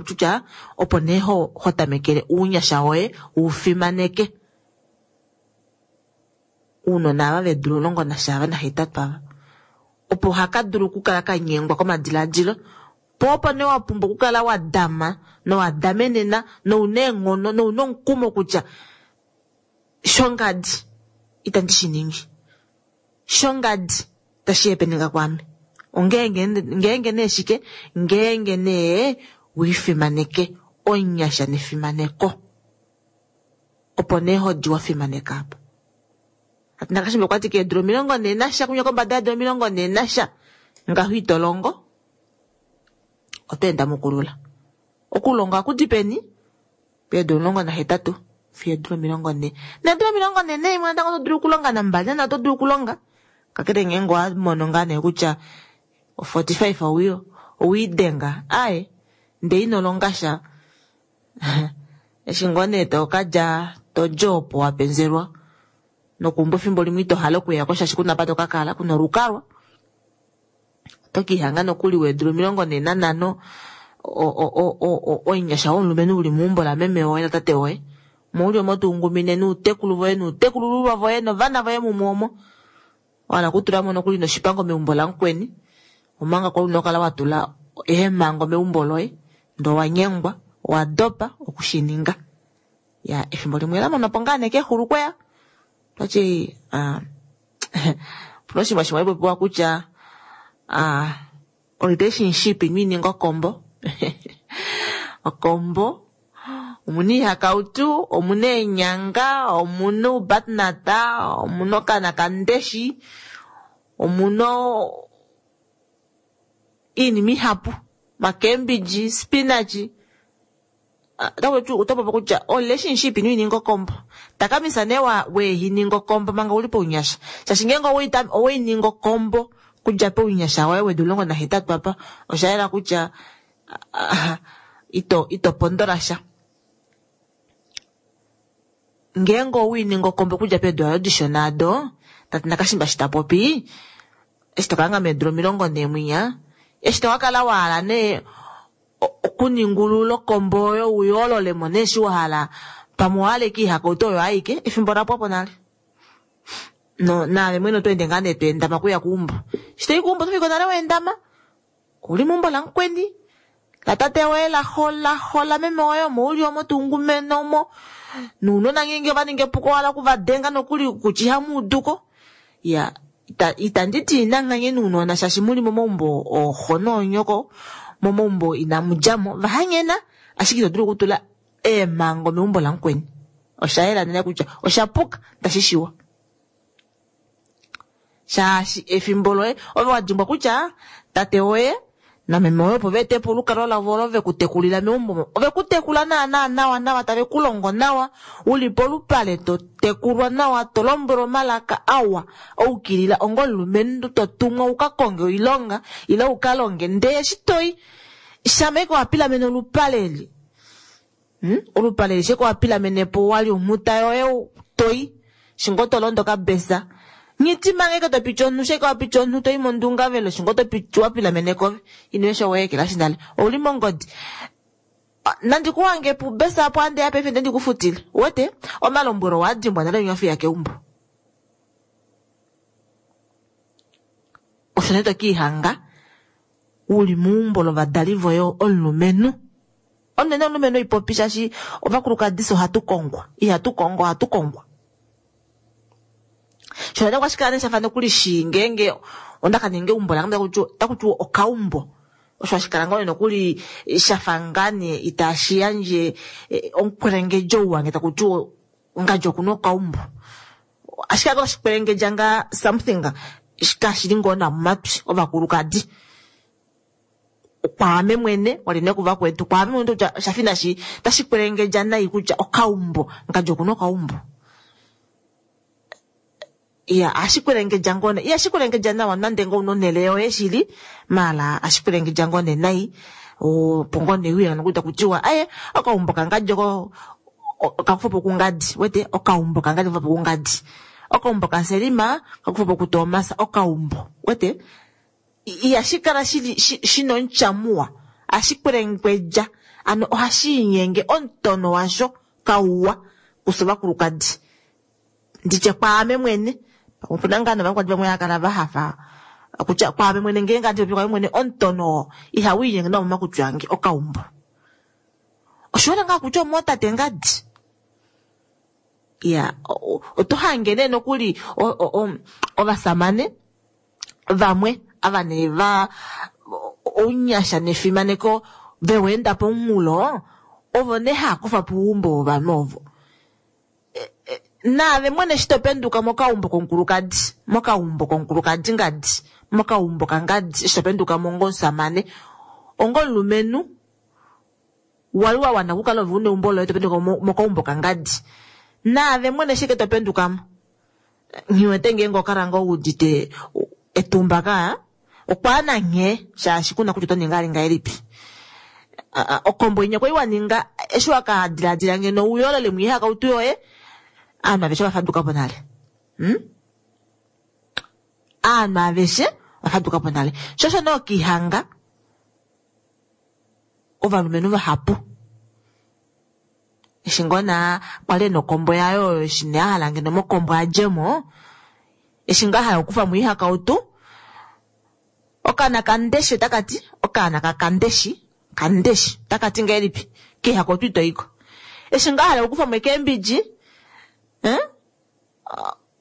kutya opo nee ho tamekele uunyasha woye ufimaneke uunona ava veedula omulongo nasha ava nahetatu ava opo haka dulu okukala kanyengwa komadiladilo po opo nee wapumbwa okukala wadama nowadamenena nouna eenghono nouna omukumo kutya shongadi itandi shi ningi shongadi tashi hepeneka kwaame ongeenge ngeenge nee shike ngeenge nee wiifimaneke onyasha nefimaneko opo nee hodi wafimaneka apa. Nakashimba okwati keedula omilongo nhee nasha kunya kombada yeedula omilongo nhee nasha ngaho ito longo oto enda mokulula okulonga okudi peni peedula omulongo nahetatu fiyo eedula omilongo nhee needula omilongo nhee naimwe natango oto dulu okulonga nambali nana oto dulu okulonga kakele ngeenge owamono ngaa nee kutya forty five owiidenga aye ndee ino longa sha eshi ngoo nee tokadja todja opo wapenzelwa nokumba efimbo limwe ito hala okuyako shaashi kuna apa tokakala kuna olukalwa oto kiihanga nokuli weedula omilongo nhee nanhano omunyasha womulumenhu uli meumbo lameme woye natate woye mouli omo tuungumine nuutekulu voye nuutekulululwa voye novana voye mumwe omo wahala okutulamo nokuli noshipango meumbo lamukweni omanga kwali una okukala watula eemhango meumbo loye ndee owanyengwa owadopa okushininga ya efimbo limwe lamonapo ngaa nee kexulu kweya twati opuna oshinima shimwe hashi popiwa kutya relationship ino ininga okombo okombo omuna iihakautu omuna eenyanga omuna oubatnata omuna okana kandeshi omuna iinima ihapu makembidji spinach otopopi kutya relationship ino ininga okombo takamisa nee weehininga okombo manga uli pounyasha shaashi ngeenge oweininga okombo kudja pounyasha woye weedula omulongo nahetatu apa oshayela kutya ito ito pondola sha ngeenge owiininga okombo okudja peedula dishona ado tate Nakashimba shi tapopi eshi tokalanga meedula omilongo nhee mwinya eshi tokakala wahala nee okuningulula okombo oyo uyoololemo nee eshi wahala pamwe owahala ashike iihakautu oyo aike efimbo lapwapo nale no naave mwene oto ende ngaa nee toendama okuya keumbo eshi toyi keumbo otofika nale weendama ouli meumbo lamukweni latate woye laxo laxo lameme woye omo uli omo tuungumene omo nounona ngeenge ovaninga epuko wahala okuvadenga nokuli kutya ihamuuduko ya itanditi inanghanye nounona shaashi muli momaumbo ooxo noonyoko momaumbo inamudjamo vahanyena ashike ito dulu okutula eemhango meumbo lamukweni oshayela nene kutya oshapuka tashi shiwa shaashi efimbo loye ove wadimbwa kutya tate woye nameme woye opo veetepo olukalwa lavo olo vekutekulila meumbo ovekutekula naana nawa nawa tave kulongo nawa uli polupale totekulwa nawa tolombwelwa omalaka awa oukilila onga omulumenhu totumwa ukakonge oilonga ile ukalonge ndee eshi toyi shama ashike wapilamene olupale eli olupale eli shike wapilamenepo wali omhuta yoye toyi shingo tolondo okabesa nghiti manga ashike topiti omunhu shike wapiti omunhu toyi mondungavelo shingo topiti wapilamene kove ino esho weekelashi nale ouli mongodi nandi kuhange pubesa apo andeya paife nde ndikufutile uwete omalombwelo owaadimbwa nale onyofi keumbo osho nee tokiihanga uli meumbo lovadali voye omulumenhu Onene omulumenhu oipopi shaashi ovakulukadi fye ohatu kongwa. Ihatu kongo, ohatu kongwa. Sho nda kwashikala nee shafa nokuli shi ngeenge onda ka ninga eumbo lange taku tiwa okaumbo. Osho hashi kala ngoo nokuli shafa ngaa nee itashi yandje omukwelengedjo wange taku tiwa ngadi okuna okaumbo. Ashike kala oshikwelengedja ngaa something kashili ngoo nawa momatwi ovakulukadi. Kwaame mwene wali ne kuvakwetu kwaame mwene kutya oshafa inashi tashi kwelengedja nai kutya okaumbo ngadi okuna okaumbo. Iya ohashi kwelengedja ngoo nee ihashi kwelengedja nawa nande ngoo una onhele yoye shili maala ohashi kwelengedja ngoo nee nai opo ngoo nee uye nokuli taku tiwa aye okaumbo kangadi oko kakufwapo kungadi wete okaumbo kangadi kakufwapo kungadi okaumbo kaSelima kakufwapo kuTomas okaumbo wete ihashi kala shili shina omutya muwa ohashi kwelengedja ano ohashi inyenge omutono washo kauwa kufye ovakulukadi nditye kwaame mwene opuna ngaa novakulukadi vamwe hava kala vahafa kutya kwaame mwene ngeenge handi popi kwaame mwene omutono oo ihawu inyenge nawa momakutwi ange okaumbo. Oshiwana ngaa kutya omootate ngadi. Iya oto hange nee nokuli ovasamane vamwe ava nee va ounyasha nefimaneko veweenda pomunghulo ovo nee hava kufa po oumbo wovanhu ovo. Naave mwene eshi topenduka mokaumbo komukulukadi mokaumbo komukulukadi ngadi mokaumbo kangadi eshi topendukamo onga omusamane onga omulumenhu wali wa wana okukala ove una eumbo loye topenduka mokaumbo kangadi naave mwene eshi topendukamo nghiwete ngeenge okala ngoo wuudite etumba kaa okwaana nghee shaashi kuna kutya oto ningi ali ngahelipi. Okombo inya kwali waninga eshi wakadilaadila ngeno uyoolole mwiihakautu yoye aanhu aveshe ovafadukapo nale. Hmm? Aanhu aveshe ovafadukapo nale. Sho osho nee okihanga ovalumenhu vahapu eshi ngoo naa kwali ena okombo yaye oyo eshi nee ahala ngeno mokombo adjemo eshi ngaa ahala okukufa mo oihakautu okaana kandeshi otakati okaana kakandeshi kandeshi otakati ngahelipi keihakautu itoiko eshi ngaa ahala okukufa mo ekeembidji eh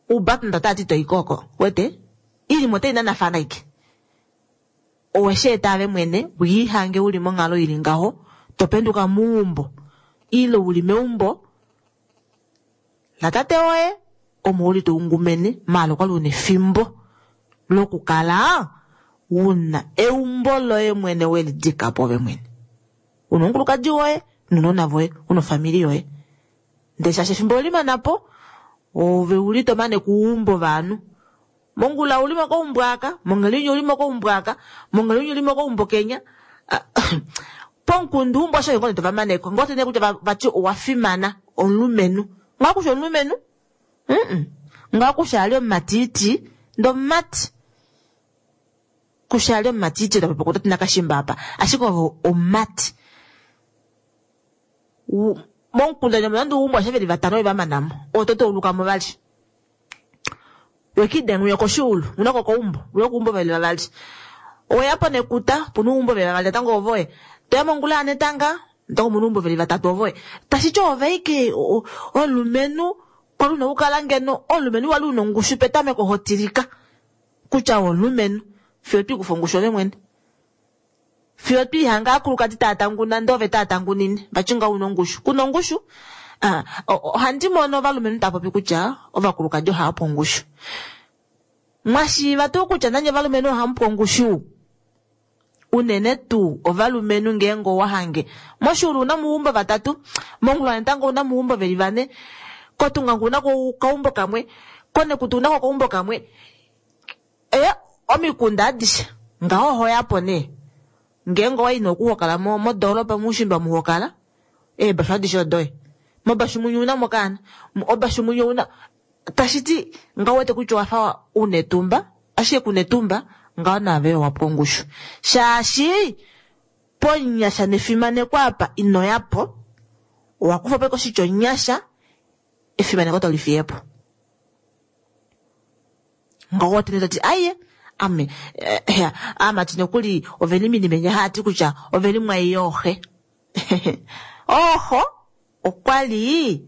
ubatunda otati itoiko oko wete ilimo otai nanafana ike owesheeta ave mwene wiihange uli monghalo ili ngaho topenduka meumbo ile uli meumbo latate woye omo uli toungumene maala okwali una efimbo lokukala una eumbo loye mwene welidikapo ove mwene una omukulukadi woye nounona voye una ofamili yoye ndele shaashi efimbo olimanapo ove uli tomane kuumbo ovanhu mongula uli mokaumbo aka monghelinya uli mokaumbo aka monghelinya uli mokaumbo kenya pomukunda umbo osho ngoo tovamaneko ngoo tene kutya vati owafimana omulumenhu ngaa kusha omulumenhu mm ngaa kusha ali omumatiti ndo omumati kusha ali omumatiti tapopo nakashimba apa ashike ovo omumati momukunda nande uumbo ashe veli vatano vevamanamo ototo ulukamo vali wekidenga uya koshuulu una kokaumbo uya kuumbo veli vavali oweyapo nekuta puna uumbo veli vavali natango ovoye toya mongula yanetanga natango muna uumbo veli vatatu ovoye tashiti oveike omulumenhu kwali una okukala ngeno omulumenhu wali una ongushu petameko hotilika kutya omulumenhu fiyo twiikufa ongushu ove mwene fiyo twiihanga aakulukadi taya tanguna ndee ove taya tangunine vati nga una ongushu kuna ongushu. Ohandi mono ovalumenhu tava popi kutya ovakulukadi ohava pu ongushu mwashiiva tuu kutya nanye ovalumenhu ohamu pu ongushu unene tuu ovalumenhu ngeenge owahange moshuulu una muumbo vatatu mongula natango una muumbo veli vane kotungangu una kaumbo kamwe konekutu una ko kaumbo kamwe e omikunda adishe ngaho ohoyapo nee ngeenge owayi nokuhokala modoolopa muushimba muhokala eebashu adishe odoye mobashu munye una mokaana obashu munye una tashiti ngaho wete kutya owafa una etumba ashike kuna etumba ngaho naave owapuka ongushu shaashi ponyasha nefimaneko apa inoyapo owakufa po koshitya onyasha efimaneko tolifiyepo ngaho wetene toti aiye ame amati nokuli oveli minimenya haati kutya oveli mwai yooxe Oho okwa li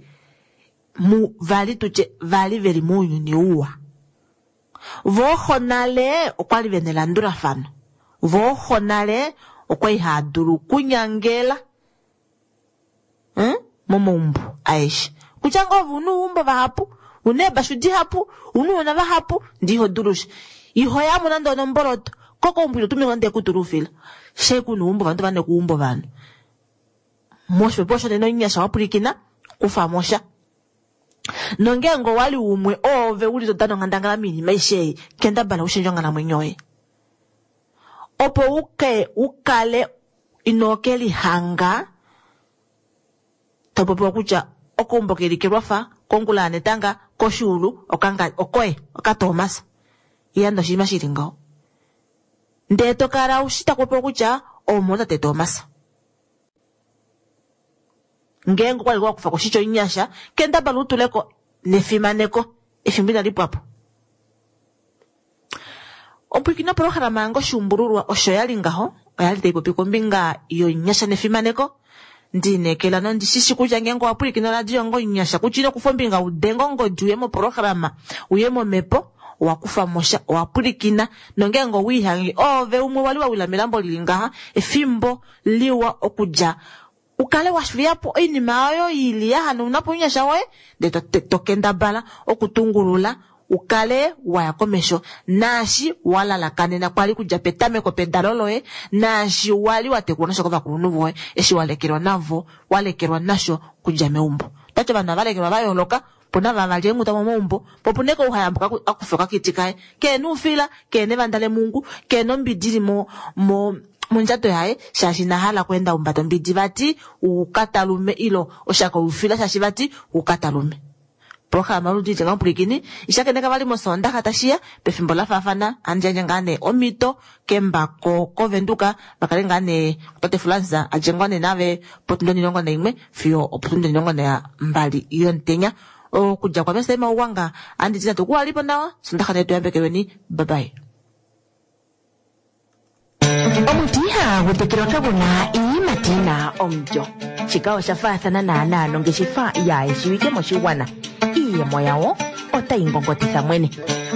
mu vali tutye vali veli mounyuni uwa. Vooxo nale okwa li vena elandulafano. Vooxo nale okwa li hava dulu okunyangela hmm? momaumbo aeshe. Kutya ngoo ove una oumbo vahapu, una eebashu dihapu, una ounona vahapu, ndee iho dulu sha. Iho yamo nande onomboloto. Kokoumbo ino tuminwa nande kutula oufila. Shee kuna oumbo ovanhu tava nekuumbo ovanhu. Moshipopiwa shonena omunyasha wapwilikina, kufa mo sha. Nongeenge owali umwe oove uli to dana onghandangala moinima aishe ei, kendabala ushendje onghalamwenyo yoye. Opo uke ukale ino ke lihanga to popiwa kutya okoumbo keli kelwafa, kongula yanetanga, koshuulu, okanga okoye, okatoomasa. Yanda oshinima shili ngaho. Ndee to kala ushi taku popiwa kutya omo tate Toomasa. Ngeenge okwali wa kufa ko oshitya omunyasha, kendabala utuleko nefimaneko efimbo inali pwapo. Ompwiikino opolohalama yange oshuumbululwa osho yali ngaho, oyali tai popi kombinga yomunyasha nefimaneko. Ndiinekela nondishishi kutya ngeenge owa pwilikina oradio onga omunyasha kutya ino kufa ombinga udenge ongodi uye mopolohalama uye momhepo, owa kufa mo sha, owa pwilikina. Nongeenge owiihange oove umwe wali wa wila melambo lili ngaha, efimbo liwa okudja ukale wa fiyapo oinima oyo ili ya hanauna po ounyasha woye, ndee to kendabala okutungulula ukale waya komesho naashi wa lalakanena kwali kudja petameko pedalo loye, naashi wali wa tekulwa nasho kovakulunhu voye, eshi wa lekelwa navo, wa lekelwa nasho kudja meumbo. Tati ovanhu ava lekelwa va yooloka, opuna vava li eenghuta momaumbo, po opuna eke ouhayambuka akufa okakiti kaye, keena oufila, keena evanda lemungu, keena ombidi ili mo mo mondjato yaye, shaashi ina hala okweenda umbata ombidi vati ukatalume ilo oshako youfila shaashi vati ukatalume. Programa oludi lya mupwilikini ishakeneka vali mosondaxa tashiya pefimbo la faafana andjandje ngaa nee omhito kembako kovenduka vakale ngaa nee tate Fransa adjengwa nee nave potundi omilongo naimwe fiyo opotundi omilongo nambali yomutenya. Okudja kwa Mr Mauwanga anditi natu kuwalipo nawa sondaxa nee tuyambekelweni, bye bye. Omuti ihagu tekelwa kaguna iiyimati yina omulyo. Shika osha faathana naanaa nongeshefa yaayeshiwike moshigwana. Iiyemo yawo otayi ngongotitha mwene.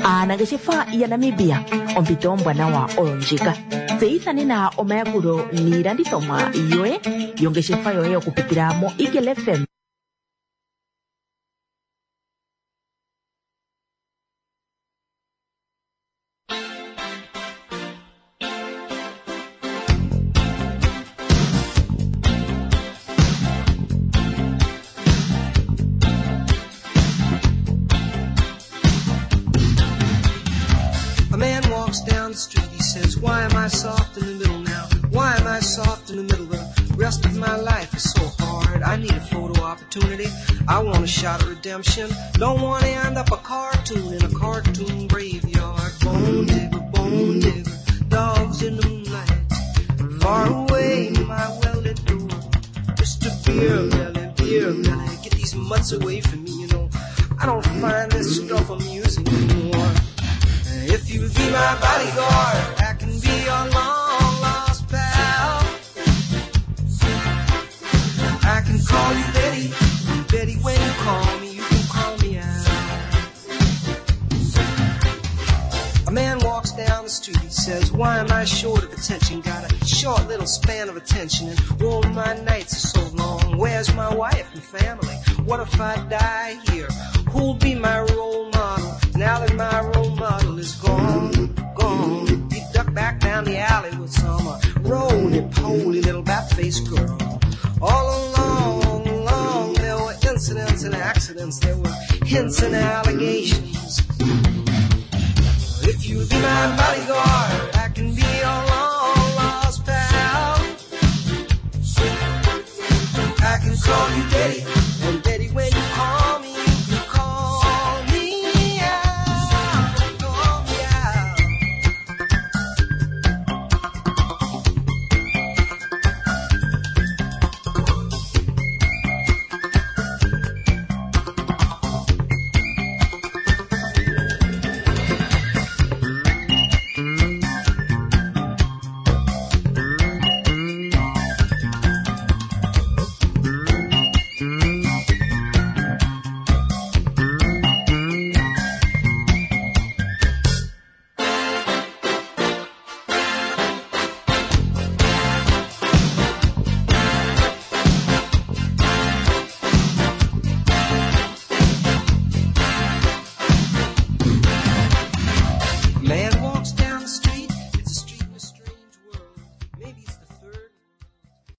Aanangeshefa yaNamibia, ompito ombwanawa oyo ndjika. Tseyitha nena omayakulo niilandithomwa yoye yongeshefa yoye okupitila mo Eagle F M. Down the street, he says, why am I soft in the middle now? Why am I soft in the middle? The rest of my life is so hard. I need a photo opportunity. I want a shot at redemption. Don't want to end up a cartoon in a cartoon graveyard. Bone digger, bone digger, dogs in the moonlight. Far away, my well-lit door. Mister Beer Belly, Beer Belly, get these mutts away from me, you know. I don't find this stuff amusing anymore. If you'll be my bodyguard, I can be your long-lost pal. I can call you Betty, Betty, when you call me, you can call me out. A man walks down the street, he says, why am I short of attention? Got a short little span of attention, and all my nights are so long. Where's my wife and family? What if I die here? Who'll be my role model? Now that my role model is gone, gone. He ducked back down the alley with some uh, roly-poly little bat-faced girl. All along, along, there were incidents and accidents. There were hints and allegations.